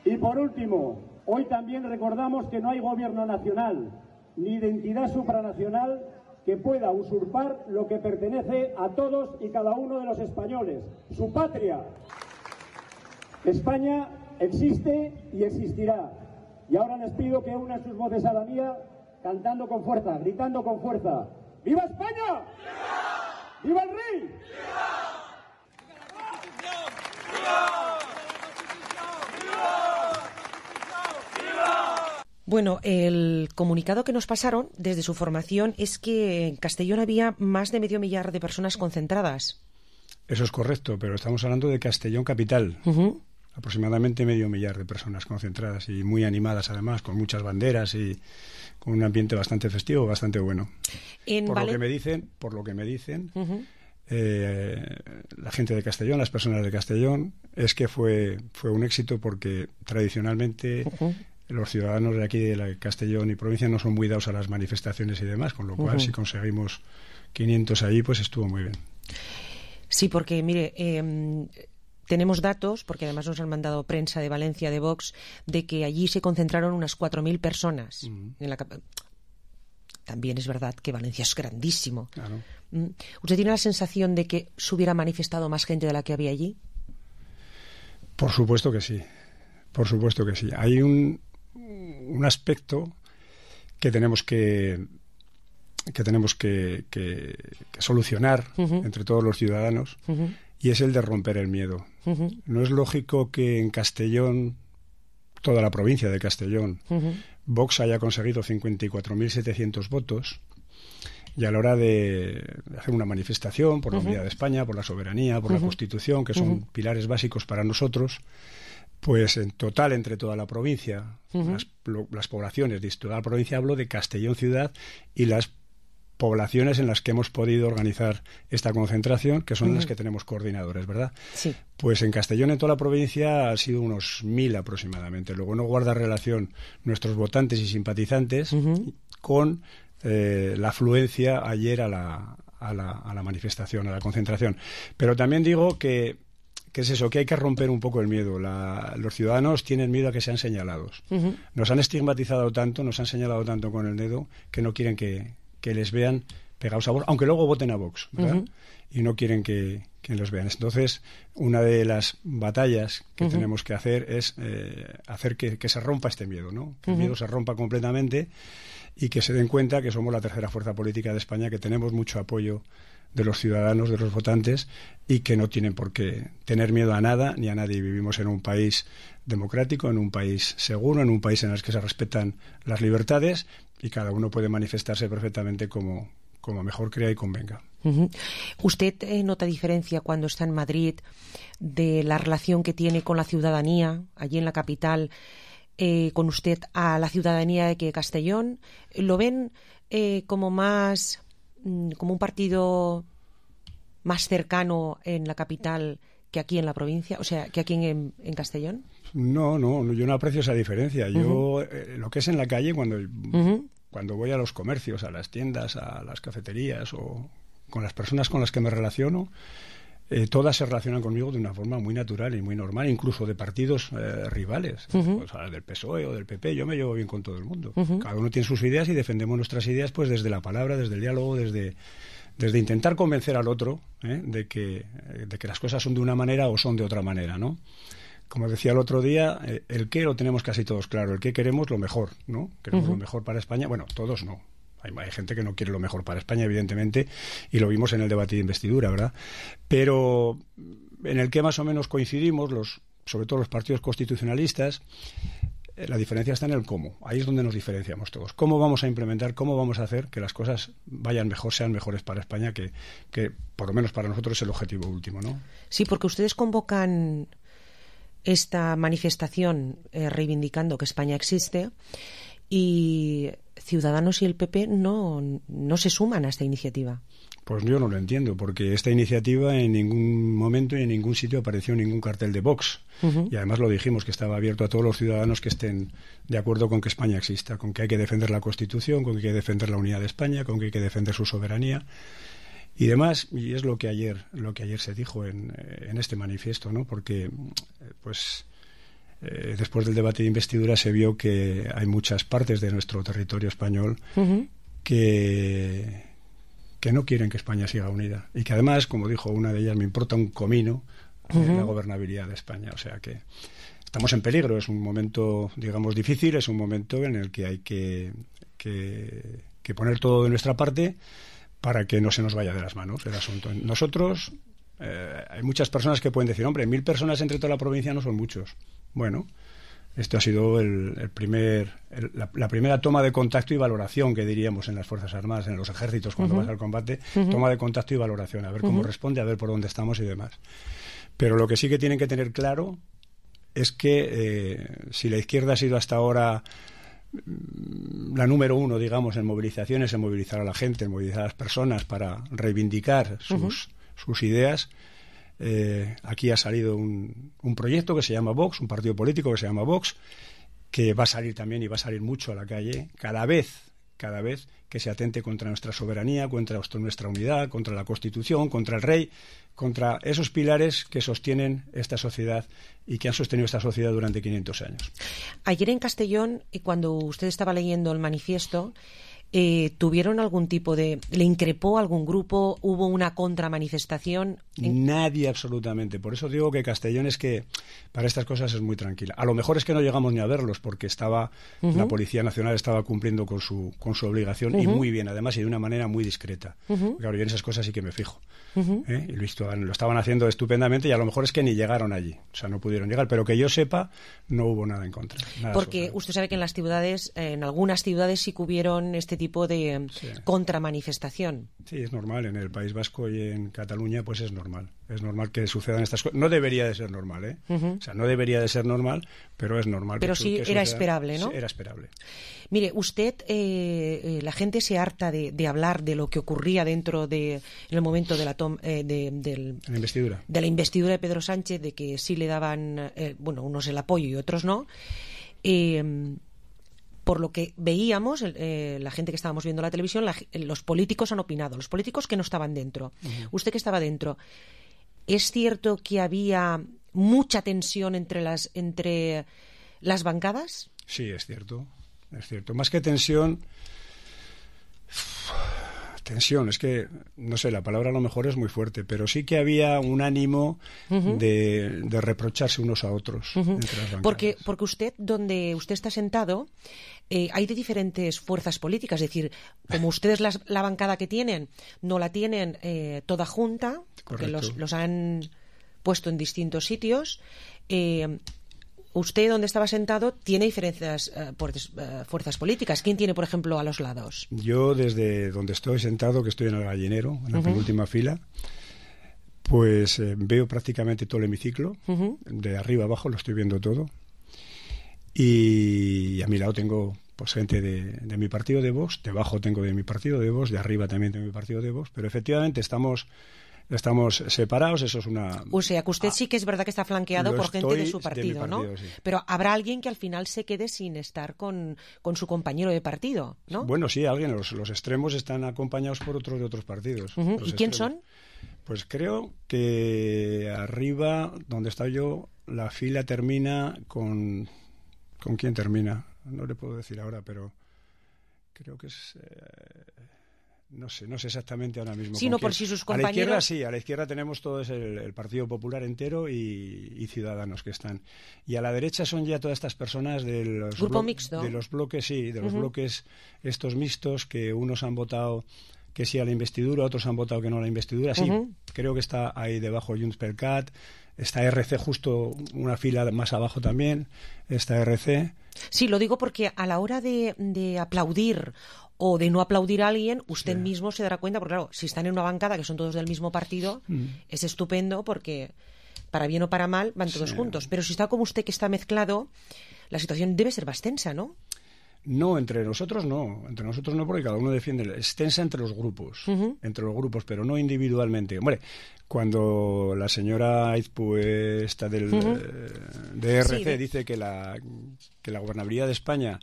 Y por último, hoy también recordamos que no hay gobierno nacional ni identidad supranacional que pueda usurpar lo que pertenece a todos y cada uno de los españoles, su patria. España existe y existirá. Y ahora les pido que unan sus voces a la mía, cantando con fuerza, gritando con fuerza: ¡Viva España! ¡Viva! ¡Viva el rey! ¡Viva! ¡Viva! ¡Viva! ¡Viva! Bueno, el comunicado que nos pasaron desde su formación es que en Castellón había más de medio millar de personas concentradas. Eso es correcto, pero estamos hablando de Castellón capital. Uh-huh. Aproximadamente medio millar de personas concentradas y muy animadas además, con muchas banderas y con un ambiente bastante festivo, bastante bueno. En por Valen... lo que me dicen, por lo que me dicen, uh-huh. eh, la gente de Castellón, las personas de Castellón, es que fue fue un éxito porque tradicionalmente uh-huh. los ciudadanos de aquí de la Castellón y provincia no son muy dados a las manifestaciones y demás, con lo cual uh-huh. si conseguimos quinientos ahí, pues estuvo muy bien. Sí, porque mire, eh, tenemos datos, porque además nos han mandado prensa de Valencia, de Vox, de que allí se concentraron unas cuatro mil personas. Uh-huh. En la cap- También es verdad que Valencia es grandísimo. Claro. ¿Usted tiene la sensación de que se hubiera manifestado más gente de la que había allí? Por supuesto que sí. Por supuesto que sí. Hay un, un aspecto que tenemos que que tenemos que, que, que solucionar uh-huh. entre todos los ciudadanos uh-huh. y es el de romper el miedo. Uh-huh. No es lógico que en Castellón, toda la provincia de Castellón, uh-huh. Vox haya conseguido cincuenta y cuatro mil setecientos votos y a la hora de hacer una manifestación por la uh-huh. unidad de España, por la soberanía, por uh-huh. la Constitución, que son uh-huh. pilares básicos para nosotros, pues en total entre toda la provincia, uh-huh. las, lo, las poblaciones de toda la provincia, hablo de Castellón ciudad y las poblaciones en las que hemos podido organizar esta concentración, que son uh-huh. las que tenemos coordinadores, ¿verdad? Sí. Pues en Castellón, en toda la provincia, ha sido unos mil aproximadamente. Luego no guarda relación nuestros votantes y simpatizantes uh-huh. con eh, la afluencia ayer a la, a, la, a la manifestación, a la concentración. Pero también digo que, que es eso, que hay que romper un poco el miedo. La, los ciudadanos tienen miedo a que sean señalados. Uh-huh. Nos han estigmatizado tanto, nos han señalado tanto con el dedo, que no quieren que... que les vean pegados a Vox, aunque luego voten a Vox, ¿verdad? Uh-huh. Y no quieren que, que los vean. Entonces, una de las batallas que uh-huh. tenemos que hacer es eh, hacer que, que se rompa este miedo, ¿no? Que uh-huh. el miedo se rompa completamente y que se den cuenta que somos la tercera fuerza política de España, que tenemos mucho apoyo de los ciudadanos, de los votantes, y que no tienen por qué tener miedo a nada ni a nadie. Vivimos en un país democrático, en un país seguro, en un país en el que se respetan las libertades y cada uno puede manifestarse perfectamente como, como mejor crea y convenga. Uh-huh. ¿Usted eh, nota diferencia cuando está en Madrid de la relación que tiene con la ciudadanía allí en la capital, eh, con usted a la ciudadanía de que Castellón? ¿Lo ven eh, como más como un partido más cercano en la capital que aquí en la provincia, o sea, que aquí en, en Castellón? No, no, yo no aprecio esa diferencia. Yo, uh-huh. eh, lo que es en la calle, cuando, uh-huh. cuando voy a los comercios, a las tiendas, a las cafeterías o con las personas con las que me relaciono, eh, todas se relacionan conmigo de una forma muy natural y muy normal, incluso de partidos eh, rivales, uh-huh. o sea, del P S O E o del P P. Yo me llevo bien con todo el mundo. Uh-huh. Cada uno tiene sus ideas y defendemos nuestras ideas pues desde la palabra, desde el diálogo, desde, desde intentar convencer al otro ¿eh? de, que, de que las cosas son de una manera o son de otra manera, ¿no? Como decía el otro día, eh, el qué lo tenemos casi todos claro, el qué queremos lo mejor, ¿no? Queremos uh-huh. lo mejor para España. Bueno, todos no. Hay, hay gente que no quiere lo mejor para España, evidentemente, y lo vimos en el debate de investidura, ¿verdad? Pero en el que más o menos coincidimos, los, sobre todo los partidos constitucionalistas, eh, la diferencia está en el cómo. Ahí es donde nos diferenciamos todos. ¿Cómo vamos a implementar, cómo vamos a hacer que las cosas vayan mejor, sean mejores para España, que, que por lo menos para nosotros es el objetivo último, ¿no? Sí, porque ustedes convocan esta manifestación eh, reivindicando que España existe, y Ciudadanos y el P P no, no se suman a esta iniciativa. Pues yo no lo entiendo, porque esta iniciativa en ningún momento y en ningún sitio apareció ningún cartel de Vox. Uh-huh. Y además lo dijimos, que estaba abierto a todos los ciudadanos que estén de acuerdo con que España exista, con que hay que defender la Constitución, con que hay que defender la unidad de España, con que hay que defender su soberanía y demás. Y es lo que ayer, lo que ayer se dijo en, en este manifiesto, ¿no? Porque, pues... Eh, después del debate de investidura se vio que hay muchas partes de nuestro territorio español uh-huh. que, que no quieren que España siga unida y que además, como dijo una de ellas, me importa un comino uh-huh. eh, la gobernabilidad de España. O sea que estamos en peligro, es un momento, digamos, difícil, es un momento en el que hay que, que, que poner todo de nuestra parte para que no se nos vaya de las manos el asunto. Nosotros, eh, hay muchas personas que pueden decir, hombre, mil personas entre toda la provincia no son muchos. Bueno, Esto ha sido el, el primer, el, la, la primera toma de contacto y valoración que diríamos en las Fuerzas Armadas, en los ejércitos, cuando uh-huh. vas al combate, uh-huh. toma de contacto y valoración, a ver cómo uh-huh. responde, a ver por dónde estamos y demás. Pero lo que sí que tienen que tener claro es que eh, si la izquierda ha sido hasta ahora la número uno, digamos, en movilizaciones, en movilizar a la gente, en movilizar a las personas para reivindicar sus, uh-huh. sus ideas, Eh, aquí ha salido un, un proyecto que se llama Vox, un partido político que se llama Vox, que va a salir también y va a salir mucho a la calle cada vez, cada vez que se atente contra nuestra soberanía, contra nuestra unidad, contra la Constitución, contra el rey, contra esos pilares que sostienen esta sociedad y que han sostenido esta sociedad durante quinientos años. Ayer en Castellón, cuando usted estaba leyendo el manifiesto, Eh, ¿tuvieron algún tipo de... ¿le increpó algún grupo? ¿Hubo una contramanifestación? En... Nadie, absolutamente. Por eso digo que Castellón es que para estas cosas es muy tranquila. A lo mejor es que no llegamos ni a verlos porque estaba uh-huh. la Policía Nacional estaba cumpliendo con su con su obligación uh-huh. y muy bien, además, y de una manera muy discreta. Uh-huh. Claro, yo en esas cosas sí que me fijo. Uh-huh. ¿Eh? Y lo estaban, lo estaban haciendo estupendamente y a lo mejor es que ni llegaron allí. O sea, no pudieron llegar. Pero que yo sepa, no hubo nada en contra. Nada porque sobre. Usted sabe que en las ciudades, en algunas ciudades sí que hubieron este tipo tipo de sí. contramanifestación. Sí, es normal. En el País Vasco y en Cataluña, pues es normal. Es normal que sucedan estas cosas. No debería de ser normal, ¿eh? Uh-huh. O sea, no debería de ser normal, pero es normal. Pero que, sí que era sucedan. esperable, ¿no? Sí, era esperable. Mire, usted, eh, eh, la gente se harta de, de hablar de lo que ocurría dentro de, en el momento de la, tom, eh, de, del, la investidura. de la investidura de Pedro Sánchez, de que sí le daban, eh, bueno, unos el apoyo y otros no. Eh, por lo que veíamos, eh, la gente que estábamos viendo la televisión, la, los políticos han opinado, los políticos que no estaban dentro. Uh-huh. Usted que estaba dentro, ¿es cierto que había mucha tensión entre las, entre las bancadas? Sí, es cierto, es cierto. Más que tensión... Tensión, es que, no sé, la palabra a lo mejor es muy fuerte, pero sí que había un ánimo uh-huh. de, de reprocharse unos a otros uh-huh. entre las bancadas. Porque, porque usted, donde usted está sentado, eh, hay de diferentes fuerzas políticas, es decir, como ustedes la, la bancada que tienen, no la tienen eh, toda junta, porque los, los han puesto en distintos sitios, eh, usted, donde estaba sentado, tiene diferentes uh, fuerzas, uh, fuerzas políticas. ¿Quién tiene, por ejemplo, a los lados? Yo, desde donde estoy sentado, que estoy en el gallinero, en la uh-huh. penúltima fila, pues eh, veo prácticamente todo el hemiciclo. Uh-huh. De arriba abajo lo estoy viendo todo. Y a mi lado tengo pues gente de, de mi partido de Vox, debajo tengo de mi partido de Vox, de arriba también tengo mi partido de Vox, pero efectivamente estamos... Estamos separados, eso es una... O sea, que usted sí que es verdad que está flanqueado por gente de su partido, de partido, ¿no? Sí. Pero habrá alguien que al final se quede sin estar con, con su compañero de partido, ¿no? Bueno, sí, alguien. Los, los extremos están acompañados por otros de otros partidos. Uh-huh. ¿Y quién extremos. son? Pues creo que arriba, donde está yo, la fila termina con... ¿Con quién termina? No le puedo decir ahora, pero creo que es... Eh... No sé, no sé exactamente ahora mismo. Sí, no por si sus compañeros... A la izquierda sí, a la izquierda tenemos todo es el, el Partido Popular entero y, y Ciudadanos que están. Y a la derecha son ya todas estas personas de los, Grupo blo- mixto. de los bloques, sí, de los uh-huh. bloques estos mixtos que unos han votado que sí a la investidura, otros han votado que no a la investidura. Sí, uh-huh. creo que está ahí debajo Junts per Cat, está R C justo una fila más abajo también, está R C. Sí, lo digo porque a la hora de, de aplaudir o de no aplaudir a alguien, usted sí. mismo se dará cuenta, porque claro, si están en una bancada que son todos del mismo partido, mm. es estupendo porque para bien o para mal van todos sí. juntos. Pero si está como usted que está mezclado, la situación debe ser más tensa, ¿no? No, entre nosotros no, entre nosotros no, porque cada uno defiende, es tensa entre los grupos, uh-huh. entre los grupos, pero no individualmente. Hombre, cuando la señora Aizpú, esta del uh-huh. eh, de R C, sí, de... dice que la que la gobernabilidad de España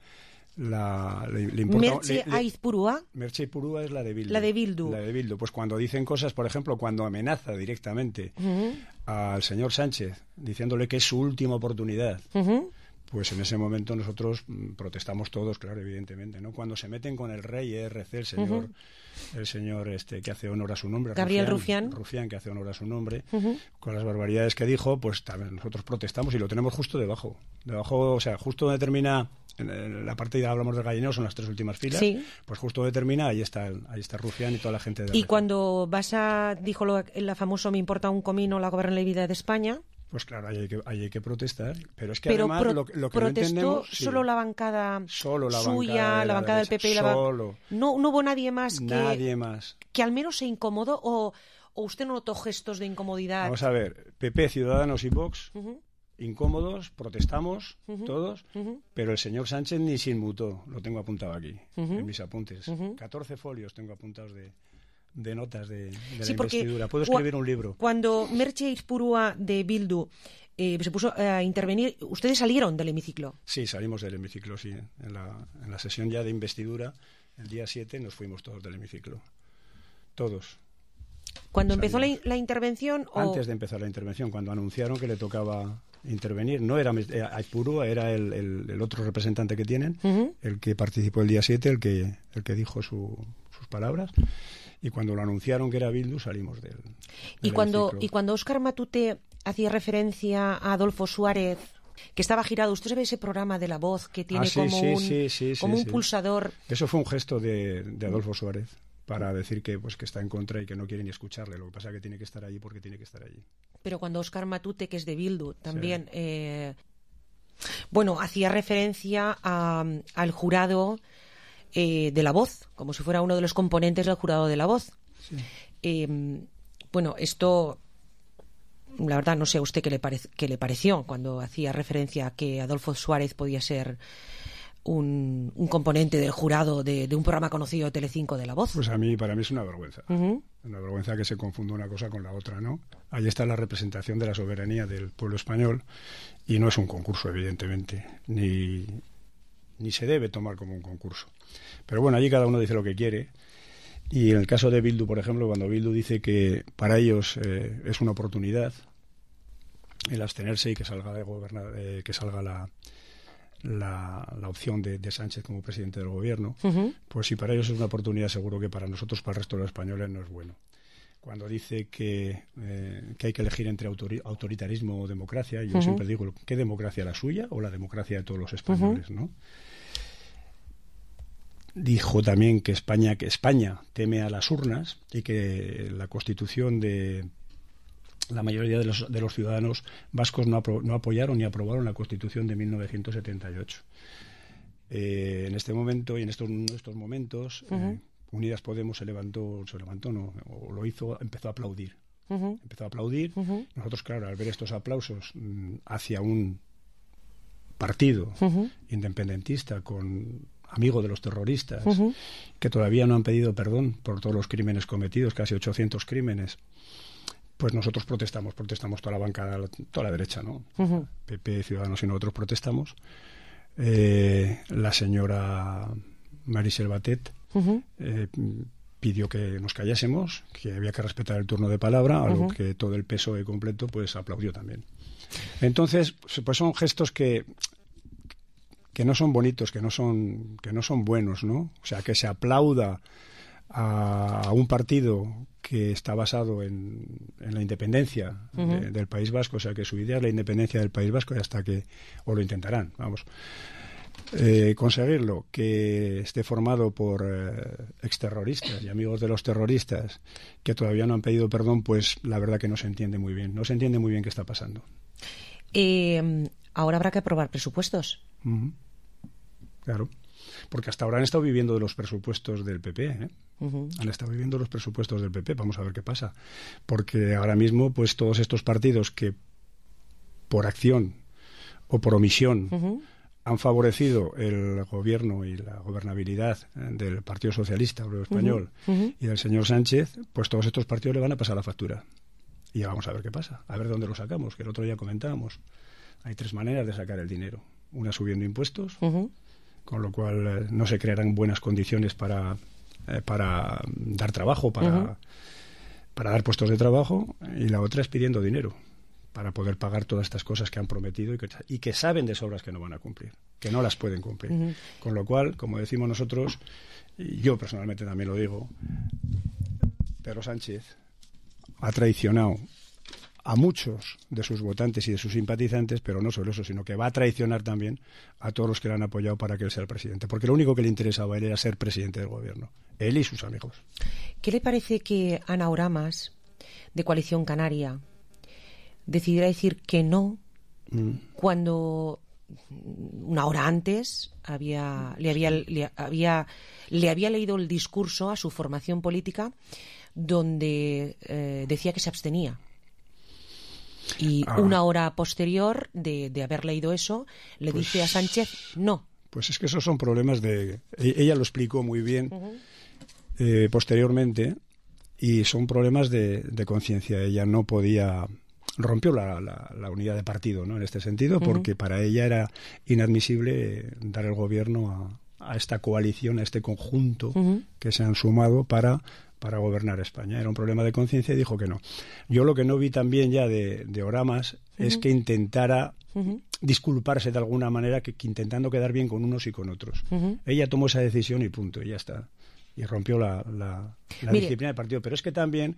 la le, le importa... Merche Aizpurúa. Merche Aizpurúa es la de Bildu. La de Bildu. La de Bildu. Pues cuando dicen cosas, por ejemplo, cuando amenaza directamente uh-huh. al señor Sánchez, diciéndole que es su última oportunidad... Uh-huh. Pues en ese momento nosotros protestamos todos, claro, evidentemente, ¿no? Cuando se meten con el rey E R C, el señor, uh-huh. el señor este que hace honor a su nombre, Gabriel Rufián, Rufián, Rufián que hace honor a su nombre, uh-huh. con las barbaridades que dijo, pues también nosotros protestamos y lo tenemos justo debajo, debajo, o sea, justo donde termina, en la parte ya hablamos del gallinero, son las tres últimas filas, sí. pues justo donde termina ahí está, ahí está Rufián y toda la gente de Y R C. Cuando vas a, dijo lo, la famoso me importa un comino la gobernabilidad de España. Pues claro, ahí hay que, ahí hay que protestar, pero es que pero además pro, lo, lo que protestó no entendemos... solo sí, la bancada solo la suya, bancada de la la bancada del P P y la solo. No, no hubo nadie más que... Nadie más. Que al menos se incomodó o, o usted no notó gestos de incomodidad. Vamos a ver, P P, Ciudadanos y Vox, uh-huh. incómodos, protestamos uh-huh. todos, uh-huh. pero el señor Sánchez ni se inmutó, lo tengo apuntado aquí, uh-huh. en mis apuntes. Uh-huh. catorce folios tengo apuntados de... de notas de, de sí, la investidura. Puedo escribir un libro. Cuando Merche Izpurua de Bildu eh, se puso a intervenir, ¿ustedes salieron del hemiciclo? Sí, salimos del hemiciclo, sí. En la, en la sesión ya de investidura, el día siete, nos fuimos todos del hemiciclo. Todos. ¿Cuando empezó la, la intervención? O... Antes de empezar la intervención, cuando anunciaron que le tocaba intervenir. No era Izpurua, era el, el, el otro representante que tienen, uh-huh. el que participó el día siete, el que, el que dijo su, sus palabras. Y cuando lo anunciaron que era Bildu, salimos del, del y cuando hemiciclo. Y cuando Óscar Matute hacía referencia a Adolfo Suárez, que estaba girado, usted sabe ese programa de La Voz que tiene ah, sí, como sí, un, sí, sí, como sí, un sí. pulsador. Eso fue un gesto de, de Adolfo Suárez para decir que pues que está en contra y que no quiere ni escucharle. Lo que pasa es que tiene que estar allí porque tiene que estar allí. Pero cuando Óscar Matute, que es de Bildu, también, sí. eh, bueno, hacía referencia a, al jurado eh, de La Voz, como si fuera uno de los componentes del jurado de La Voz. Sí. Eh, bueno, esto, la verdad, no sé a usted qué le, parec- qué le pareció cuando hacía referencia a que Adolfo Suárez podía ser un, un componente del jurado de, de un programa conocido de Telecinco de La Voz. Pues a mí, para mí es una vergüenza. Uh-huh. Una vergüenza que se confunda una cosa con la otra, ¿no? Ahí está la representación de la soberanía del pueblo español y no es un concurso, evidentemente, ni, ni se debe tomar como un concurso. Pero bueno, allí cada uno dice lo que quiere. Y en el caso de Bildu, por ejemplo, cuando Bildu dice que para ellos eh, es una oportunidad el abstenerse y que salga de gobernar, eh, que salga la, la, la opción de, de Sánchez como presidente del gobierno, uh-huh. pues si para ellos es una oportunidad, seguro que para nosotros, para el resto de los españoles, no es bueno. Cuando dice que, eh, que hay que elegir entre autori- autoritarismo o democracia, yo uh-huh. siempre digo, ¿qué democracia, la suya o la democracia de todos los españoles, uh-huh. no? Dijo también que España que España teme a las urnas y que la Constitución de la mayoría de los, de los ciudadanos vascos no, apro, no apoyaron ni aprobaron la Constitución de mil novecientos setenta y ocho. Eh, en este momento y en estos, en estos momentos, uh-huh. eh, Unidas Podemos se levantó, se levantó, no, o lo hizo, empezó a aplaudir. Uh-huh. Empezó a aplaudir. Uh-huh. Nosotros, claro, al ver estos aplausos mmm, hacia un partido uh-huh. independentista con amigo de los terroristas, uh-huh. que todavía no han pedido perdón por todos los crímenes cometidos, casi ochocientos crímenes, pues nosotros protestamos, protestamos toda la bancada, toda la derecha, ¿no? Uh-huh. P P, Ciudadanos y nosotros protestamos. Eh, la señora Marisel Batet uh-huh. eh, pidió que nos callásemos, que había que respetar el turno de palabra, algo uh-huh. que todo el P S O E completo pues aplaudió también. Entonces, pues son gestos que que no son bonitos, que no son que no son buenos, ¿no? O sea, que se aplauda a, a un partido que está basado en, en la independencia uh-huh. de, del País Vasco, o sea, que su idea es la independencia del País Vasco y hasta que, o lo intentarán, vamos, eh, conseguirlo, que esté formado por eh, exterroristas y amigos de los terroristas que todavía no han pedido perdón, pues la verdad que no se entiende muy bien, no se entiende muy bien qué está pasando. Eh, ahora habrá que aprobar presupuestos. Uh-huh. Claro, porque hasta ahora han estado viviendo de los presupuestos del P P, ¿eh? Uh-huh. Han estado viviendo los presupuestos del P P, vamos a ver qué pasa, porque ahora mismo pues todos estos partidos que por acción o por omisión uh-huh. han favorecido el gobierno y la gobernabilidad del Partido Socialista Obrero Español uh-huh. Uh-huh. y del señor Sánchez, pues todos estos partidos le van a pasar la factura. Y ya vamos a ver qué pasa, a ver dónde lo sacamos, que el otro día comentábamos. Hay tres maneras de sacar el dinero. Una subiendo impuestos, uh-huh. con lo cual eh, no se crearán buenas condiciones para, eh, para dar trabajo, para, uh-huh. para dar puestos de trabajo, y la otra es pidiendo dinero para poder pagar todas estas cosas que han prometido y que, y que saben de sobras que no van a cumplir, que no las pueden cumplir. Uh-huh. Con lo cual, como decimos nosotros, y yo personalmente también lo digo, Pedro Sánchez ha traicionado a muchos de sus votantes y de sus simpatizantes, pero no solo eso, sino que va a traicionar también a todos los que le han apoyado para que él sea el presidente, porque lo único que le interesaba a él era ser presidente del gobierno, él y sus amigos. ¿Qué le parece que Ana Oramas, de Coalición Canaria, decidiera decir que no Mm. cuando una hora antes había, le, había, le, había, le había leído el discurso a su formación política donde eh, decía que se abstenía. Y Ah. una hora posterior de, de haber leído eso, le Pues- dice a Sánchez no. Pues es que esos son problemas de... e- Ella lo explicó muy bien Uh-huh. eh, posteriormente, y son problemas de, de conciencia. Ella no podía... Rompió la, la, la unidad de partido, ¿no? En este sentido, Ujú. porque para ella era inadmisible dar el gobierno a, a esta coalición, a este conjunto Ujú. que se han sumado para, para gobernar España. Era un problema de conciencia y dijo que no. Yo lo que no vi también ya de, de Oramas es Ujú. que intentara Ujú. disculparse de alguna manera, que, que intentando quedar bien con unos y con otros. Ujú. Ella tomó esa decisión y punto, y ya está. Y rompió la, la, la Mire. disciplina del partido. Pero es que también,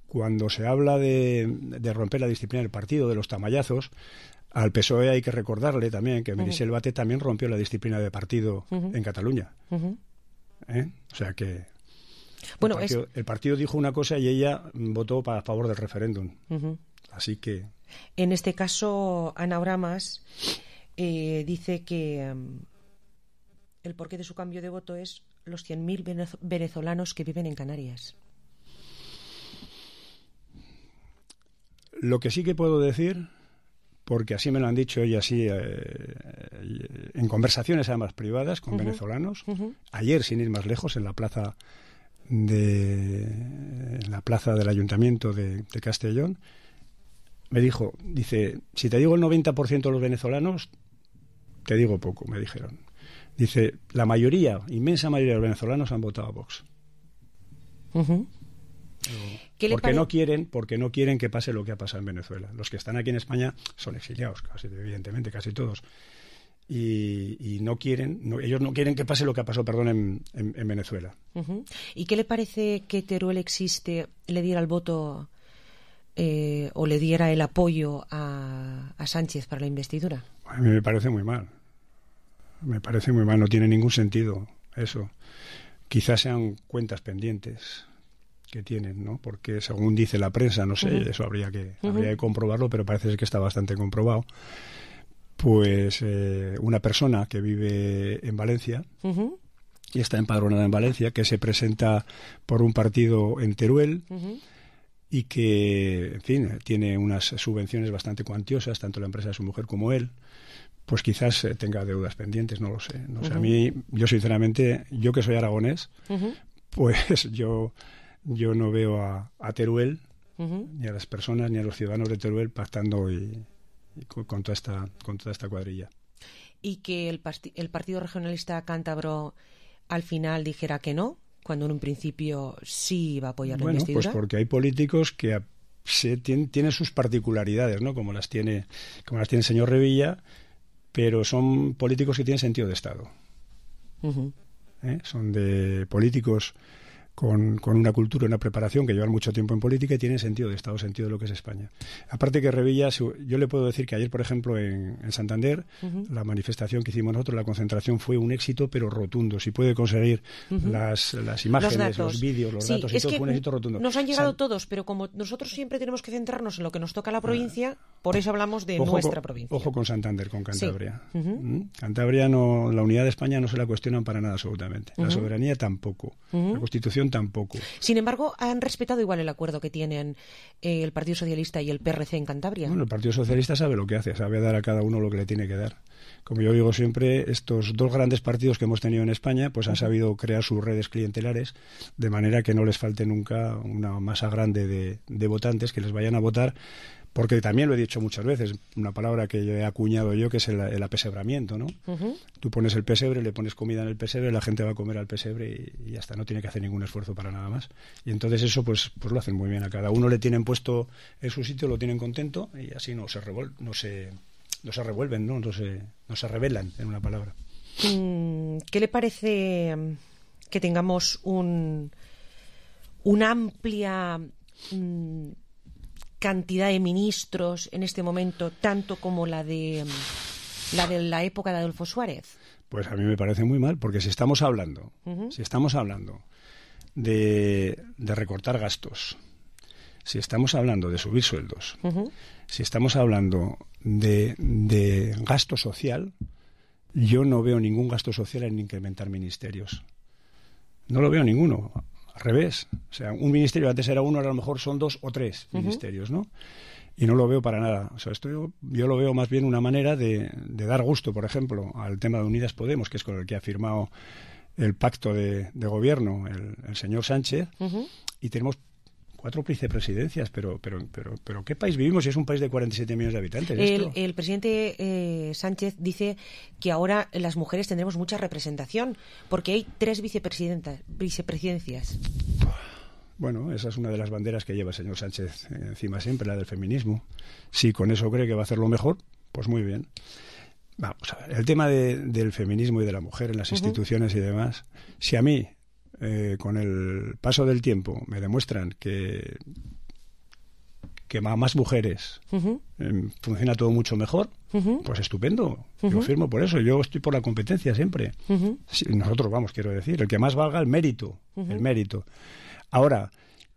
cuando se habla de, de romper la disciplina del partido, de los tamayazos, al P S O E hay que recordarle también que Meritxell Batet también rompió la disciplina de partido Ujú. en Cataluña. Ujú. ¿Eh? O sea que... Bueno, el, partido, es- el partido dijo una cosa y ella votó para, a favor del referéndum. Ujú. Así que... En este caso, Ana Oramas eh, dice que um, el porqué de su cambio de voto es los cien mil venez- venezolanos que viven en Canarias. Lo que sí que puedo decir, porque así me lo han dicho y así eh, en conversaciones además privadas con Ujú. venezolanos, Ujú. ayer sin ir más lejos en la plaza de en la plaza del Ayuntamiento de, de Castellón, me dijo, dice, si te digo el noventa por ciento de los venezolanos, te digo poco, me dijeron. Dice, la mayoría, inmensa mayoría de los venezolanos han votado a Vox. Ujú. ¿Qué le Porque pare- no quieren, porque no quieren que pase lo que ha pasado en Venezuela. Los que están aquí en España son exiliados, casi, evidentemente, casi todos. Y, y no quieren, no- ellos no quieren que pase lo que ha pasado, perdón, en, en- en Venezuela. Ujú. ¿Y qué le parece que Teruel existe, le diera el voto eh, o le diera el apoyo a, a Sánchez para la investidura? A mí me parece muy mal. Me parece muy mal, no tiene ningún sentido eso. Quizás sean cuentas pendientes que tienen, ¿no? Porque según dice la prensa, no sé, Ujú. eso habría que, Ujú. habría que comprobarlo, pero parece ser que está bastante comprobado. Pues eh, una persona que vive en Valencia Ujú. y está empadronada en Valencia, que se presenta por un partido en Teruel Ujú. y que, en fin, tiene unas subvenciones bastante cuantiosas, tanto la empresa de su mujer como él, pues quizás eh, tenga deudas pendientes, no lo sé. No sé. A Ujú. mí, yo sinceramente, yo que soy aragonés, Ujú. pues yo, yo no veo a, a Teruel, Ujú. ni a las personas, ni a los ciudadanos de Teruel pactando y, y con, con toda esta, con toda esta cuadrilla. Y que el, pasti- el Partido Regionalista Cántabro al final dijera que no, cuando en un principio sí iba a apoyar la Bueno, investidura. pues porque hay políticos que a- se tienen, tienen sus particularidades, ¿no? Como las tiene, como las tiene el señor Revilla, pero son políticos que tienen sentido de Estado. Ujú. ¿eh? Son de políticos con, con una cultura, una preparación, que llevan mucho tiempo en política y tienen sentido de Estado, sentido de lo que es España. Aparte que Revilla, su- yo le puedo decir que ayer, por ejemplo, en, en Santander, Ujú. la manifestación que hicimos nosotros, la concentración, fue un éxito, pero rotundo. Si puede conseguir Ujú. las, las imágenes, los, datos. vídeos, los Sí, datos y es todo, que fue un éxito rotundo. Nos han llegado San- todos, pero como nosotros siempre tenemos que centrarnos en lo que nos toca a la provincia, por eso hablamos de Ojo nuestra con, provincia. Ojo con Santander, con Cantabria. Sí. Ujú. ¿Mm? Cantabria, no, la unidad de España no se la cuestionan para nada absolutamente. La Ujú. soberanía tampoco. Ujú. La Constitución tampoco. Sin embargo, han respetado igual el acuerdo que tienen eh, el Partido Socialista y el P R C en Cantabria. Bueno, el Partido Socialista sabe lo que hace, sabe dar a cada uno lo que le tiene que dar. Como yo digo siempre, estos dos grandes partidos que hemos tenido en España, pues han sabido crear sus redes clientelares de manera que no les falte nunca una masa grande de, de votantes que les vayan a votar, porque también lo he dicho muchas veces, una palabra que yo he acuñado yo, que es el, el apesebramiento, ¿no? Ujú. Tú pones el pesebre, le pones comida en el pesebre, la gente va a comer al pesebre y, y ya está, no tiene que hacer ningún esfuerzo para nada más. Y entonces eso pues pues lo hacen muy bien, a cada uno le tienen puesto en su sitio, lo tienen contento y así no se revol no se no se revuelven, ¿no? No se no se rebelan, en una palabra. Mm, ¿Qué le parece mm, que tengamos un una amplia mm, cantidad de ministros en este momento, tanto como la de mm, la de la época de Adolfo Suárez? Pues a mí me parece muy mal, porque si estamos hablando, Ujú. si estamos hablando de, de recortar gastos, si estamos hablando de subir sueldos, Ujú. si estamos hablando de, de gasto social, yo no veo ningún gasto social en incrementar ministerios. No lo veo ninguno. Al revés. O sea, un ministerio antes era uno, ahora a lo mejor son dos o tres uh-huh. ministerios, ¿no? Y no lo veo para nada. O sea, esto yo, yo lo veo más bien una manera de, de dar gusto, por ejemplo, al tema de Unidas Podemos, que es con el que ha firmado el pacto de, de gobierno el, el señor Sánchez, uh-huh. y tenemos cuatro vicepresidencias, pero, pero, pero, pero ¿qué país vivimos si es un país de cuarenta y siete millones de habitantes? El, el presidente eh, Sánchez dice que ahora las mujeres tendremos mucha representación, porque hay tres vicepresidentas, vicepresidencias. Bueno, esa es una de las banderas que lleva el señor Sánchez encima siempre, la del feminismo. Si con eso cree que va a hacerlo mejor, pues muy bien. Vamos a ver, el tema de, del feminismo y de la mujer en las uh-huh. instituciones y demás, si a mí, eh, con el paso del tiempo, me demuestran que, que más mujeres uh-huh. eh, funciona todo mucho mejor, uh-huh. pues estupendo. Uh-huh. Yo firmo por eso, yo estoy por la competencia siempre. Uh-huh. Sí, nosotros vamos, quiero decir, el que más valga el mérito, uh-huh. el mérito. Ahora,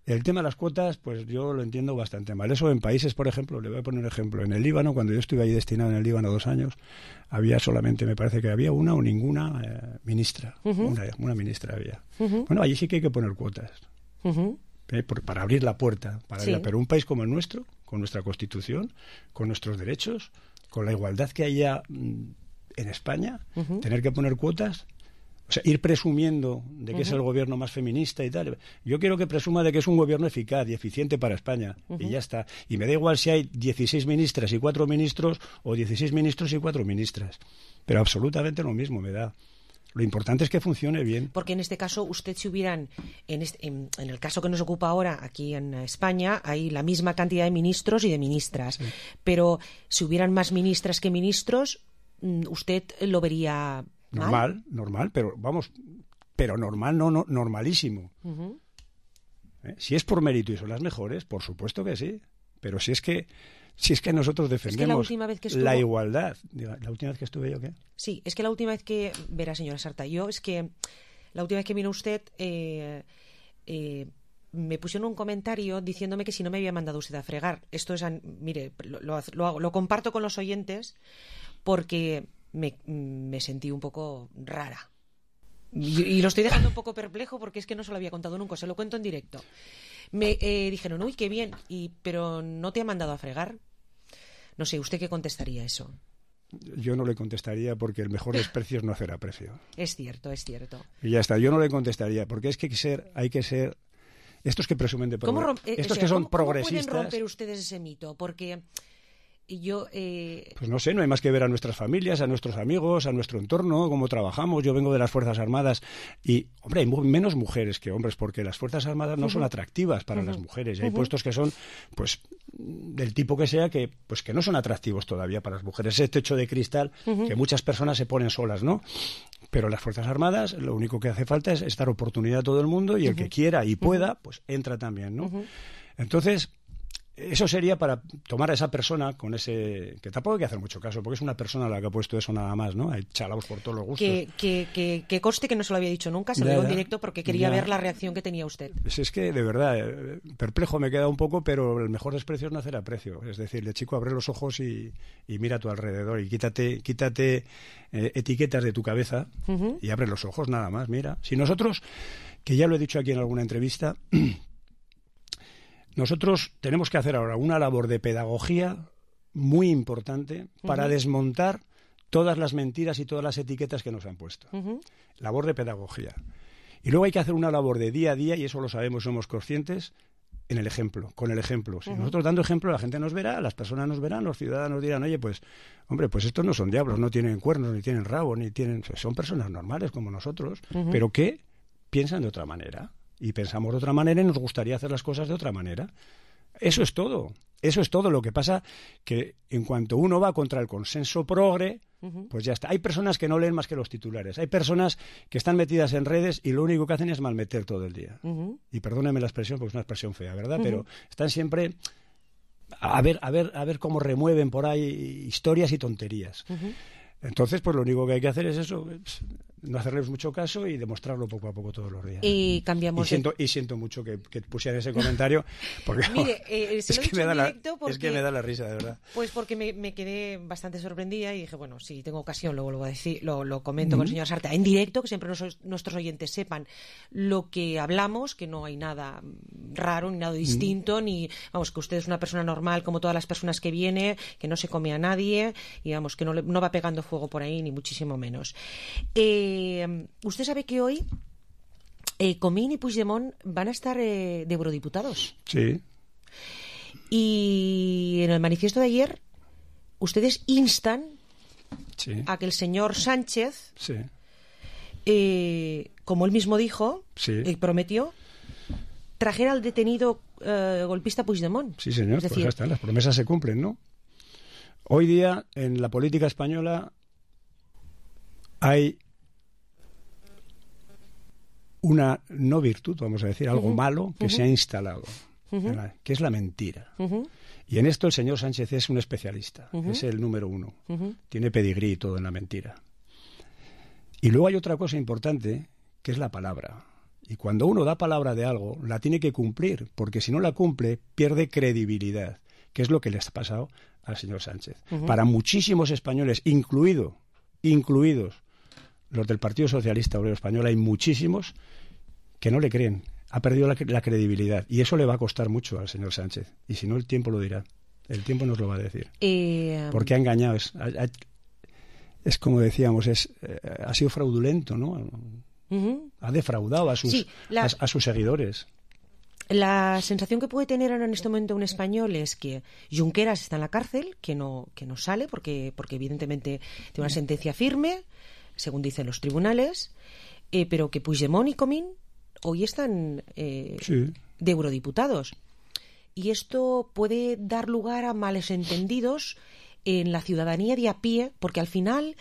el tema de las cuotas, pues yo lo entiendo bastante mal. Eso en países, por ejemplo, le voy a poner un ejemplo. En el Líbano, cuando yo estuve ahí destinado en el Líbano dos años, había solamente, me parece que había una o ninguna eh, ministra. Uh-huh. Una, una ministra había. Uh-huh. Bueno, allí sí que hay que poner cuotas. Uh-huh. Eh, por, para abrir la puerta. Para sí. Pero un país como el nuestro, con nuestra Constitución, con nuestros derechos, con la igualdad que haya mm, en España, uh-huh. tener que poner cuotas... O sea, ir presumiendo de que uh-huh. es el gobierno más feminista y tal. Yo quiero que presuma de que es un gobierno eficaz y eficiente para España. Uh-huh. Y ya está. Y me da igual si hay dieciséis ministras y cuatro ministros o dieciséis ministros y cuatro ministras. Pero absolutamente lo mismo me da. Lo importante es que funcione bien. Porque en este caso, usted si hubieran, en, este, en, en el caso que nos ocupa ahora aquí en España, hay la misma cantidad de ministros y de ministras. Sí. Pero si hubieran más ministras que ministros, usted lo vería... Normal, ¿mal? normal, pero vamos, pero normal, no, no normalísimo. Uh-huh. ¿Eh? Si es por mérito y son las mejores, por supuesto que sí. Pero si es que, si es que nosotros defendemos es que la, última vez que estuvo... la igualdad. ¿La última vez que estuve yo qué? Sí, es que la última vez que, verá señora Sarta, yo es que la última vez que vino usted, eh, eh, me pusieron un comentario diciéndome que si no me había mandado usted a fregar. Esto es, mire, lo, lo, lo, lo comparto con los oyentes porque... Me, me sentí un poco rara y, y lo estoy dejando un poco perplejo porque es que no se lo había contado nunca, se lo cuento en directo. Me eh, dijeron, uy, qué bien, y, pero ¿no te han mandado a fregar? No sé, ¿usted qué contestaría eso? Yo no le contestaría porque el mejor desprecio es no hacer aprecio. Es cierto, es cierto. Y ya está, yo no le contestaría porque es que hay que ser, hay que ser estos que presumen de progre- eh, estos o sea, que son ¿cómo, progresistas. ¿Cómo pueden romper ustedes ese mito? Porque... Y yo, eh... Pues no sé, no hay más que ver a nuestras familias, a nuestros amigos, a nuestro entorno, cómo trabajamos. Yo vengo de las Fuerzas Armadas y, hombre, hay menos mujeres que hombres porque las Fuerzas Armadas no uh-huh. son atractivas para uh-huh. las mujeres. Y hay uh-huh. puestos que son, pues, del tipo que sea, que pues que no son atractivos todavía para las mujeres. Ese techo de cristal uh-huh. que muchas personas se ponen solas, ¿no? Pero las Fuerzas Armadas, lo único que hace falta es, es dar oportunidad a todo el mundo y uh-huh. el que quiera y pueda, pues entra también, ¿no? Uh-huh. Entonces... Eso sería para tomar a esa persona con ese... Que tampoco hay que hacer mucho caso, porque es una persona la que ha puesto eso nada más, ¿no? Hay chalaos por todos los gustos. Que, que, que, que conste que no se lo había dicho nunca, se lo digo en directo porque quería ya. ver la reacción que tenía usted. Pues es que, de verdad, perplejo me queda un poco, pero el mejor desprecio es no hacer aprecio. Es decir, de chico, abre los ojos y, y mira a tu alrededor y quítate, quítate eh, etiquetas de tu cabeza uh-huh. y abre los ojos nada más, mira. Si nosotros, que ya lo he dicho aquí en alguna entrevista... Nosotros tenemos que hacer ahora una labor de pedagogía muy importante para uh-huh. desmontar todas las mentiras y todas las etiquetas que nos han puesto. Uh-huh. Labor de pedagogía. Y luego hay que hacer una labor de día a día, y eso lo sabemos, somos conscientes, en el ejemplo, con el ejemplo. Si uh-huh. nosotros dando ejemplo, la gente nos verá, las personas nos verán, los ciudadanos dirán, oye, pues, hombre, pues estos no son diablos, no tienen cuernos, ni tienen rabo, ni tienen... Son personas normales como nosotros, uh-huh. pero que piensan de otra manera. Y pensamos de otra manera y nos gustaría hacer las cosas de otra manera. Eso es todo. Eso es todo. Lo que pasa que en cuanto uno va contra el consenso progre, uh-huh. pues ya está. Hay personas que no leen más que los titulares. Hay personas que están metidas en redes y lo único que hacen es malmeter todo el día. Uh-huh. Y perdóneme la expresión porque es una expresión fea, ¿verdad? Uh-huh. Pero están siempre a ver, a ver, a ver cómo remueven por ahí historias y tonterías. Uh-huh. Entonces, pues lo único que hay que hacer es eso, es no hacerles mucho caso y demostrarlo poco a poco todos los días. Y cambiamos. Y siento, y siento mucho que, que pusieran ese comentario, porque Mire, eh, es, que me da la, porque, es que me da la risa, de verdad. Pues porque me, me quedé bastante sorprendida y dije, bueno, si tengo ocasión lo vuelvo a decir, lo, lo comento mm-hmm. con el señor Sarta en directo, que siempre nos, nuestros oyentes sepan lo que hablamos, que no hay nada raro ni nada distinto, mm-hmm. ni, vamos, que usted es una persona normal como todas las personas que viene, que no se come a nadie y, vamos, que no, le, no va pegando fuego por ahí, ni muchísimo menos. Eh, usted sabe que hoy eh, Comín y Puigdemont van a estar eh, de eurodiputados. Sí. Y en el manifiesto de ayer ustedes instan sí. a que el señor Sánchez, sí. eh, como él mismo dijo, sí. eh, prometió, trajera al detenido eh, golpista Puigdemont. Sí, señor, es decir, pues ya está, las promesas se cumplen, ¿no? Hoy día en la política española hay una no virtud, vamos a decir, algo uh-huh. malo que uh-huh. se ha instalado, uh-huh. la, que es la mentira. Uh-huh. Y en esto el señor Sánchez es un especialista, uh-huh. es el número uno. Uh-huh. Tiene pedigrí y todo en la mentira. Y luego hay otra cosa importante, que es la palabra. Y cuando uno da palabra de algo, la tiene que cumplir, porque si no la cumple, pierde credibilidad, que es lo que le ha pasado al señor Sánchez. Uh-huh. Para muchísimos españoles, incluido, incluidos los del Partido Socialista Obrero Español, hay muchísimos que no le creen. Ha perdido la, la credibilidad. Y eso le va a costar mucho al señor Sánchez. Y si no, el tiempo lo dirá. El tiempo nos lo va a decir. Eh, Porque ha engañado. Es, ha, es como decíamos, es, eh, ha sido fraudulento, ¿no? Uh-huh. Ha defraudado a sus, sí, la... a, a sus seguidores. La sensación que puede tener ahora en este momento un español es que Junqueras está en la cárcel, que no, que no sale porque, porque evidentemente tiene una sentencia firme, según dicen los tribunales, eh, pero que Puigdemont y Comín hoy están eh, sí. de eurodiputados. Y esto puede dar lugar a males entendidos en la ciudadanía de a pie, porque al final,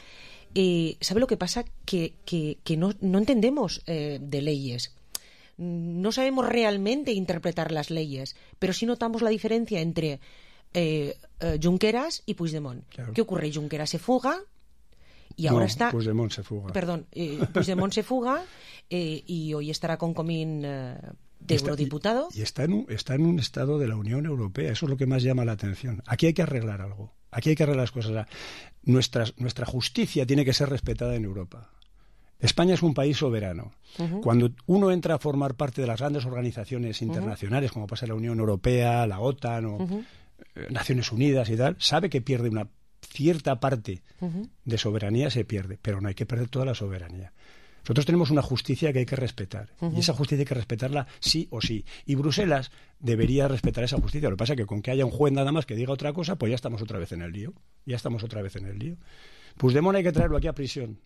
eh, ¿sabe lo que pasa? Que, que, que no, no entendemos eh, de leyes. No sabemos realmente interpretar las leyes, pero sí notamos la diferencia entre eh, eh, Junqueras y Puigdemont. Claro. ¿Qué ocurre? Junqueras se fuga y ahora no, está... Puigdemont se fuga. Perdón, eh, Puigdemont se fuga eh, y hoy estará con Comín eh, de está, eurodiputado. Y, y está, en un, está en un estado de la Unión Europea, eso es lo que más llama la atención. Aquí hay que arreglar algo, aquí hay que arreglar las cosas. Nuestra, nuestra justicia tiene que ser respetada en Europa. España es un país soberano. Uh-huh. Cuando uno entra a formar parte de las grandes organizaciones internacionales, uh-huh. como pasa la Unión Europea, la OTAN o uh-huh. eh, Naciones Unidas y tal, sabe que pierde una cierta parte uh-huh. de soberanía, se pierde, pero no hay que perder toda la soberanía. Nosotros tenemos una justicia que hay que respetar, uh-huh. y esa justicia hay que respetarla sí o sí. Y Bruselas debería respetar esa justicia. Lo que pasa es que con que haya un juez nada más que diga otra cosa, pues ya estamos otra vez en el lío. Ya estamos otra vez en el lío. Puigdemont hay que traerlo aquí a prisión.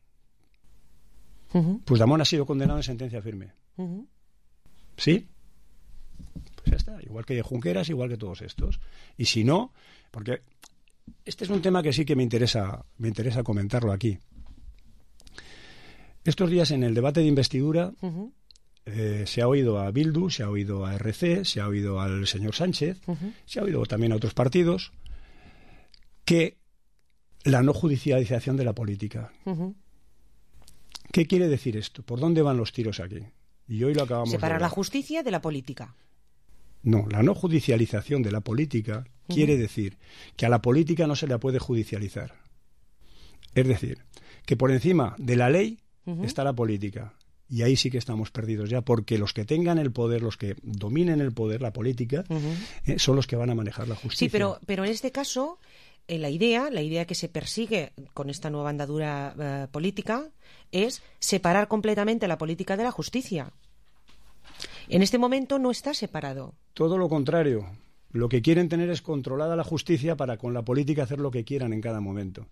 Uh-huh. Puigdemont ha sido condenado en sentencia firme. Uh-huh. ¿Sí? Pues ya está. Igual que Junqueras, igual que todos estos. Y si no, porque este es un tema que sí que me interesa, me interesa comentarlo aquí. Estos días en el debate de investidura uh-huh. eh, se ha oído a Bildu, se ha oído a R C, se ha oído al señor Sánchez, uh-huh. se ha oído también a otros partidos, que la no judicialización de la política. Uh-huh. ¿Qué quiere decir esto? ¿Por dónde van los tiros aquí? Y hoy lo acabamos Separar de la justicia de la política. No, la no judicialización de la política uh-huh. quiere decir que a la política no se la puede judicializar. Es decir, que por encima de la ley uh-huh. está la política. Y ahí sí que estamos perdidos ya, porque los que tengan el poder, los que dominen el poder, la política, uh-huh. eh, son los que van a manejar la justicia. Sí, pero, pero en este caso... Eh, la idea, la idea que se persigue con esta nueva andadura eh, política es separar completamente la política de la justicia. En este momento no está separado. Todo lo contrario. Lo que quieren tener es controlada la justicia para con la política hacer lo que quieran en cada momento.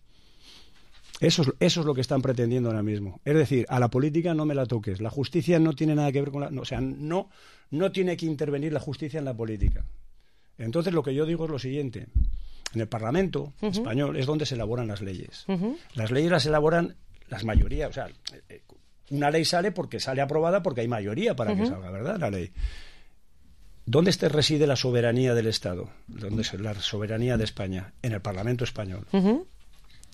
Eso es, eso es lo que están pretendiendo ahora mismo. Es decir, a la política no me la toques. La justicia no tiene nada que ver con la... No, o sea, no, no tiene que intervenir la justicia en la política. Entonces lo que yo digo es lo siguiente. En el Parlamento uh-huh. español es donde se elaboran las leyes. Uh-huh. Las leyes las elaboran las mayorías. O sea, una ley sale porque sale aprobada porque hay mayoría para uh-huh. que salga, ¿verdad? La ley. ¿Dónde este reside la soberanía del Estado? ¿Dónde es la soberanía de España? En el Parlamento español. Uh-huh.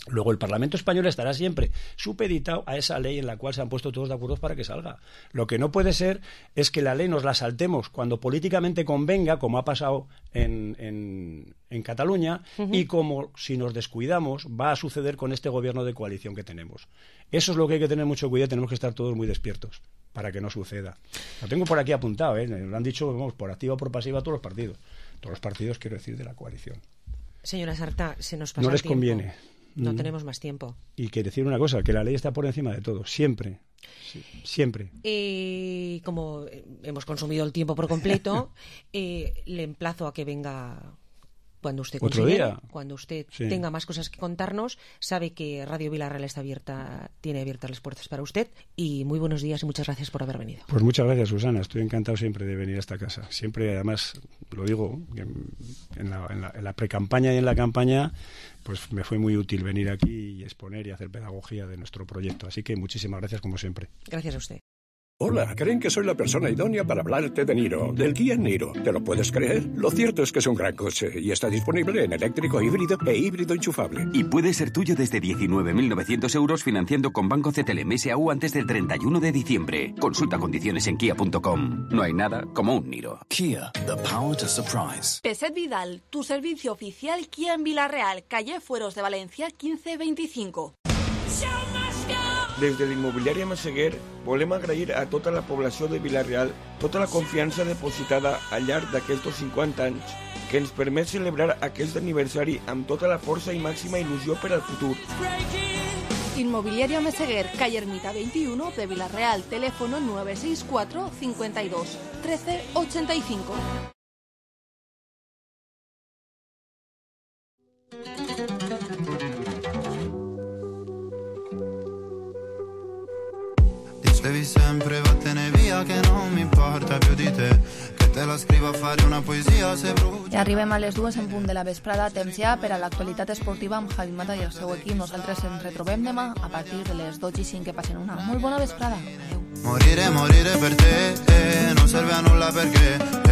Luego el Parlamento español estará siempre supeditado a esa ley en la cual se han puesto todos de acuerdo para que salga. Lo que no puede ser es que la ley nos la saltemos cuando políticamente convenga, como ha pasado en, en, en Cataluña, uh-huh. y como si nos descuidamos va a suceder con este gobierno de coalición que tenemos. Eso es lo que hay que tener mucho cuidado, tenemos que estar todos muy despiertos para que no suceda. Lo tengo por aquí apuntado, ¿eh? Lo han dicho, vamos, por activa o por pasiva todos los partidos. Todos los partidos, quiero decir, de la coalición. Señora Sartá, se nos pasa No les el tiempo. conviene. No mm. tenemos más tiempo. Y que decir una cosa, que la ley está por encima de todo, siempre. Sí, siempre. Y como hemos consumido el tiempo por completo, eh, le emplazo a que venga cuando usted ¿Otro considere, día? cuando usted Sí. tenga más cosas que contarnos. Sabe que Radio Villarreal está abierta, tiene abiertas las puertas para usted. Y muy buenos días y muchas gracias por haber venido. Pues muchas gracias, Susana. Estoy encantado siempre de venir a esta casa. Siempre, además, lo digo, en la, en la, en la pre-campaña y en la campaña, pues me fue muy útil venir aquí y exponer y hacer pedagogía de nuestro proyecto. Así que muchísimas gracias, como siempre. Gracias a usted. Hola, creen que soy la persona idónea para hablarte de Niro, del Kia Niro. ¿Te lo puedes creer? Lo cierto es que es un gran coche y está disponible en eléctrico, híbrido e híbrido enchufable. Y puede ser tuyo desde diecinueve mil novecientos euros financiando con Banco C T L M S A U antes del treinta y uno de diciembre. Consulta condiciones en kia punto com. No hay nada como un Niro. Kia, the power to surprise. Peset Vidal, tu servicio oficial Kia en Villarreal, calle Fueros de Valencia quince veinticinco. Des de l'immobiliària Massaguer volem agrair a tota la població de Vila-real tota la confiança depositada al llarg d'aquests cinquanta anys que ens permet celebrar aquest aniversari amb tota la força i màxima il·lusió per al futur. Inmobiliaria Meseguer, calle Ermita veintiuno de Villarreal, teléfono nueve seis cuatro cincuenta y dos trece ochenta y cinco. Dicevi sempre vattene via che non mi importa più di te, che te la scrivo a fare una poesia se brucia. I arribem a les dues en punt de la vesprada, temps ja per a l'actualitat esportiva amb Javi Mata i el seu equip. Nosaltres ens retrobem demà a partir de les dotze i cinc. Que passen una molt bona vesprada. Adéu. Morire, morire per te, eh, non serve a nulla perché eh,